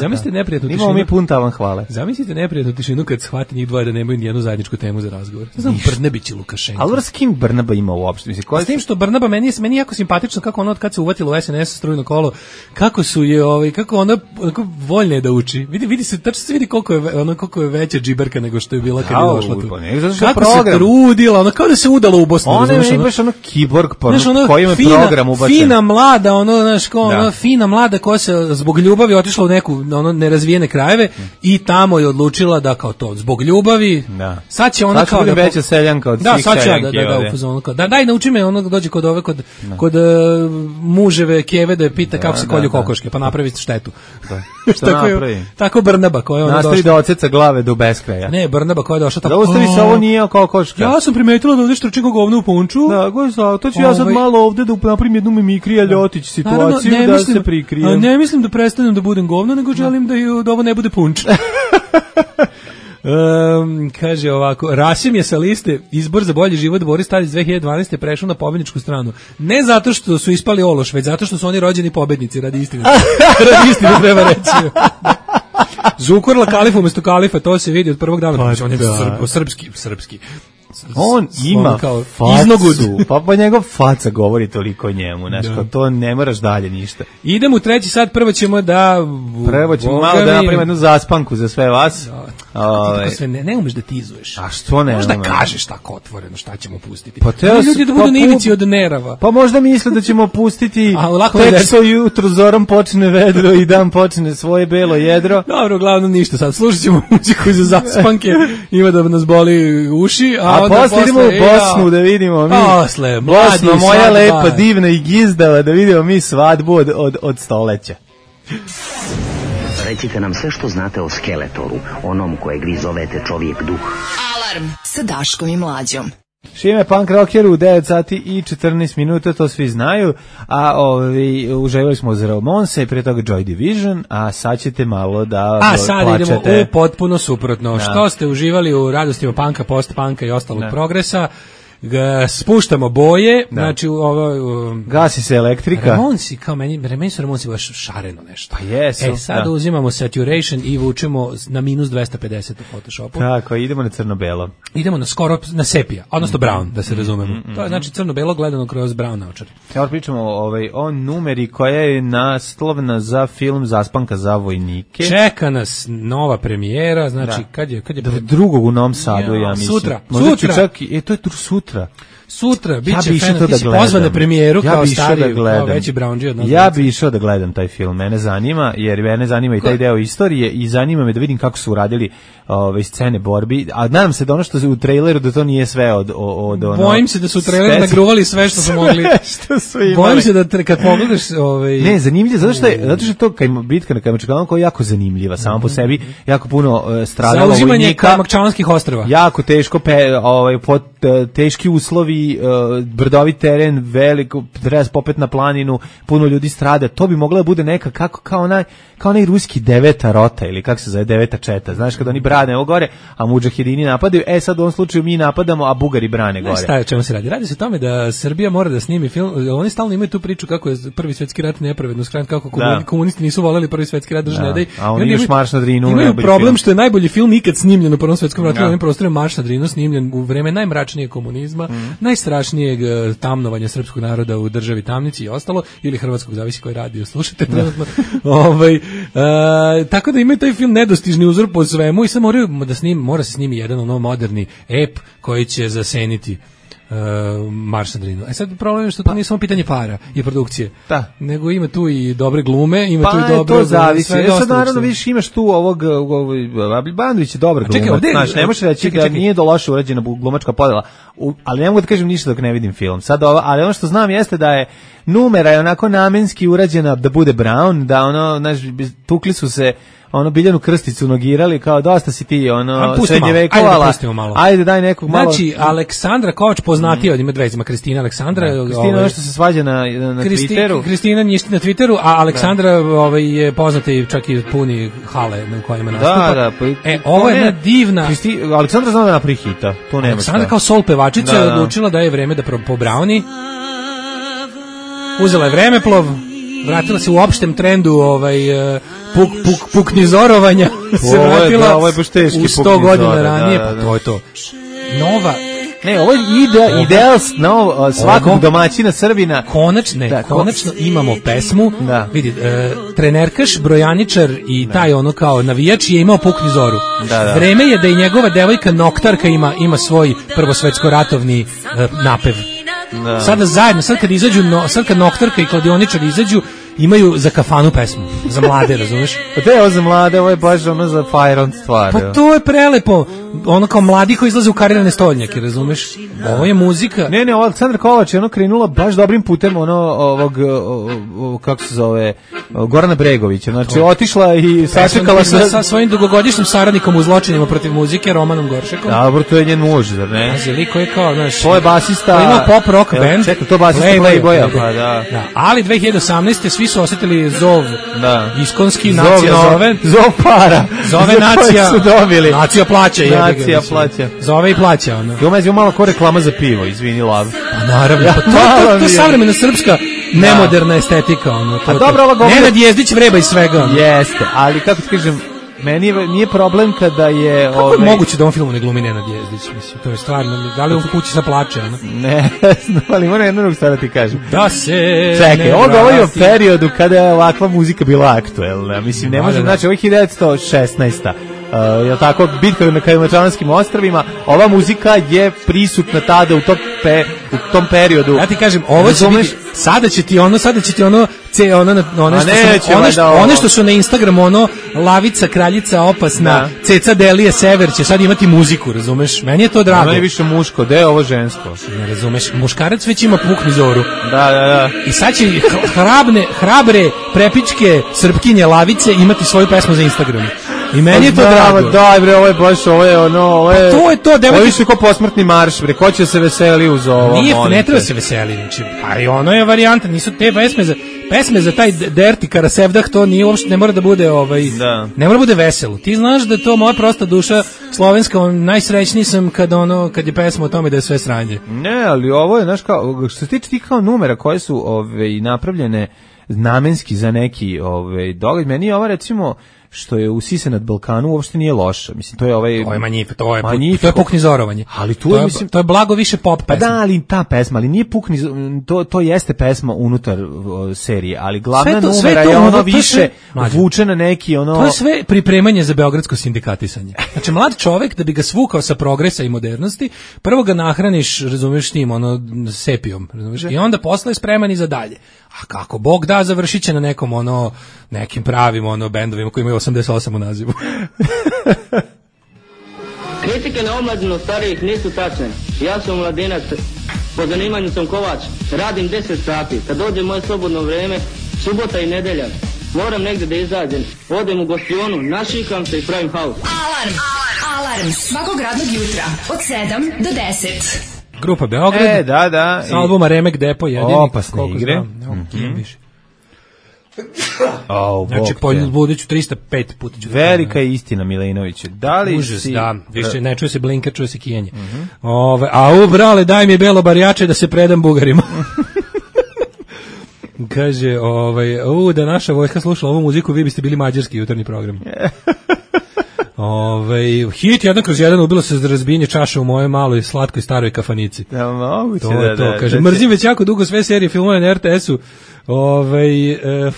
Speaker 5: Zamislite neprijatnu tišinu.
Speaker 6: Imamo mi pun tavan hvale.
Speaker 5: Zamislite neprijatnu tišinu kad shvati njih dvoje da nemaju nijednu zajedničku temu za razgovor. Znam, Brnabić i Lukašenko.
Speaker 6: Ali s kim Brnaba ima uopšte?
Speaker 5: S tim što Brnaba meni je jako simpatično kako ono od kad se uvatilo u SNS strujno kolo, kako su je kako ona voljne da uči. Vidi se, tačno se vidi koliko je veća džiberka nego što je bila kad je došla tu. Kako se trudila, kao da se udala u Bosnu.
Speaker 6: Ona je baš kiborg, kojima program ubačen.
Speaker 5: Fina mlada, ono, znaš, ono, fina mlada koja se zbog ljubavi otišla u neku ono nerazvijene krajeve i tamo je odlučila da kao to zbog ljubavi.
Speaker 6: Da.
Speaker 5: Sad će ona kao
Speaker 6: da veća seljanka od svih seljanki.
Speaker 5: U fazonu kao daj nauči me, ono dođe kod ove kod muževe keve da je pita kako se kolju kokoške, pa napravi štetu.
Speaker 6: Da. Što napravi?
Speaker 5: Tako Brnaba koja ona
Speaker 6: nastavi da oceca glave do beskraja.
Speaker 5: Ne, Brnaba koja je došla tako.
Speaker 6: Da ostavi se ovo nije kokoška.
Speaker 5: Ja sam primetila da ovde štrčimo govno u punču.
Speaker 6: Da, to ću ja sad malo ovde da napravim jednu mimikri Ljotić situaciju da se prikrijem.
Speaker 5: Ne mislim da prestanem da budem govno, nego želim da ovo ne bude punč. Kaže ovako, Rasim je sa liste Izbor za bolji život Boris Tadić 2012. prešao na pobedničku stranu. Ne zato što su ispali ološ, već zato što su oni rođeni pobednici, radi istine. Radi istine treba reći. Zukorla kalifa umesto kalifa, to se vidi od prvog dana. On je srpski.
Speaker 6: On ima facu, pa njegov faca govori toliko o njemu, nešto, to ne moraš dalje ništa.
Speaker 5: Idemo u treći sat, prvo ćemo
Speaker 6: malo da napravimo jednu zaspanku za sve vas.
Speaker 5: Sve ne umeš da tizuješ.
Speaker 6: A što ne?
Speaker 5: Možda kažeš tako otvoreno šta ćemo pustiti. Pa ljudi da budu na ivici od nerava.
Speaker 6: Pa možda misle da ćemo pustiti tek što jutro zorom počne vedro i dan počne svoje belo jedro.
Speaker 5: Dobro, uglavnom ništa sad. Slušat ćemo muziku za zaspanke, ima da nas boli uši,
Speaker 6: a posle idemo u Bosnu da vidimo mi.
Speaker 5: Posle, mladi
Speaker 6: Bosna, moja lepa, divna i gizdava, da vidimo mi svadbu od stoleća.
Speaker 10: Recite nam sve što znate o Skeletoru, onom kojeg vi zovete čovjek duh.
Speaker 7: Alarm sa Daškom i Mlađom.
Speaker 6: Šime punk rockeru u 9 sati i 14 minuta, to svi znaju, a uživali smo za Ramonse, prije toga Joy Division, a sad ćete malo da plačete.
Speaker 5: A sad idemo u potpuno suprotno. Što ste uživali u radostima punka, post-punka i ostalog progresa, spuštamo boje, znači
Speaker 6: gasi se elektrika.
Speaker 5: Ramonsi, kao meni su Ramonsi baš šareno nešto.
Speaker 6: Pa jesu.
Speaker 5: Sad uzimamo saturation i vučemo na minus 250 u Photoshopu.
Speaker 6: Tako, idemo na crno-belo.
Speaker 5: Idemo na sepija, odnosno brown, da se razumemo. To je znači crno-belo gledano kroz brown naočare.
Speaker 6: Evo pričamo o numeri koja je naslovna za film Zaspanka za vojnike.
Speaker 5: Čeka nas nova premijera, znači kad je
Speaker 6: drugog u Novom Sadu, ja mislim.
Speaker 5: Sutra.
Speaker 6: To je sutra.
Speaker 5: Sutra biće pozvan na premijeru kao stari, kao veći Brownđi od nas.
Speaker 6: Ja bi išao da gledam taj film, mene zanima, jer mene zanima i taj deo istorije i zanima me da vidim kako su uradili scene borbi, a nadam se da ono što se u traileru da to nije sve od ono.
Speaker 5: Bojim se da su u traileru nagruvali sve što su mogli. Bojim se da kad pogledaš
Speaker 6: Ne, zanimljivo, zato što je to bitka na Kajmakčalanu koja je jako zanimljiva, sama po sebi, jako puno stradalo vojnika.
Speaker 5: Zauzimanje Kajmakčalanskih ostrva.
Speaker 6: Jako teško, teški uslovi, brdovit teren, veliko, treba popet na planinu, puno ljudi strada, to bi mogla da bude neka kao onaj ruski 9. rota ili kako se zove 9. četa, znaš kad oni brane ovo gore, a mudžahedini napadaju, sad u ovom slučaju mi napadamo, a Bugari brane gore.
Speaker 5: Šta je o čemu se radi? Radi se o tome da Srbija mora da snimi film, oni stalno imaju tu priču kako je Prvi svjetski rat nepravedno skrenut, kako komunisti nisu voleli Prvi svjetski rat,
Speaker 6: a oni još Marš na Drinu.
Speaker 5: Imaju problem što je najbolji film ikad snimljen u Prvom svjetskom ratu, na ovim prostorima Marš na Drinu snimljen u vreme najmračnijeg komunizma, najstrašnijeg tamnovanja srpskog naroda u državi Tamnici i ostalo, ili hrvatskog, zavisi koji radio slušate trenutno. Tako da imaju taj film nedostižni uzor po svemu i sad mora se snimi jedan moderni ep koji će zaseniti Marš na Drinu. Sad problem je što to nije samo pitanje para i produkcije, nego ima tu i dobre glume, ima tu i dobro...
Speaker 6: to zavisi. Sad naravno vidiš imaš tu Bandović je dobar glumac, znaš, ne možeš reći da nije loše urađena glumačka podela, ali ne mogu da kažem ništa dok ne vidim film. Ali ono što znam jeste da je numera je onako namenski urađena da bude Brown, da znaš, tukli su se Biljanu Krsticu nogirali, kao dosta si ti srednjevekovala. Ajde daj nekog malo.
Speaker 5: Znači, Aleksandra Kovač poznatija od ima dve, ima Kristina Aleksandra.
Speaker 6: Kristina nešto se svađa na Twitteru.
Speaker 5: Kristina njišti na Twitteru, a Aleksandra je poznata i čak i puni hale na kojima nastupa.
Speaker 6: Da.
Speaker 5: Ovo je jedna divna...
Speaker 6: Aleksandra zna da napravi hita, to nema šta.
Speaker 5: Aleksandra kao sol pevačica je odlučila da je vreme da po Browni. Uzela je vremeplov, vratila se u opštem trendu puknizorovanja, se vratila
Speaker 6: ovo je baš teški
Speaker 5: u 100 godina ranije, pa to je to. Nova...
Speaker 6: Ne, ovo je ideal svakog domaćina Srbina.
Speaker 5: Konačno imamo pesmu. Vidi, trenerkaš, brojaničar i taj kao navijač je imao pukni zoru. Vreme je da i njegova devojka Noktarka ima svoj prvosvetsko ratovni napev. Sada zajedno, sad kad Noktarka i Kladioničar izađu, imaju za kafanu pesmu, za mlade, razumeš?
Speaker 6: Pa to je ovo za mlade, ovo je baš ono za fire on stvar.
Speaker 5: Pa to je prelepo, ono kao mladi koji izlaze u karirane stolnjake, razumeš? Ovo je muzika.
Speaker 6: Ne, ovo Aleksandra Kovač je ono krenula baš dobrim putem kako se zove, Gorana Bregovića, znači otišla i sačekala
Speaker 5: sa svojim dugogodišnjim saradnikom u zločinima protiv muzike, Romanom Goršekom.
Speaker 6: Dobro, to je njen muž, zar ne?
Speaker 5: Znači, liko je kao, znaš,
Speaker 6: to je basista,
Speaker 5: ima pop rock band.
Speaker 6: Čekaj, to basista Playboya, pa da.
Speaker 5: Ali 2018. svi su osetili zov iskonski, nacija zove.
Speaker 6: Zov para.
Speaker 5: Zove nacija.
Speaker 6: Su dobili.
Speaker 5: Nacija plaća.
Speaker 6: Nacija plaća.
Speaker 5: Zove i plaća. Ono.
Speaker 6: Ovo malo ko reklama za pivo, izvini lav.
Speaker 5: Pa naravno, to je savremena srpska nemoderna estetika. Ono,
Speaker 6: a dobro, ova govori...
Speaker 5: Nenad Jezdić vreba i svega. Ono.
Speaker 6: Jeste, ali kako ti kažem, meni nije problem kada je...
Speaker 5: Kako je moguće da on filmu ne glumi Nenad Jezdić? Mislim, to je stvarno, da li on kući sa plače? Ono?
Speaker 6: Ne, ali moram jednu drugu stvar da ti kažem.
Speaker 5: Da se...
Speaker 6: Čekaj, on govori o periodu kada je ovakva muzika bila aktuelna. Mislim, ne može, znači, ovo je 1916. Je tako, bitka na Kajmakčalanskim ostrvima, ova muzika je prisutna tada u tom periodu.
Speaker 5: Ja ti kažem, ovo će biti, sada će ti ono one što su na Instagramu, ono, Lavica, Kraljica, Opasna, Ceca, Delije, Sever će sad imati muziku, razumeš? Meni je to drago.
Speaker 6: Ono je više muško, gde je ovo žensko?
Speaker 5: Ne razumeš, muškarac već ima pukni zoru.
Speaker 6: Da.
Speaker 5: I sad će hrabre, prepičke Srpkinje Lavice imati svoju pesmu za Instagram. I meni je to drago.
Speaker 6: Daj bre, ovo je baš, ovo je...
Speaker 5: Pa to je to, devojke...
Speaker 6: Ovi su ko posmrtni marš, bre, ko će se veseli uz ovo?
Speaker 5: Ne treba se veseli, znači, pa i ono je varijanta, nisu te pesme za taj Derti Karasevdah, to nije uopšte, ne mora da bude, ne mora da bude veselo. Ti znaš da je to moja prosta duša slovenska, najsrećniji sam kad je pesma o tome da je sve sranje.
Speaker 6: Ne, ali ovo je, znaš, kao, što se tiče ti kao numera koje su napravljene namenski za neki događaj, meni je ova, recimo, što je usise nad Balkanu uopšte nije loša. Mislim, to je
Speaker 5: Manjif, to je puknizorovanje.
Speaker 6: Ali
Speaker 5: to je blago više pop pesma.
Speaker 6: Pa da, ali ta pesma, ali nije to jeste pesma unutar serije, ali glavna numera je ono više vuče na neki ono...
Speaker 5: To je sve pripremanje za beogradsko sindikatisanje. Znači, mlad čovek, da bi ga svukao sa progresa i modernosti, prvo ga nahraniš, razumeš, tim, sepijom, razumeš, i onda posle je spreman i za dalje. A kako Bog da, završit će na nekim pravim bendovima koji imaju 88 u nazivu.
Speaker 11: Kritike na omladinu starijih nisu tačne. Ja sam mladinac, po zanimanju sam kovač, radim 10 sati. Kad dođe moje slobodno vreme, subota i nedelja, moram negdje da izađem. Odem u gostionu, našikam se i pravim haus.
Speaker 7: Alarm svakog radnog jutra od 7 do 10.
Speaker 5: Grupa Beograd.
Speaker 6: Da.
Speaker 5: Sa albuma Remek Depo jedini.
Speaker 6: Opasne igre.
Speaker 5: Znači, buduću 305 puta ću.
Speaker 6: Velika je istina, Milinović. Da li
Speaker 5: užas, si... Da, više ne čuje se blinker, čuje se kijenje. Brale, daj mi belo barjače da se predam Bugarima. Kaže, da naša vojska slušala ovu muziku, vi biste bili mađarski jutarnji program. Hit 1/1 ubilo se za razbijenje čaša u moje maloj slatkoj staroj kafanici.
Speaker 6: Ja, moguće
Speaker 5: to kaže, mrzim već jako dugo sve serije filmove na RTS-u.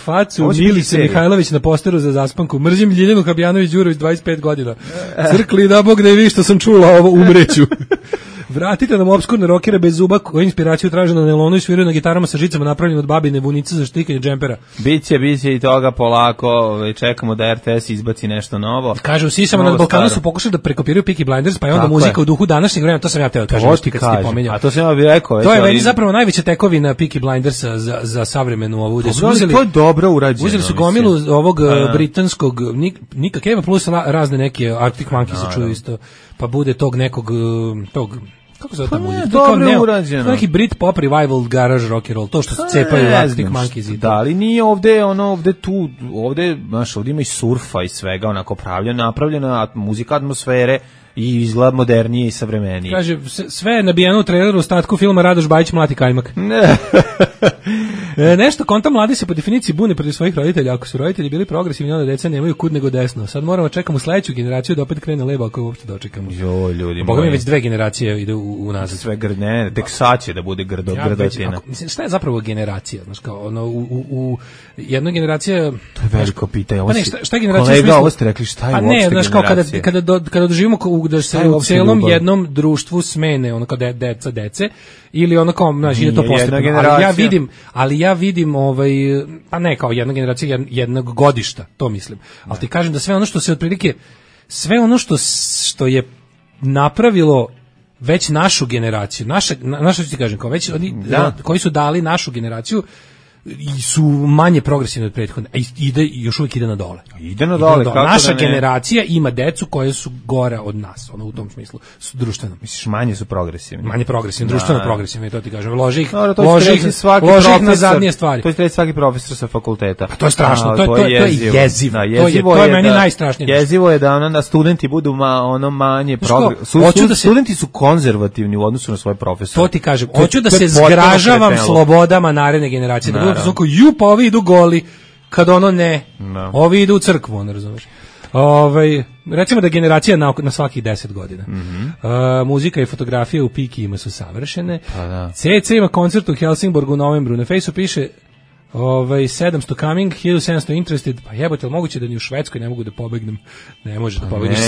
Speaker 5: Facu Milice Mihajlović na posteru za zaspanku. Mrzim Ljiljanu Habjanović-Đurović 25 godina. Crkli da Bog da je vi što sam čula ovo, umreću. Vratite nam opskurne rokere bez zuba koji inspiraciju traže na nelonu i sviraju na gitarama sa žicama napravljene od babine vunice za štikanje džempera.
Speaker 6: Biće i toga polako, čekamo da RTS izbaci nešto novo.
Speaker 5: Kaže, u Sisama nad Balkanu su pokušali da prekopiraju Peaky Blinders, pa je onda muzika u duhu današnjeg vremena, to sam ja teo kažem.
Speaker 6: A to sam ja bih rekao.
Speaker 5: To je već zapravo najveća tekovina Peaky Blindersa za savremenu ovu.
Speaker 6: To je dobro urađeno.
Speaker 5: Uzeli su gomilu ovog britanskog, Nika Cave plus razne neke Arctic Monkeys se čuju isto, pa bude tog nekog, kako se zove ta muzika?
Speaker 6: Dobro urađeno.
Speaker 5: To je neki Britpop revival garage rock and roll, to što se cepaju Arctic Monkeys.
Speaker 6: Da, ali nije ovde ima i surfa i svega, onako napravljena muzika atmosfere i izgled modernije i savremenije.
Speaker 5: Kaže, sve je nabijeno u traileru u statku filma Radoš Bajić mlati kajmak. Nešto konta mladi se po definiciji bune protiv svojih roditelja. Ako su roditelji bili progresivni, onda deca nemaju kud nego desno. Sad moramo čekamo sledeću generaciju da opet krene levo ako je uopšte dočekamo.
Speaker 6: Jo, ljudi
Speaker 5: moji. Boga mi već 2 generacije ide u nazad.
Speaker 6: Sve ne, tek sad će da bude grdotina.
Speaker 5: Mislim, šta je zapravo generacija? Znaš, kao u jedna generacija...
Speaker 6: To je veliko pitanje.
Speaker 5: Pa ne, šta je generacija?
Speaker 6: Kolega, ovo ste rekli, šta je uopšte generacija?
Speaker 5: Znaš, kao kada doživimo u da se u celom jednom društvu smene ono kao dece ili ono kao ide to postepeno. Ali ja vidim pa ne kao jedna generacija jednog godišta, to mislim. Ali ti kažem da sve ono što se otprilike sve ono što je napravilo već našu generaciju, naša ti kažem, kao već oni koji su dali našu generaciju su manje progresivni od prethodne, a još uvijek ide na dole.
Speaker 6: Ide na dole.
Speaker 5: Naša generacija ima decu koje su gore od nas, ono u tom smislu, su društveno.
Speaker 6: Misliš, manje su progresivni?
Speaker 5: Manje progresivni, društveno progresivni, to ti kažem. Loži ih na zadnje stvari.
Speaker 6: To je svaki profesor sa fakulteta.
Speaker 5: Pa to je strašno, to je jezivo. To je meni najstrašnije.
Speaker 6: Jezivo je da studenti budu manje progresivni. Studenti su konzervativni u odnosu na svoje profesore.
Speaker 5: To ti kažem. Hoću da se zgražavam slobodama naredne generacije. Pa ovi idu goli, kad ono ne, ovi idu u crkvu, ono razumeš. Recimo da generacija na svakih 10 godina. Muzika i fotografija u Pikijima su savršene. CC ima koncert u Helsingborgu u novembru. Na Fejsu piše 700 coming, 1700 interested. Pa jebote, moguće da ni u Švedskoj ne mogu da pobegnem. Ne može da pobegneš.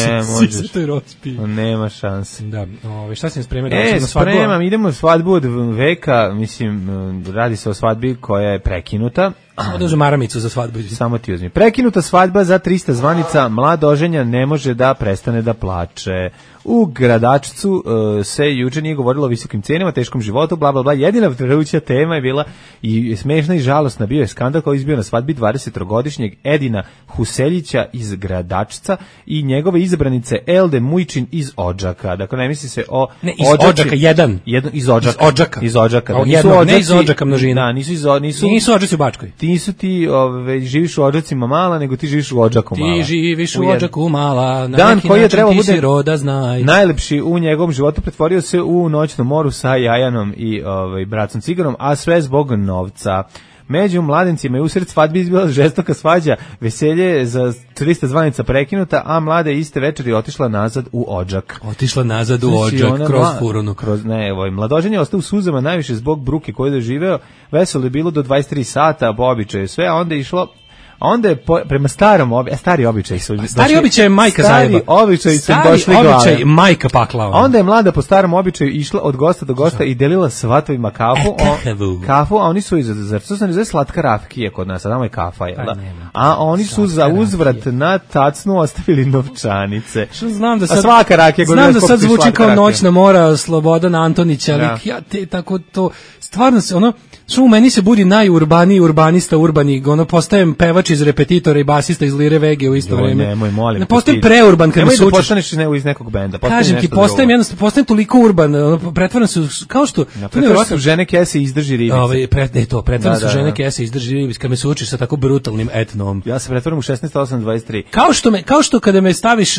Speaker 6: Nema šanse.
Speaker 5: Da, šta si mi spremio?
Speaker 6: Spremam, idemo u svadbu od veka, mislim, radi se o svadbi koja je prekinuta.
Speaker 5: Samo da uzem maramicu za svadbu.
Speaker 6: Samo ti uzmi. Prekinuta svadba za 300 zvanica, mlad oženja ne može da prestane da plače. U Gradačcu se juče nije govorilo o visokim cenama, teškom životu, bla bla bla. Jedina vruća tema je bila i smešna i žalosna, bio je skandal koji izbio na svadbi 20-godišnjeg Edina Huseljića iz Gradačca i njegove izabranice Elde Mujčin iz Odžaka. Dakle, ne misli se o
Speaker 5: Odžaka jedan
Speaker 6: iz Odžaka. Iz Odžaka.
Speaker 5: Ne iz Odžaka množina.
Speaker 6: Da,
Speaker 5: nisu Odžaci u Bačkoj.
Speaker 6: Nisu ti živiš u Odžacima Mala, nego ti živiš u Odžaku Mala.
Speaker 5: Ti živiš u Odžaku Mala, na
Speaker 6: dan
Speaker 5: neki
Speaker 6: koji je
Speaker 5: način ti si roda znaj.
Speaker 6: Najlepši u njegovom životu pretvorio se u noćnom moru sa Jajanom i bracom Ciganom, a sve zbog novca. Među mladencima je usred svadbi izbila žestoka svađa, veselje za 300 zvanica prekinuta, a mlada iste večeri otišla nazad u Odžak.
Speaker 5: Kroz furunu.
Speaker 6: Mladoženje je ostao u suzama najviše zbog bruke koju je doživeo. Veselo je bilo do 23 sata, po običaju sve, a onda je išlo. A onda je prema stari običaj su došli.
Speaker 5: Stari običaj je majka zajeba.
Speaker 6: Stari običaj su došli glave.
Speaker 5: Stari običaj majka pakla.
Speaker 6: Onda je mlada po starom običaju išla od gosta do gosta i delila svatovima kafu, a oni su zar to se ne zove slatka rakija kod nas, a tamo je kafa, jel da? A oni su za uzvrat na tacnu ostavili novčanice.
Speaker 5: Znam da
Speaker 6: svaka rakija
Speaker 5: sad zvuči kao Noćna mora Slobodan Antonić, ali ja te tako to stvarno se ono što u meni se budi najurbaniji urbanista urbani, ono postajem pevač iz Repetitora i basista iz Lire Vege u isto vreme.
Speaker 6: Nemoj, molim.
Speaker 5: Ne postajem preurban kad me se učiš.
Speaker 6: Nemoj da postaneš iz nekog benda.
Speaker 5: Kažem ti, postajem toliko urban, pretvaram se kao što...
Speaker 6: Pretvaram se u žene kese izdrži ribice.
Speaker 5: Pretvaram se u žene kese izdrži ribice kad me se učiš sa tako brutalnim etnom.
Speaker 6: Ja se pretvaram u 16-8-23.
Speaker 5: Kao što kada me staviš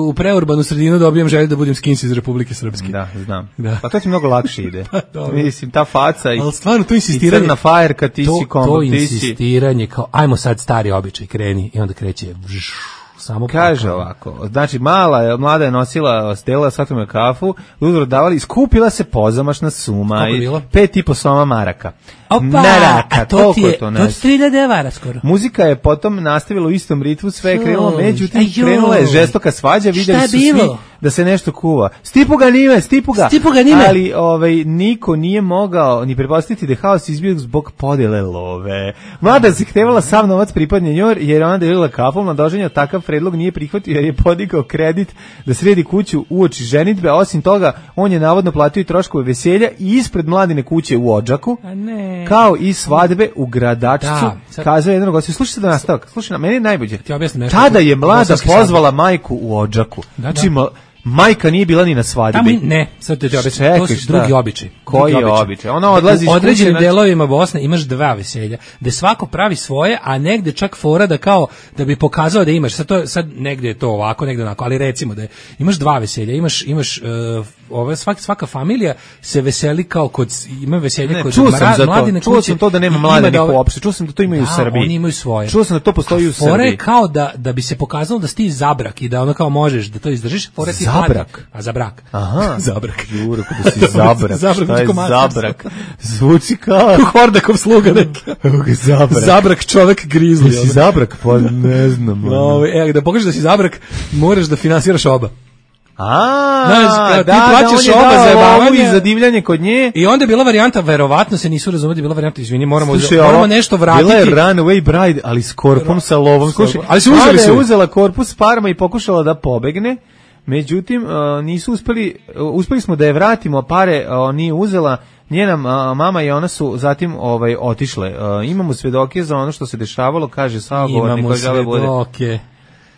Speaker 5: u preurbanu sredinu dobijem želju da budem skins iz Republike Srpske.
Speaker 6: Da, znam. Pa to ti mnogo lakše ide. Mislim, ta faca i
Speaker 5: to insistiranje
Speaker 6: na fajerka, ti si kombo,
Speaker 5: to insistiranje kao ajmo sad stari običaj kreni i onda kreće samo
Speaker 6: kaže ovako, znači mlada je nosila stela svatom kafu, uzor davali, skupila se pozamašna suma i 5,5 soma maraka.
Speaker 5: Maraka, to ti je 3000 evara skoro.
Speaker 6: Muzika je potom nastavila u istom ritmu, sve je krenulo, međutim krenula je žestoka svađa, vidjeli su svi da se nešto kuva. Stipu ga nime. Ali niko nije mogao ni pretpostaviti da je haos izbio zbog podele love. Mlada se htevala sav novac pripadne njoj, jer ona delila kafu, mladoženja takav predlog nije prihvatio jer je podigao kredit da sredi kuću uoči ženitbe, a osim toga on je navodno platio i troškove veselja i ispred mladine kuće u Odžaku. Kao i svadbe u Gradačcu, kazao jedan gost. Slušaj se da nastavak. Slušaj, na meni je najbolje. Tada je mlada pozvala majku u Odžaku. Znači, majka nije bila ni na svadbi.
Speaker 5: Sad te objasnim. To su drugi običaj.
Speaker 6: Koji je običaj? Ona odlazi iz
Speaker 5: kuće. U određenim delovima Bosne imaš dva veselja, gde svako pravi svoje, a negde čak fora da kao da bi pokazao da imaš. Sad negde je to ovako, negde onako, ali recimo da imaš dva veselja, imaš svaka familija se veseli kao kod ima veselje kod mladine kuće.
Speaker 6: Čuo sam to da nema mladenih uopšte. Čuo sam da to imaju u Srbiji.
Speaker 5: Oni imaju svoje.
Speaker 6: Čuo sam da to postoji u Srbiji.
Speaker 5: Fora je kao da bi se pokazalo da si ti za brak i da ono kao možeš da to izdržiš. Fora ti
Speaker 6: zabrak.
Speaker 5: A za brak.
Speaker 6: Aha.
Speaker 5: Zabrak.
Speaker 6: Juro, kada si zabrak. Šta je zabrak? Zvuči kao
Speaker 5: Hordakov sluga neki. Zabrak čovek grizli.
Speaker 6: Si zabrak, pa ne znam.
Speaker 5: Da pokažeš da si zabrak, moraš da finansiraš oba. Ti plaćaš oba za jebavanje
Speaker 6: i za divljanje kod nje.
Speaker 5: I onda je bila varijanta, verovatno se nisu razumeli, bila varijanta, izvini, moramo nešto vratiti.
Speaker 6: Bila je Runaway Bride, ali s korpom, sa lovom.
Speaker 5: Ali se uzeli su.
Speaker 6: Uzela korpus parama i pokušala da pobegne. Međutim, nisu uspeli smo da je vratimo, pare nije uzela, njena mama i ona su zatim otišle. Imamo svedoke za ono što se dešavalo, kaže sagovornik koji žele bude.
Speaker 5: Imamo svedoke.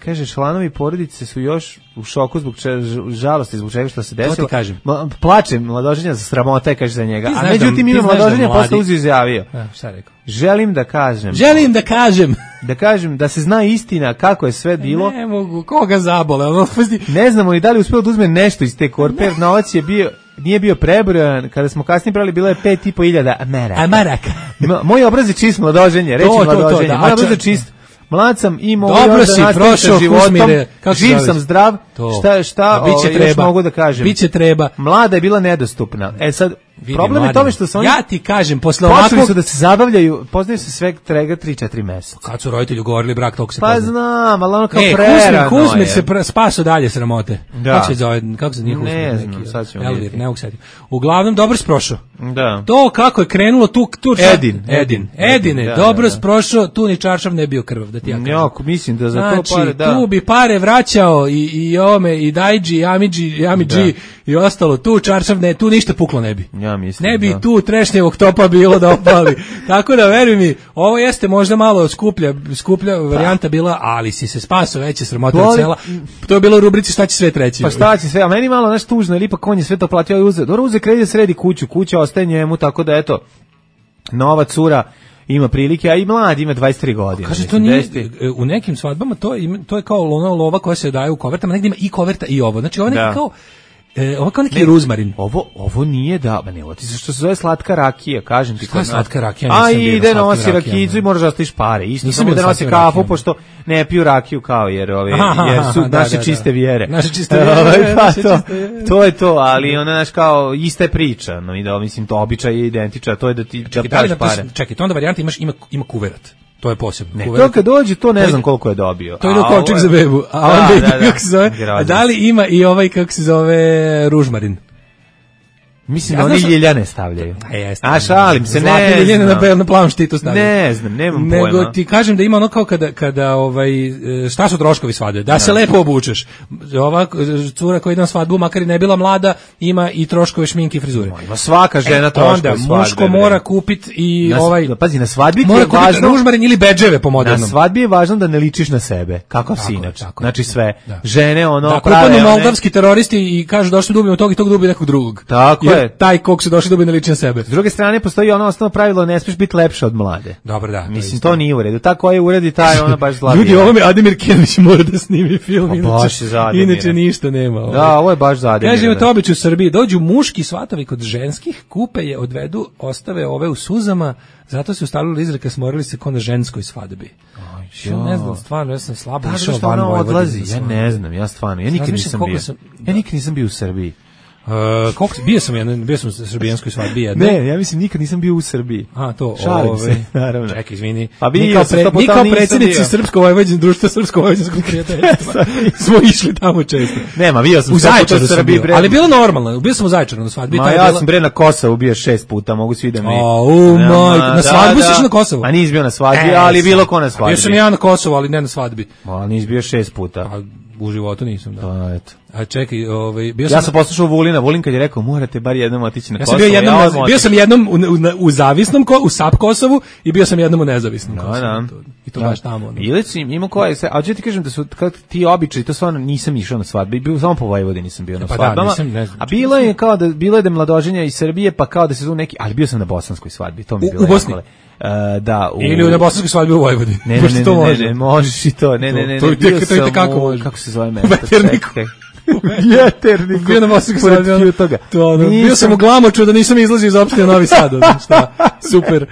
Speaker 6: Kaže, članovi porodice su još u šoku zbog žalosti, zbog čega što se desilo.
Speaker 5: To ti kažem.
Speaker 6: Plačem mladoženja za sramota, kaže za njega. A međutim, ima mladoženja posle izjavio.
Speaker 5: Šta rekao?
Speaker 6: Želim da kažem. Da kažem da se zna istina kako je sve bilo.
Speaker 5: Ne mogu, koga zabole.
Speaker 6: Ne znamo ni da li uspeo da uzme nešto iz te korpe, jer novac je bio, nije bio prebrojan. Kada smo kasnije brali, bilo je 5.500
Speaker 5: maraka.
Speaker 6: Moj obraz je čist mladoženje, reći mladoženje. Moj obraz je čist. Mlad sam i mogu
Speaker 5: dobro si prošao životom,
Speaker 6: živ sam zdrav, šta još mogu da kažem.
Speaker 5: Biće treba.
Speaker 6: Mlada je bila nedostupna. Sad, problem je tome što su oni...
Speaker 5: Ja ti kažem, posle ovakvog...
Speaker 6: Počeli su da se zabavljaju, poznaju se sve trega 3-4 meseca.
Speaker 5: Kad su roditelji ugovorili brak, toliko se poznaju.
Speaker 6: Pa znam, ali ono kao prerano je.
Speaker 5: Kuzmir se spaso dalje sramote.
Speaker 6: Da.
Speaker 5: Kako se njih
Speaker 6: ne znam, sad ćemo
Speaker 5: vidjeti. Ne mogu setim. Uglavnom, dobro sprošao.
Speaker 6: Da.
Speaker 5: To kako je krenulo tu... Edine, dobro sprošao, tu ni čaršav ne bio krvav, da ti ja kažem.
Speaker 6: Jako, mislim da za to pare, da.
Speaker 5: Tu bi pare vraćao i ome, i Dajđi, i Amidži, i ostalo, tu čaršav ne, tu ništa puklo ne bi.
Speaker 6: Ja mislim,
Speaker 5: ne bi tu trešnjevog topa bilo da opali. Tako da, veruj mi, ovo jeste možda malo skuplja varijanta bila, ali si se spasao, veće sramote od sela. To je bilo u rubrici šta će sve treći.
Speaker 6: Pa šta će sve, a meni malo nešto tužno, ili ipak on je sve to platio, uze kredit, sredi kuću, kuća ostaje njemu, tako da eto, nova cura ima prilike, a i mlad ima 23 godine.
Speaker 5: Kaže, to nije, u nekim svadbama to je kao lova koja se daje u kovertama, negdje ima i koverta i ovo. Znači, ovo neki kao... ovo kao neki ruzmarin.
Speaker 6: Ovo nije ovo ti što se zove slatka rakija, kažem ti.
Speaker 5: Šta je slatka rakija?
Speaker 6: A ide nosi rakijicu i moraš da ostaviš pare. Isto samo da nosi kafu, pošto ne piju rakiju kao jer su naše čiste vjere.
Speaker 5: Naše čiste vjere.
Speaker 6: To je to, ali ona naš kao ista je priča. No i da mislim to običaj je identičan, to je da ti daš pare.
Speaker 5: Čekaj, to onda varijanta ima kuverat. To je posebno.
Speaker 6: Ne, to kad dođe, to ne znam koliko je dobio.
Speaker 5: To ide u kovčeg za bebu. A onda kako se zove? Da li ima i ovaj, kako se zove, ružmarin?
Speaker 6: Mislim da oni ljiljane stavljaju. A šalim se, ne
Speaker 5: ljiljane na plavom štitu stavljaju.
Speaker 6: Ne znam, nemam pojma.
Speaker 5: Nego ti kažem da ima ono kao kada šta su troškovi svadbe? Da se lepo obučeš. Ova cura koja ide na svadbu, makar i ne bila mlada, ima i troškove šminke i frizure.
Speaker 6: Ima svaka žena troškove svadbe.
Speaker 5: Onda muško mora kupiti i
Speaker 6: pazi, na svadbi
Speaker 5: mora kupiti ružmarin ili bedževe po modernom.
Speaker 6: Na svadbi je važno da ne ličiš na sebe. Kakav si inače. Znači sve. Žene ono
Speaker 5: prave. Da, moldavski teroristi i kažu došli da ubijemo tog i tog da ubije nekog drugog.
Speaker 6: Tako je.
Speaker 5: Taj kog se došli da bi ne liči na sebe.
Speaker 6: S druge strane postoji ono osnovno pravilo, ne smiješ biti lepša od mlade.
Speaker 5: Dobro, da.
Speaker 6: Mislim to nije u redu. Tako je uredi taj ona baš zla.
Speaker 5: Ljudi, ovo mi Ademir Kenić mora da snimi film, inače ništa nema.
Speaker 6: Da, ovo je baš za Ademira.
Speaker 5: Kaže, to običaj u Srbiji, dođu muški svatovi kod ženskih, kupe je, odvedu, ostave ove u suzama, zato se ustalila izreka, smorili se ko na ženskoj svadbi. Ja ne znam, stvarno, ja sam slabo išao van Vojvodine.
Speaker 6: Ja ne znam, ja stvarno, ja nikad nisam bio u Srbiji.
Speaker 5: Bio sam u srbijanskoj svadbi jedne.
Speaker 6: Ne, ja mislim nikad nisam bio u Srbiji. Šalim se, naravno.
Speaker 5: Čekaj, izvini.
Speaker 6: Pa
Speaker 5: mi kao predsjednici Srpsko-vojvođanskog društva Srpsko-vojvođanskog prijateljstva smo išli tamo često.
Speaker 6: Nema, bio sam
Speaker 5: u Zaječaru sam bio, ali bilo normalno. Bio sam u Zaječaru na svadbi.
Speaker 6: Ja sam na Kosovu bio 6 puta, mogu svi da mi...
Speaker 5: Na svadbu si išao na Kosovu?
Speaker 6: A nisi bio na svadbi, ali bilo ko na svadbi.
Speaker 5: Bio sam ja na Kosovu, ali ne na svadbi.
Speaker 6: Ali nisi bio 6 puta.
Speaker 5: U životu nisam, da.
Speaker 6: Pa, eto.
Speaker 5: A čekaj,
Speaker 6: ja sam poslušao Vulin kad je rekao morate bar jednom otići na Kosovo.
Speaker 5: Bio sam jednom u zavisnom, u SAP Kosovu i bio sam jednom u nezavisnom Kosovu. I to baš tamo.
Speaker 6: Ima koje, a ću ti kažem da su ti običaji, to stvarno nisam išao na svadbe, bio samo po Vojvodini sam bio na svadbama. A bilo je kao da je mladoženja iz Srbije, pa kao da se tu neki, ali bio sam na bosanskoj svadbi, to mi je bilo.
Speaker 5: U Bosni?
Speaker 6: Da,
Speaker 5: ili na bosanskoj svadbi u Vojvodini.
Speaker 6: Ne, možeš i to. Ne.
Speaker 5: To je kako može.
Speaker 6: Kako se zove mesto?
Speaker 5: Jeterniku. Bio na bosanskoj svadbi. Bio sam u Glamoču da nisam izlazio iz opštine Novi Sad. Šta? Super.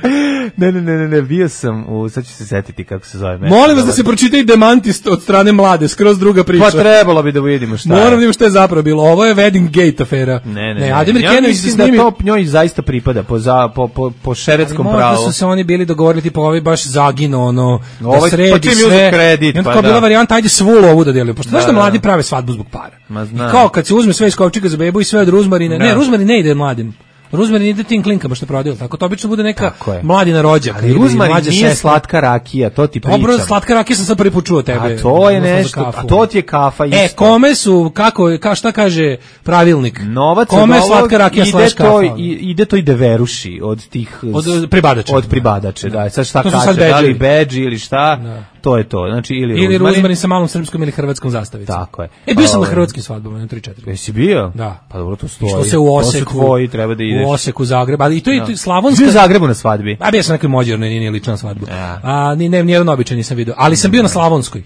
Speaker 6: Ne, bio sam sad ću se setiti kako se zove mesto.
Speaker 5: Molim vas da se pročita i demantist od strane mlade, skroz druga priča.
Speaker 6: Pa trebalo bi da vidimo šta je.
Speaker 5: Moram da vidimo šta je zapravo bilo. Ovo je Wedding Gate afera.
Speaker 6: Ne.
Speaker 5: Ademir Kenović se
Speaker 6: snimi. Da to njoj zaista pripada po šeretskom pravu.
Speaker 5: Možda su se oni bili dogovorili, tipa ovi baš zagino, da sredi sve.
Speaker 6: Kredit,
Speaker 5: i onda kao bila varijanta, ajde svu lovu da deliju. Pošto znaš da mladi prave svadbu zbog para. I kao kad se uzme sve iz kovčega za bebu i sve od ruzmarina, ne, ruzmarin ne ide mladim. Ruzmarin ide tim klinkama što prodaju, tako to obično bude neka mladina rođaka.
Speaker 6: Ali ruzmarin nije slatka rakija, to ti pričam.
Speaker 5: Dobro, slatka rakija sam sad prvi put čuo tebe.
Speaker 6: A to je nešto, a to ti je kafa isto.
Speaker 5: Kome su, šta kaže pravilnik?
Speaker 6: Novac
Speaker 5: kome slatka rakija slash kafa?
Speaker 6: Ide to i deveruši od tih...
Speaker 5: Od pribadača.
Speaker 6: Od pribadače, da. Sad šta kaže, da li bedži ili šta, to je to. Znači,
Speaker 5: ili ruzmarin sa malom srpskom ili hrvatskom zastavicom.
Speaker 6: Tako je.
Speaker 5: Bio sam na hrvatskim svadbama, na 3-4.
Speaker 6: Jesi bio?
Speaker 5: Da.
Speaker 6: Pa dobro, to stoji.
Speaker 5: Što se u Oseku,
Speaker 6: tvoji, treba da ideš.
Speaker 5: U Oseku, Zagreb, ali i to je slavonska.
Speaker 6: Bio u Zagrebu na svadbi?
Speaker 5: A bio sam nekoj mođernoj, nije lična svadba. Nijedan običaj nisam vidio, ali sam bio na slavonskoj.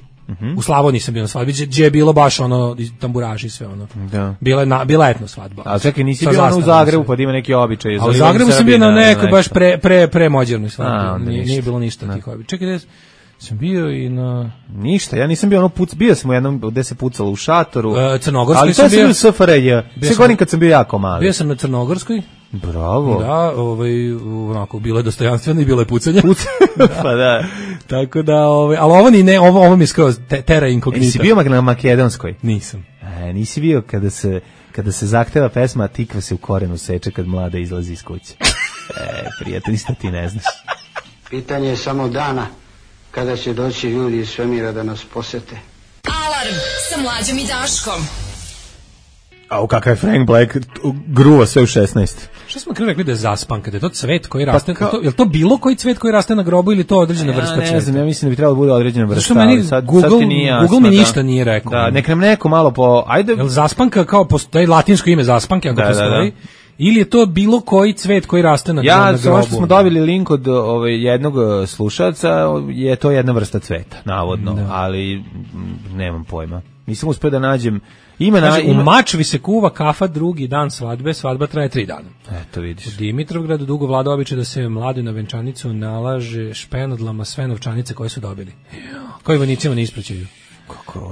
Speaker 5: U Slavoniji sam bio na svadbi, gdje je bilo baš ono tamburaši i sve ono. Da. Bila etno svadba.
Speaker 6: A čekaj, nisi bio u Zagrebu pa da ima neki običaj.
Speaker 5: A u Zagrebu sam bio na nekoj baš pre modernoj svadbi. Nije bilo ništa tih običaja. Čekaj, sam bio i na...
Speaker 6: Ništa, ja nisam bio bio sam u jednom gde se pucalo u šatoru.
Speaker 5: Crnogorskoj sam bio.
Speaker 6: Ali to sam bio u SFRJ. Sve godin kad sam bio jako mali.
Speaker 5: Bio sam na Crnogorskoj.
Speaker 6: Bravo.
Speaker 5: Da, onako, bilo je dostojanstveno i bilo je pucanje.
Speaker 6: Pa da.
Speaker 5: Tako da, ali ovo mi je skroz terra incognita.
Speaker 6: Jesi bio na Makedonskoj?
Speaker 5: Nisam.
Speaker 6: Nisi bio kada se zahteva pesma Tikva se u korenu seče kad mlada izlazi iz kuće. Prijatelj, isto ti ne znaš.
Speaker 12: Pitanje je samo dana kada će doći ljudi iz svemira da nas posete.
Speaker 7: Alarm sa Mlađom i Daškom.
Speaker 6: A kakav je Frank Black gruva sve u 16.
Speaker 5: Što smo rekli da je zaspan, kada je to cvet koji raste, je li to bilo koji cvet koji raste na grobu ili to određena vrsta cveta?
Speaker 6: Ne znam, ja mislim da bi trebalo da bude određena vrsta.
Speaker 5: Zašto meni Google mi ništa nije rekao.
Speaker 6: Da, nek nam neko malo ajde.
Speaker 5: Je li zaspanka kao postoji latinsko ime zaspanke, ako postoji? Ili je to bilo koji cvet koji raste na grobu?
Speaker 6: Ja, što smo dobili link od jednog slušalca, je to jedna vrsta cveta, navodno, ali nemam pojma. Nisam uspio da nađem.
Speaker 5: U Mačvi se kuva kafa drugi dan svadbe, svadba traje 3 dana.
Speaker 6: Eto vidiš.
Speaker 5: U Dimitrovgradu dugo vlada običaj da se mladi na venčanicu nalaže špenodlama sve novčanice koje su dobili. Koji vojnicima ne ispraćaju.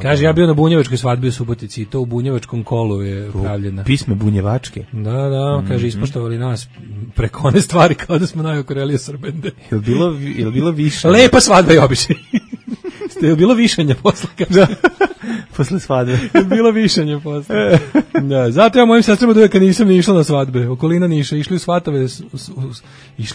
Speaker 5: Kaže, ja bio na bunjevačkoj svadbi u Subotici i to u bunjevačkom kolu je pravljena.
Speaker 6: Pisme bunjevačke?
Speaker 5: Da, kaže, ispoštovali nas preko one stvari kao da smo najokorelije Srbende.
Speaker 6: Je li bilo više?
Speaker 5: Lepa svadba je običaj. Je bilo višanja posle, kaže.
Speaker 6: Posle svadbe.
Speaker 5: Je bilo višanje posle. Da, zato ja mojim sestrama da kad nisam ni išla na svadbe, okolina Niša, išli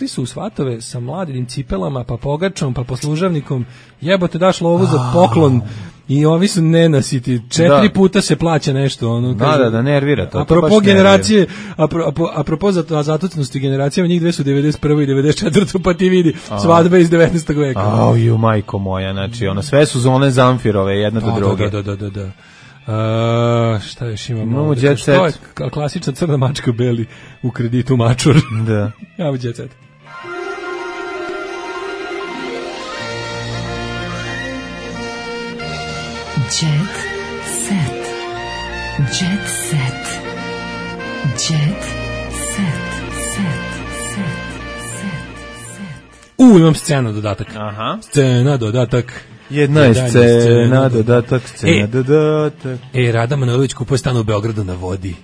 Speaker 5: su u svatove sa mladinim cipelama, pa pogačom, pa poslužavnikom, jebote daš lovu za poklon i ovi su nenasiti, 4 puta se plaća nešto. Ono, kaže,
Speaker 6: da, nervira to.
Speaker 5: Apropo generacije, apropo zatucnosti generacijama, njih dve su 91. i 94. pa ti vidi, svadbe iz 19. veka.
Speaker 6: Majko moja, znači, sve su zone Zamfirove, jedna do druge.
Speaker 5: Da. Šta još imamo?
Speaker 6: Imamo Jet Set.
Speaker 5: To je klasična crna mačka beli u kreditu mačur.
Speaker 6: Da.
Speaker 5: Imamo Jet Set.
Speaker 7: Jet Set. Jet Set. Jet Set.
Speaker 5: Imam scenu dodatak.
Speaker 6: Aha.
Speaker 5: Scena dodatak.
Speaker 6: Jedna je scena dodatak, scena dodatak.
Speaker 5: Rada Manojlović kupuje stan u Beogradu na vodi.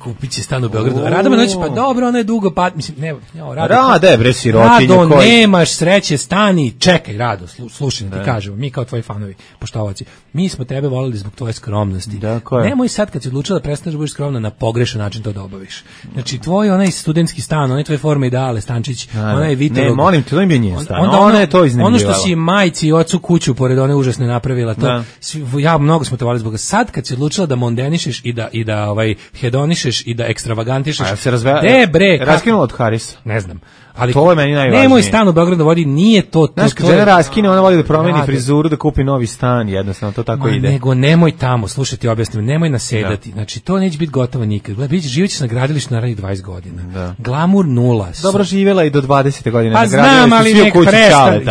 Speaker 5: Kupit će stan u Beogradu. Rada Manojlović, pa dobro, ona je dugo, mislim,
Speaker 6: Rada je bre sirotinja.
Speaker 5: Rado, nemaš sreće, stani, čekaj, Rado, slušaj, ti kažemo, mi kao tvoji fanovi, poštovaci, mi smo tebe voleli zbog tvoje skromnosti. Nemoj sad kad si odlučila da prestaneš da budeš skromna na pogrešan način to da obaviš. Znači, tvoj onaj studentski stan, onaj tvoje forme ideale, stančić, onaj Vitelog.
Speaker 6: Ne, molim te, to im je njen stan, ona je to iznajmljivala.
Speaker 5: Ono što si majci i ocu kuću pored one užasne napravila, to, mnogo smo te voleli zbog. Sad kad si odlučila da mondenišeš i da hedonišeš i da ekstravagantišeš.
Speaker 6: A se raskinulo od Harisa?
Speaker 5: Ne znam. Ali
Speaker 6: to je meni najvažnije.
Speaker 5: Nemoj stan u Beogradu vodi, nije to.
Speaker 6: Znaš, kad žena raskine, ona voli da promeni frizuru, da kupi novi stan, jednostavno to tako ide.
Speaker 5: Nego nemoj tamo, slušajte, objasnim, nemoj nasedati. Znači, to neće biti gotovo nikad. Živećeš na gradilištu naravnih 20 godina. Glamur 0.
Speaker 6: Dobro, živjela i do 20. godine.
Speaker 5: Pa znam, ali nek prestan.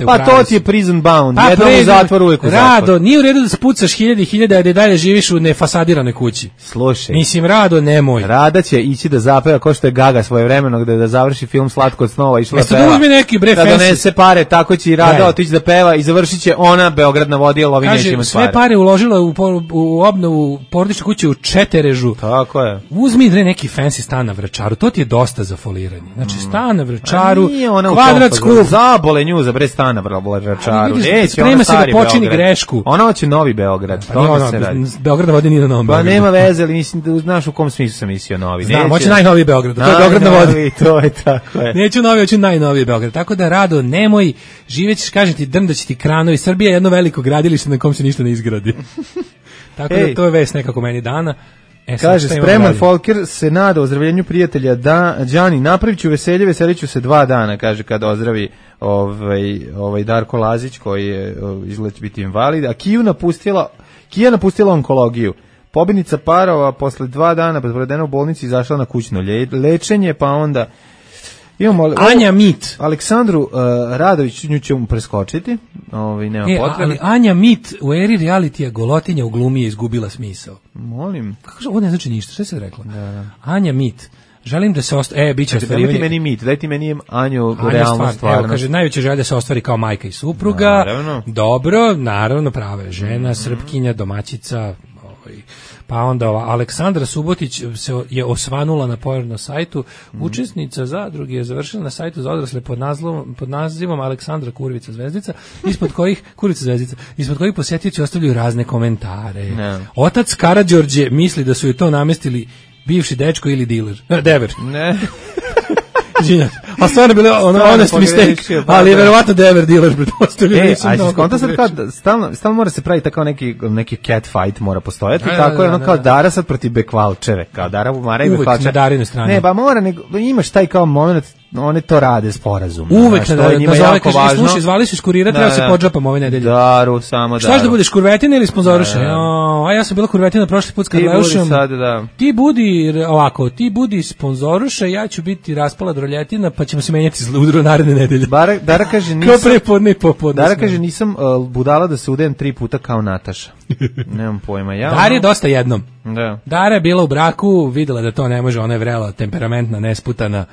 Speaker 6: Pa to ti je prison bound. Jednom u zatvoru, uvijek u zatvoru.
Speaker 5: Rado, nije u redu da spucaš hiljade, a da dalje živiš u nefasadiranoj kući.
Speaker 6: Slušaj.
Speaker 5: Mislim, Rado, nemoj.
Speaker 6: Rada će ići da zapeva, ko što je Gaga svojevremeno, da završi film Slatko kod snova išla da
Speaker 5: peva.
Speaker 6: Da donese pare, tako će i Rada otići da peva i završit će ona Beograd na vodi, ali ovi neće imati pare.
Speaker 5: Sve pare uložila u obnovu porodične kuće u Četerežu.
Speaker 6: Tako je.
Speaker 5: Uzmi neki fancy stan na Vračaru, to ti je dosta za foliranje. Znači stan na Vračaru, kvadrat skup.
Speaker 6: Zabole nju za bre stan na Vračaru.
Speaker 5: Sprema se da počini grešku.
Speaker 6: Ona hoće Novi Beograd.
Speaker 5: Beograd na vodi nije na Novom Beogradu.
Speaker 6: Pa nema veze, ali mislim da znaš u kom smislu sam mislio novi.
Speaker 5: Znam, hoće najnoviji Beograd. To je Beograd na vodi.
Speaker 6: To je tako je.
Speaker 5: Neću novi, hoću najnoviji Beograd. Tako da Rado, nemoj, živećeš, kažem ti, drndaće ti kranovi. Srbija je jedno veliko gradilište na kom se ništa ne izgradi. Tako da to je vest nekako meni dana.
Speaker 6: Kaže, spreman Folker se nada ozdravljenju prijatelja da Đani napravit ću veselje, veselit ću se 2 dana, kaže, kad ozdravi ovaj Darko Lazić koji je izgleda biti invalid, a Kija napustila onkologiju. Pobjednica parova posle 2 dana provedena u bolnici izašla na kućno lečenje, pa onda imamo
Speaker 5: Anja Mit.
Speaker 6: Aleksandru Radović, nju ćemo preskočiti, nema potrebe.
Speaker 5: Ali Anja Mit u eri realitija golotinja u glumi je izgubila smisao.
Speaker 6: Molim.
Speaker 5: Kako ovo ne znači ništa, šta se rekla? Da. Anja Mit. Želim da se biće ostvarivanje.
Speaker 6: Daj ti meni mit, daj ti meni Anju realnu stvarnost.
Speaker 5: Evo, kaže, najveća želja da se ostvari kao majka i supruga. Naravno. Dobro, naravno, prava je žena, srpkinja, domaćica, pa onda Aleksandra Subotić je osvanula na pojernom sajtu. Učesnica zadruge je završila na sajtu za odrasle pod nazivom Aleksandra Kurvica Zvezdica, ispod kojih posetioci ostavljaju razne komentare. Otac Karađorđe misli da su joj to namestili bivši dečko ili dever.
Speaker 6: Ne.
Speaker 5: A stvarno bilo honest mistake, ali je verovatno dever dealer pretpostavljaju.
Speaker 6: A skonto sad kao stalno mora se praviti tako neki cat fight mora postojati, tako je ono kao Dara sad protiv Bekvalčeve, kao Dara Bumara i Bekvalčeve.
Speaker 5: Uvek na Darinu stranu.
Speaker 6: Ne, ba mora, imaš taj kao moment, one to rade sporazumno.
Speaker 5: Uvek na Darinu, slušaj, zvali su iz kurira, treba se podžapam ove nedelje.
Speaker 6: Daru, samo Daru.
Speaker 5: Štaš da budeš kurvetina ili sponzoruše? A ja sam bila kurvetina prošli put kad leušem. Ti budi sponzoruše, ja ću biti raspala droljetina, pa ćemo se menjati u naredne nedelje.
Speaker 6: Dara kaže nisam.
Speaker 5: Kao prepodne i popodne.
Speaker 6: Dara kaže nisam budala da se udajem 3 puta kao Nataša. Nemam pojma.
Speaker 5: Dara je dosta jednom.
Speaker 6: Da.
Speaker 5: Dara je bila u braku, videla da to ne može, ona je vrela, temperamentna, nesputana.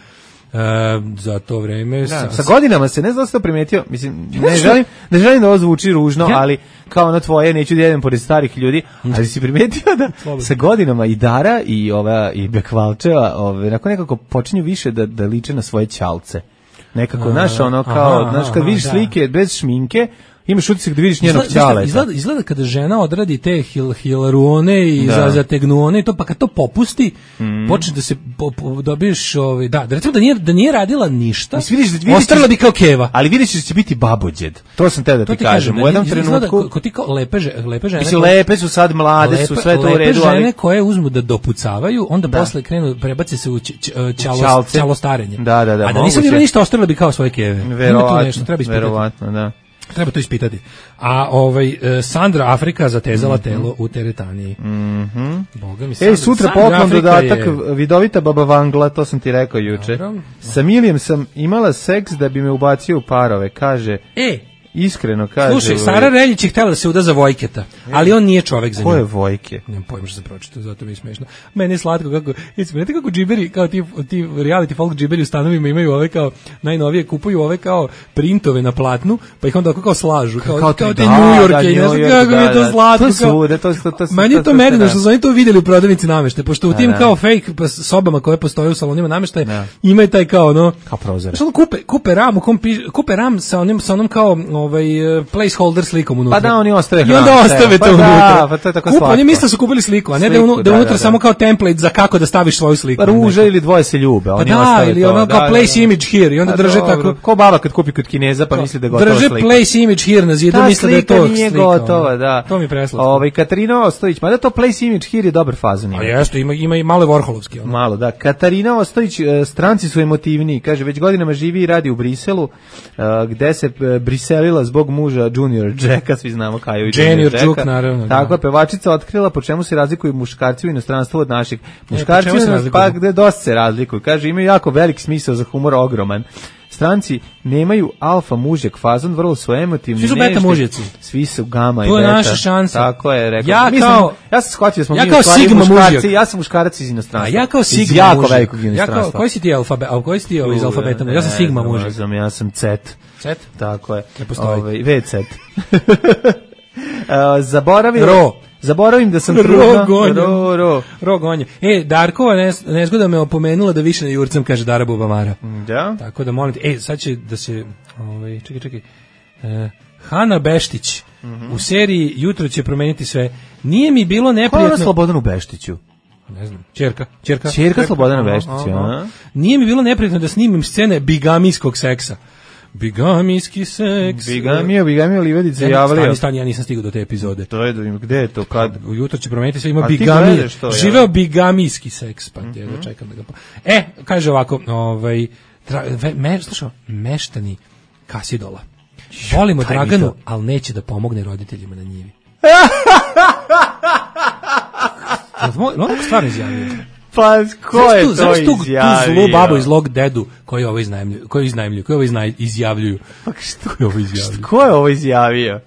Speaker 5: Za to vreme
Speaker 6: sa godinama se ne znam da ste primetio, mislim ne želim da ovo zvuči ružno, ali kao ono tvoje, neću da jedem pored starih ljudi, ali si primetio da sa godinama i Dara i Bekvalčeva nekako počinju više da liče na svoje ćalce, nekako znaš ono kao, znaš kad vidiš slike bez šminke imaš utisak da vidiš njenog ćaleta.
Speaker 5: Izgleda kada žena odradi te hilaruone i zategnuone i to, pa kad to popusti, počne da se dobiješ, recimo da nije radila ništa, ostrala bi kao keva.
Speaker 6: Ali vidiš da će biti babođed. To sam te da ti kažem. U jednom trenutku...
Speaker 5: Ko ti kao lepe žene...
Speaker 6: Mislim, lepe su sad, mlade su, sve to u redu,
Speaker 5: ali... Lepe žene koje uzmu da dopucavaju, onda posle krenu, prebace se u ćalostarenje.
Speaker 6: Da.
Speaker 5: A da nisam bila ništa, ostrala bi kao svoje keve.
Speaker 6: Verovatno, da.
Speaker 5: Treba to ispitati. A Sandra Afrika zatezala telo u teretaniji. Boga mi.
Speaker 6: Sutra poklon dodatak vidovita baba Vangla, to sam ti rekao juče. Sa Milijem sam imala seks da bi me ubacio u parove, kaže. Iskreno kaže.
Speaker 5: Slušaj, Sara Reljić je htjela da se uda za Vojketa, ali on nije čovek za nju.
Speaker 6: Ko je Vojke?
Speaker 5: Nemam pojma što sam pročitao, zato mi je smešno. Meni je slatko kako, znate kako džiberi, kao ti reality folk džiberi u stanovima imaju ove kao, najnovije kupuju ove kao printove na platnu, pa ih onda kao slažu, kao te New Yorke, ne znam kako mi je to slatko. Meni je to medeno što su oni to vidjeli u prodavnici namještaja, pošto u tim kao fake sobama koje postoje u salonima namještaja, imaju taj kao ono,
Speaker 6: kao prozor.
Speaker 5: Kupe ram sa onom kao placeholder slikom unutra.
Speaker 6: Pa da, oni ostave
Speaker 5: i onda ostave to unutra.
Speaker 6: Pa to je tako slatko.
Speaker 5: Oni misle su kupili sliku, a ne da unutra samo kao template za kako da staviš svoju sliku.
Speaker 6: Ruža ili dvoje se ljube, oni ostave to.
Speaker 5: Ili ono kao place image here i onda drže tako.
Speaker 6: Ko baba kad kupi kod Kineza pa misli da je gotova slika.
Speaker 5: Drže place image here na zidu, misle da je to slika.
Speaker 6: Ta slika nije gotova, da.
Speaker 5: To mi preslatko.
Speaker 6: Katarina Ostojić, mada to place image here je dobar fazon.
Speaker 5: A jeste, ima i malo Vorholovski.
Speaker 6: Malo, da. Katarina Ostojić, stranci su emotivniji, kaže već godinama živi i radi u Briselu, gde se briselila zbog muža Junior Jacka, svi znamo Kaju i Junior Jacka.
Speaker 5: Naravno.
Speaker 6: Tako je pevačica otkrila po čemu se razlikuju muškarci u inostranstvu od naših. Muškarci pa gde dosta se razlikuju. Kaže imaju jako velik smisao za humor, ogroman. stranci nemaju alfa mužjak fazon, vrlo su emotivni.
Speaker 5: Svi su beta mužjaci.
Speaker 6: Svi su gama i beta.
Speaker 5: To je naša šansa.
Speaker 6: Tako je, rekao.
Speaker 5: Ja
Speaker 6: sam shvatio da smo
Speaker 5: mi u stvari muškarci,
Speaker 6: ja sam muškarac iz inostranstva.
Speaker 5: A ja kao sigma
Speaker 6: jako velikog inostranstva.
Speaker 5: Koji si ti alfabet, a koji si ti iz alfabeta? Ja sam sigma mužjak.
Speaker 6: Ja sam cet.
Speaker 5: Cet?
Speaker 6: Tako je.
Speaker 5: Ne postoji.
Speaker 6: Vecet. Zaboravim da sam
Speaker 5: Rogonje. Darkova nezgoda me opomenula da više ne jurcam, kaže Dara Bubamara.
Speaker 6: Da?
Speaker 5: Tako da molim te. Sad će da se... Čekaj. Hana Beštić u seriji Jutro će promeniti sve. Nije mi bilo neprijatno...
Speaker 6: Ko je Slobodanu Beštiću?
Speaker 5: Ne znam. Ćerka
Speaker 6: Slobodana Beštića.
Speaker 5: Nije mi bilo neprijatno da snimim scene bigamijskog seksa. Bigamijski seks.
Speaker 6: Bigamija Livedica javlja.
Speaker 5: Stani, ja nisam stigao do te epizode.
Speaker 6: To je, gde je to, kad?
Speaker 5: Ujutro će promeniti sve, ima bigamija. Živeo bigamijski seks, pa da čekam da ga... kaže ovako, slušao, meštani Kasidola. Volimo Draganu, ali neće da pomogne roditeljima na njivi. Ono stvarno izjavio.
Speaker 6: Pa, ko je to izjavio?
Speaker 5: Tu zlu babu iz Log Dedu koji ovo izjavljuju.
Speaker 6: Pa ko je ovo izjavio?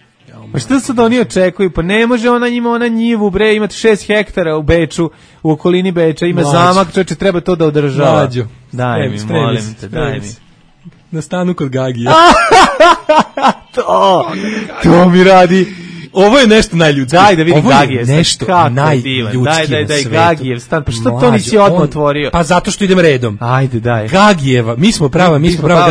Speaker 6: Pa što sad oni očekuju? Pa ne može ona njivu, bre, imate 6 hektara u Beču, u okolini Beča, ima zamak, čoče, treba to da održava.
Speaker 5: Mlađo.
Speaker 6: Daj mi, molim te, daj mi.
Speaker 5: Na stanu kod Gagija.
Speaker 6: To mi radi...
Speaker 5: Ovo je nešto najljudskije.
Speaker 6: Daj da vidim Gagijev.
Speaker 5: Ovo je nešto najljudskije na svetu.
Speaker 6: Gagijev stan. Pa što to nisi odmah otvorio?
Speaker 5: Pa zato što idem redom.
Speaker 6: Ajde, daj.
Speaker 5: Gagijeva. Mi smo prava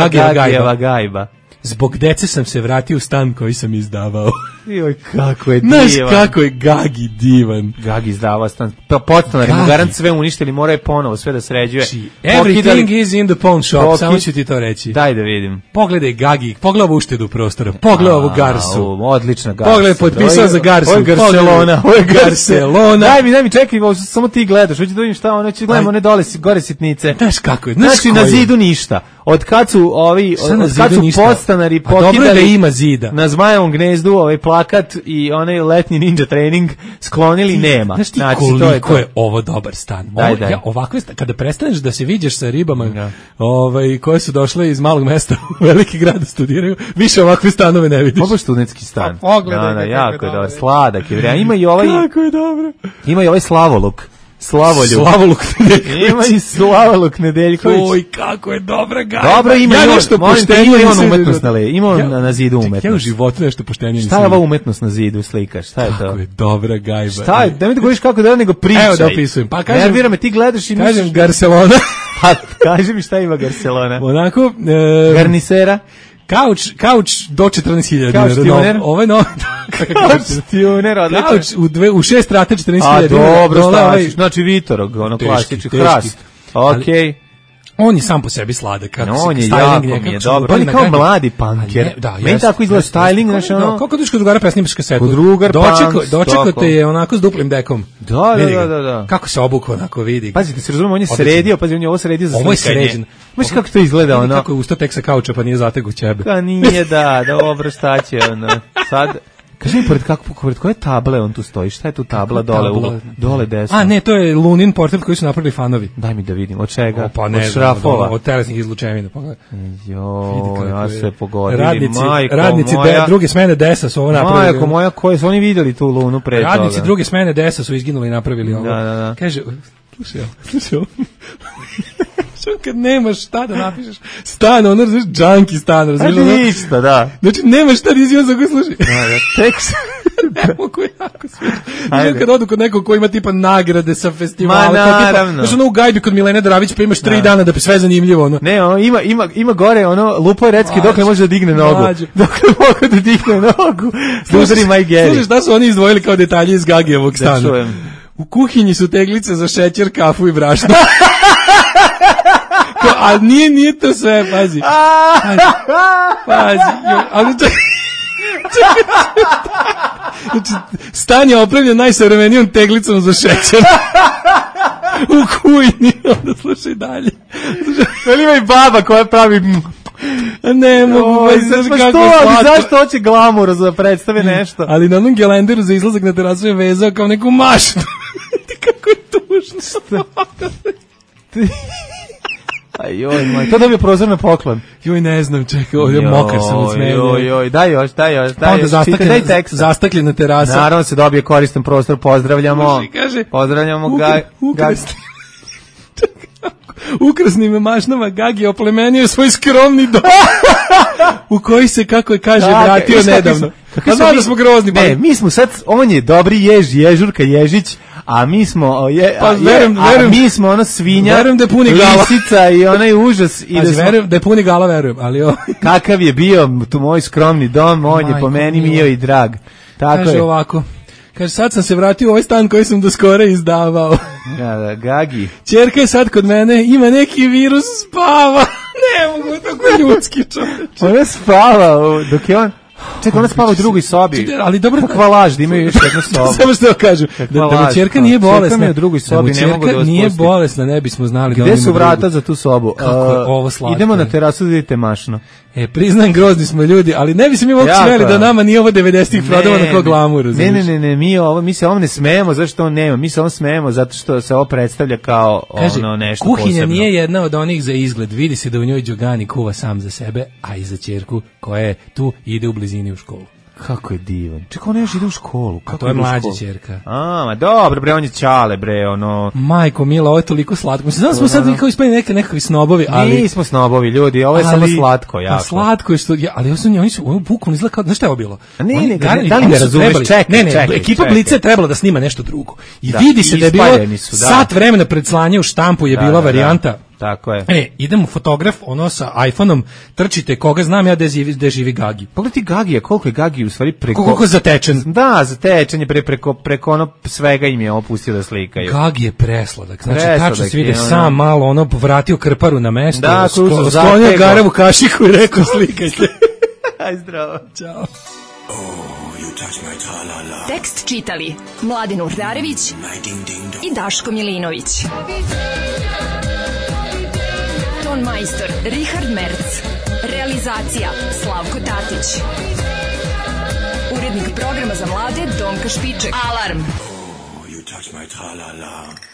Speaker 6: Gagijeva gajba.
Speaker 5: Zbog dece sam se vratio u stan koji sam izdavao.
Speaker 6: Joj, kako je divan.
Speaker 5: Znaš kako je Gagi divan.
Speaker 6: Gagi izdavao stan. Pa podstanari mu garant sve uništili, moraju ponovo sve da sređuje.
Speaker 5: Everything is in the pawn shop, samo ću ti to reći.
Speaker 6: Daj da vidim.
Speaker 5: Pogledaj Gagi, pogledaj ovu uštedu prostora, pogledaj ovu Garsu.
Speaker 6: Odlična Garsa.
Speaker 5: Pogledaj, potpisao za Garsu.
Speaker 6: Ovo je
Speaker 5: Barcelona.
Speaker 6: Daj mi, čekaj, samo ti gledaš, hoću da vidim šta ono, ću gledamo one gore sitnice.
Speaker 5: Znaš kako je,
Speaker 6: znači na zidu ništa. Od kad su podstanari pokidali
Speaker 5: da ima zida.
Speaker 6: Na Zmajevom gnezdu plakat i onaj letnji ninja trening sklonili, nema.
Speaker 5: Znaš ti koliko je ovo dobar stan?
Speaker 6: Daj.
Speaker 5: Ovako, kada prestaneš da se viđeš sa ribama koje su došle iz malog mesta u veliki grad da studiraju, više ovakve stanove ne vidiš.
Speaker 6: Ovo je studentski stan.
Speaker 5: Pogledaj,
Speaker 6: jako je dobar. Sladak je. Ima i ovaj...
Speaker 5: Kako je dobro.
Speaker 6: Ima i ovaj Slavoluk.
Speaker 5: Slavoluk Nedeljković.
Speaker 6: Ima i Slavoluk Nedeljković.
Speaker 5: Oj, kako je dobra gajba.
Speaker 6: Dobro, ima nešto poštenije. Ima on umetnost na zidu umetnost.
Speaker 5: Ja u životu nešto poštenije nisam.
Speaker 6: Šta je ova umetnost na zidu, slikaš? Šta je to?
Speaker 5: Kako je dobra gajba.
Speaker 6: Šta je? Da mi da govoriš kako da nego pričaj.
Speaker 5: Evo da opisujem. Pa kažem,
Speaker 6: nervira me, ti gledaš i
Speaker 5: kažem Garcelona.
Speaker 6: Pa kaži mi šta ima Garcelona.
Speaker 5: Onako...
Speaker 6: Garnisera.
Speaker 5: Kauč do 14.000
Speaker 6: dinara.
Speaker 5: Ovo je novo.
Speaker 6: Kauč-tuner, odlično.
Speaker 5: Kauč u 6 rata 14.000
Speaker 6: dinara. A dobro, znači Vitorog, ono klasični hrast. Okej.
Speaker 5: On je sam po sebi sladak.
Speaker 6: On je jako mi je dobro. On je kao mladi punker. Meni tako izgleda styling, znaš ono.
Speaker 5: Kako dođeš kod drugara presnimaš kasetu?
Speaker 6: Kod drugar punks.
Speaker 5: Dočekao te je onako s duplim dekom.
Speaker 6: Da.
Speaker 5: Kako se obukao, onako vidi.
Speaker 6: Pazi, da se razumemo, on je sredio, pazi, on je ovo sredio za slikanje.
Speaker 5: Ovo je sređen.
Speaker 6: Znaš kako to izgleda, ono?
Speaker 5: Kako je ustao tek sa kauča, pa nije zategu ćebe.
Speaker 6: Pa nije, dobro, šta će, ono. Sad... Kaži mi, pored koje table on tu stoji? Šta je tu tabla dole desno?
Speaker 5: A ne, to je Lunin portret koji su napravili fanovi.
Speaker 6: Daj mi da vidim, od čega?
Speaker 5: Pa ne,
Speaker 6: od šrafova?
Speaker 5: Od telesnih izlučevina.
Speaker 6: Ja se pogodili.
Speaker 5: Radnici druge smene DES-a su ovo napravili.
Speaker 6: Majko moja, koje su oni vidjeli tu Lunu pre toga?
Speaker 5: Radnici druge smene DES-a su izginuli i napravili ovo.
Speaker 6: Da.
Speaker 5: Kaže, slušaj ovo. Kad nemaš šta da napišeš stan, ono razliš džanki stan, razliš ono.
Speaker 6: Ništa, da.
Speaker 5: Znači nemaš šta da izvijem za koji služi.
Speaker 6: Tekst.
Speaker 5: Ne mogu jako sviđa. Znači kad odu kod nekog ko ima tipa nagrade sa festivala.
Speaker 6: Naravno.
Speaker 5: Znači ono u gajbi kod Milene Dravić pa imaš 3 dana da bi sve zanimljivo. Ono.
Speaker 6: Ne, ima gore ono Lupo Recki dok ne može da digne nogu. Dok ne mogu da digne nogu. Slušaj Maj Geri.
Speaker 5: Slušaj šta su oni izdvojili kao detalje iz Gagijevog stana. U kuhinji su teglice za šećer, kafu i brašno. A nije to sve, pazi. Ali znači, stan je opravljen najsavremenijom teglicom za šećer. U kujni, onda slušaj dalje.
Speaker 6: Ali ima i baba koja pravi...
Speaker 5: Ne mogu,
Speaker 6: zašto hoće glamur za predstave nešto?
Speaker 5: Ali na onom gelenderu za izlazak na terasu je vezao kao neku maštu. Kako je tužno.
Speaker 6: Ajoj, moj, to dobio prozor na poklon.
Speaker 5: Joj, ne znam, čekaj, ovdje mokar sam od smenja.
Speaker 6: Joj, daj još.
Speaker 5: Onda zastakljena terasa.
Speaker 6: Naravno se dobije koristan prostor, pozdravljamo.
Speaker 5: Kaže,
Speaker 6: pozdravljamo
Speaker 5: Ukrasnim mašnama Gagi oplemenio svoj skromni dom u koji se, kako je kaže, vratio nedavno. Pa znam da smo grozni.
Speaker 6: Ne, mi smo sad, on je dobri ježurka Ježić, a mi smo mi smo ona svinja,
Speaker 5: verujem da je puni gala,
Speaker 6: lisica i onaj užas i
Speaker 5: verujem da je puni gala, verujem, ali
Speaker 6: kakav je bio tu moj skromni dom, on je po meni mio i drag. Tako
Speaker 5: kaže ovako. Kaže, sad sam se vratio u ovaj stan koji sam do skora izdavao.
Speaker 6: Da, Gagi.
Speaker 5: Ćerka je sad kod mene, ima neki virus, spava. Ne mogu, tako ljudski čovječ.
Speaker 6: Ona spava, dok je on... Čekaj, ona spava u drugoj sobi.
Speaker 5: Ali dobro,
Speaker 6: kakva laž, da imaju još jednu sobu.
Speaker 5: Samo što kažu, da mu ćerka nije bolesna.
Speaker 6: Ćerka mi je u drugoj sobi, ne mogu da vas
Speaker 5: nije bolesna, ne bismo znali.
Speaker 6: Gde su vrata za tu sobu?
Speaker 5: Kako je ovo slatko.
Speaker 6: Idemo na terasu da vidite mašno.
Speaker 5: Priznam, grozni smo ljudi, ali ne bi se mi mogu smeli da nama nije ovo 90-ih prodavano kao glamur.
Speaker 6: Ne, mi se ovom ne smejemo, zašto on nema. Mi se ovom smejemo zato što se ovo predstavlja kao ono nešto posebno.
Speaker 5: Kuhinja nije jedna od onih za izgled. Vidi se da u njoj Đogani kuva sam za sebe, a i za ćerku koja je tu ide u blizini u školu.
Speaker 6: Kako je divan. Čekaj, ona još ide u školu.
Speaker 5: A to je mlađa ćerka.
Speaker 6: Ma dobro, bre, on je ćale, bre, ono...
Speaker 5: Majko mila, ovo je toliko slatko. Mislim, znam smo sad kao ispani nekakvi snobovi, ali...
Speaker 6: Nismo snobovi, ljudi, ovo je samo slatko, jako.
Speaker 5: Pa slatko je što... Ali oni su bukvalno izgleda kao... Znaš šta je ovo bilo?
Speaker 6: Da li ne razumeš? Čekaj.
Speaker 5: Ekipa Blica je trebala da snima nešto drugo. I vidi se da je bilo sat vremena pred slanje u štampu je bila varijanta.
Speaker 6: Tako je.
Speaker 5: Idemo fotograf, ono sa iPhone-om, trčite, koga znam ja gde živi Gagi.
Speaker 6: Pogledaj Gagija, koliko je Gagi u stvari preko...
Speaker 5: Koliko je zatečen.
Speaker 6: Da, zatečen je preko ono svega im je opustio da slikaju.
Speaker 5: Gagi je presladak. Znači, tačno se vide sam malo, ono, vratio krparu na mesto,
Speaker 6: da,
Speaker 5: sklonio garevu kašiku i rekao slikajte.
Speaker 6: Aj, zdravo.
Speaker 5: Ćao.
Speaker 7: Tekst čitali Mladin Urdarević i Daško Milinović. Ton majstor Richard Merc. Realizacija Slavko Tatić. Urednik programa za mlade Donka Špiček. Alarm! Oh, you touch my tra-la-la.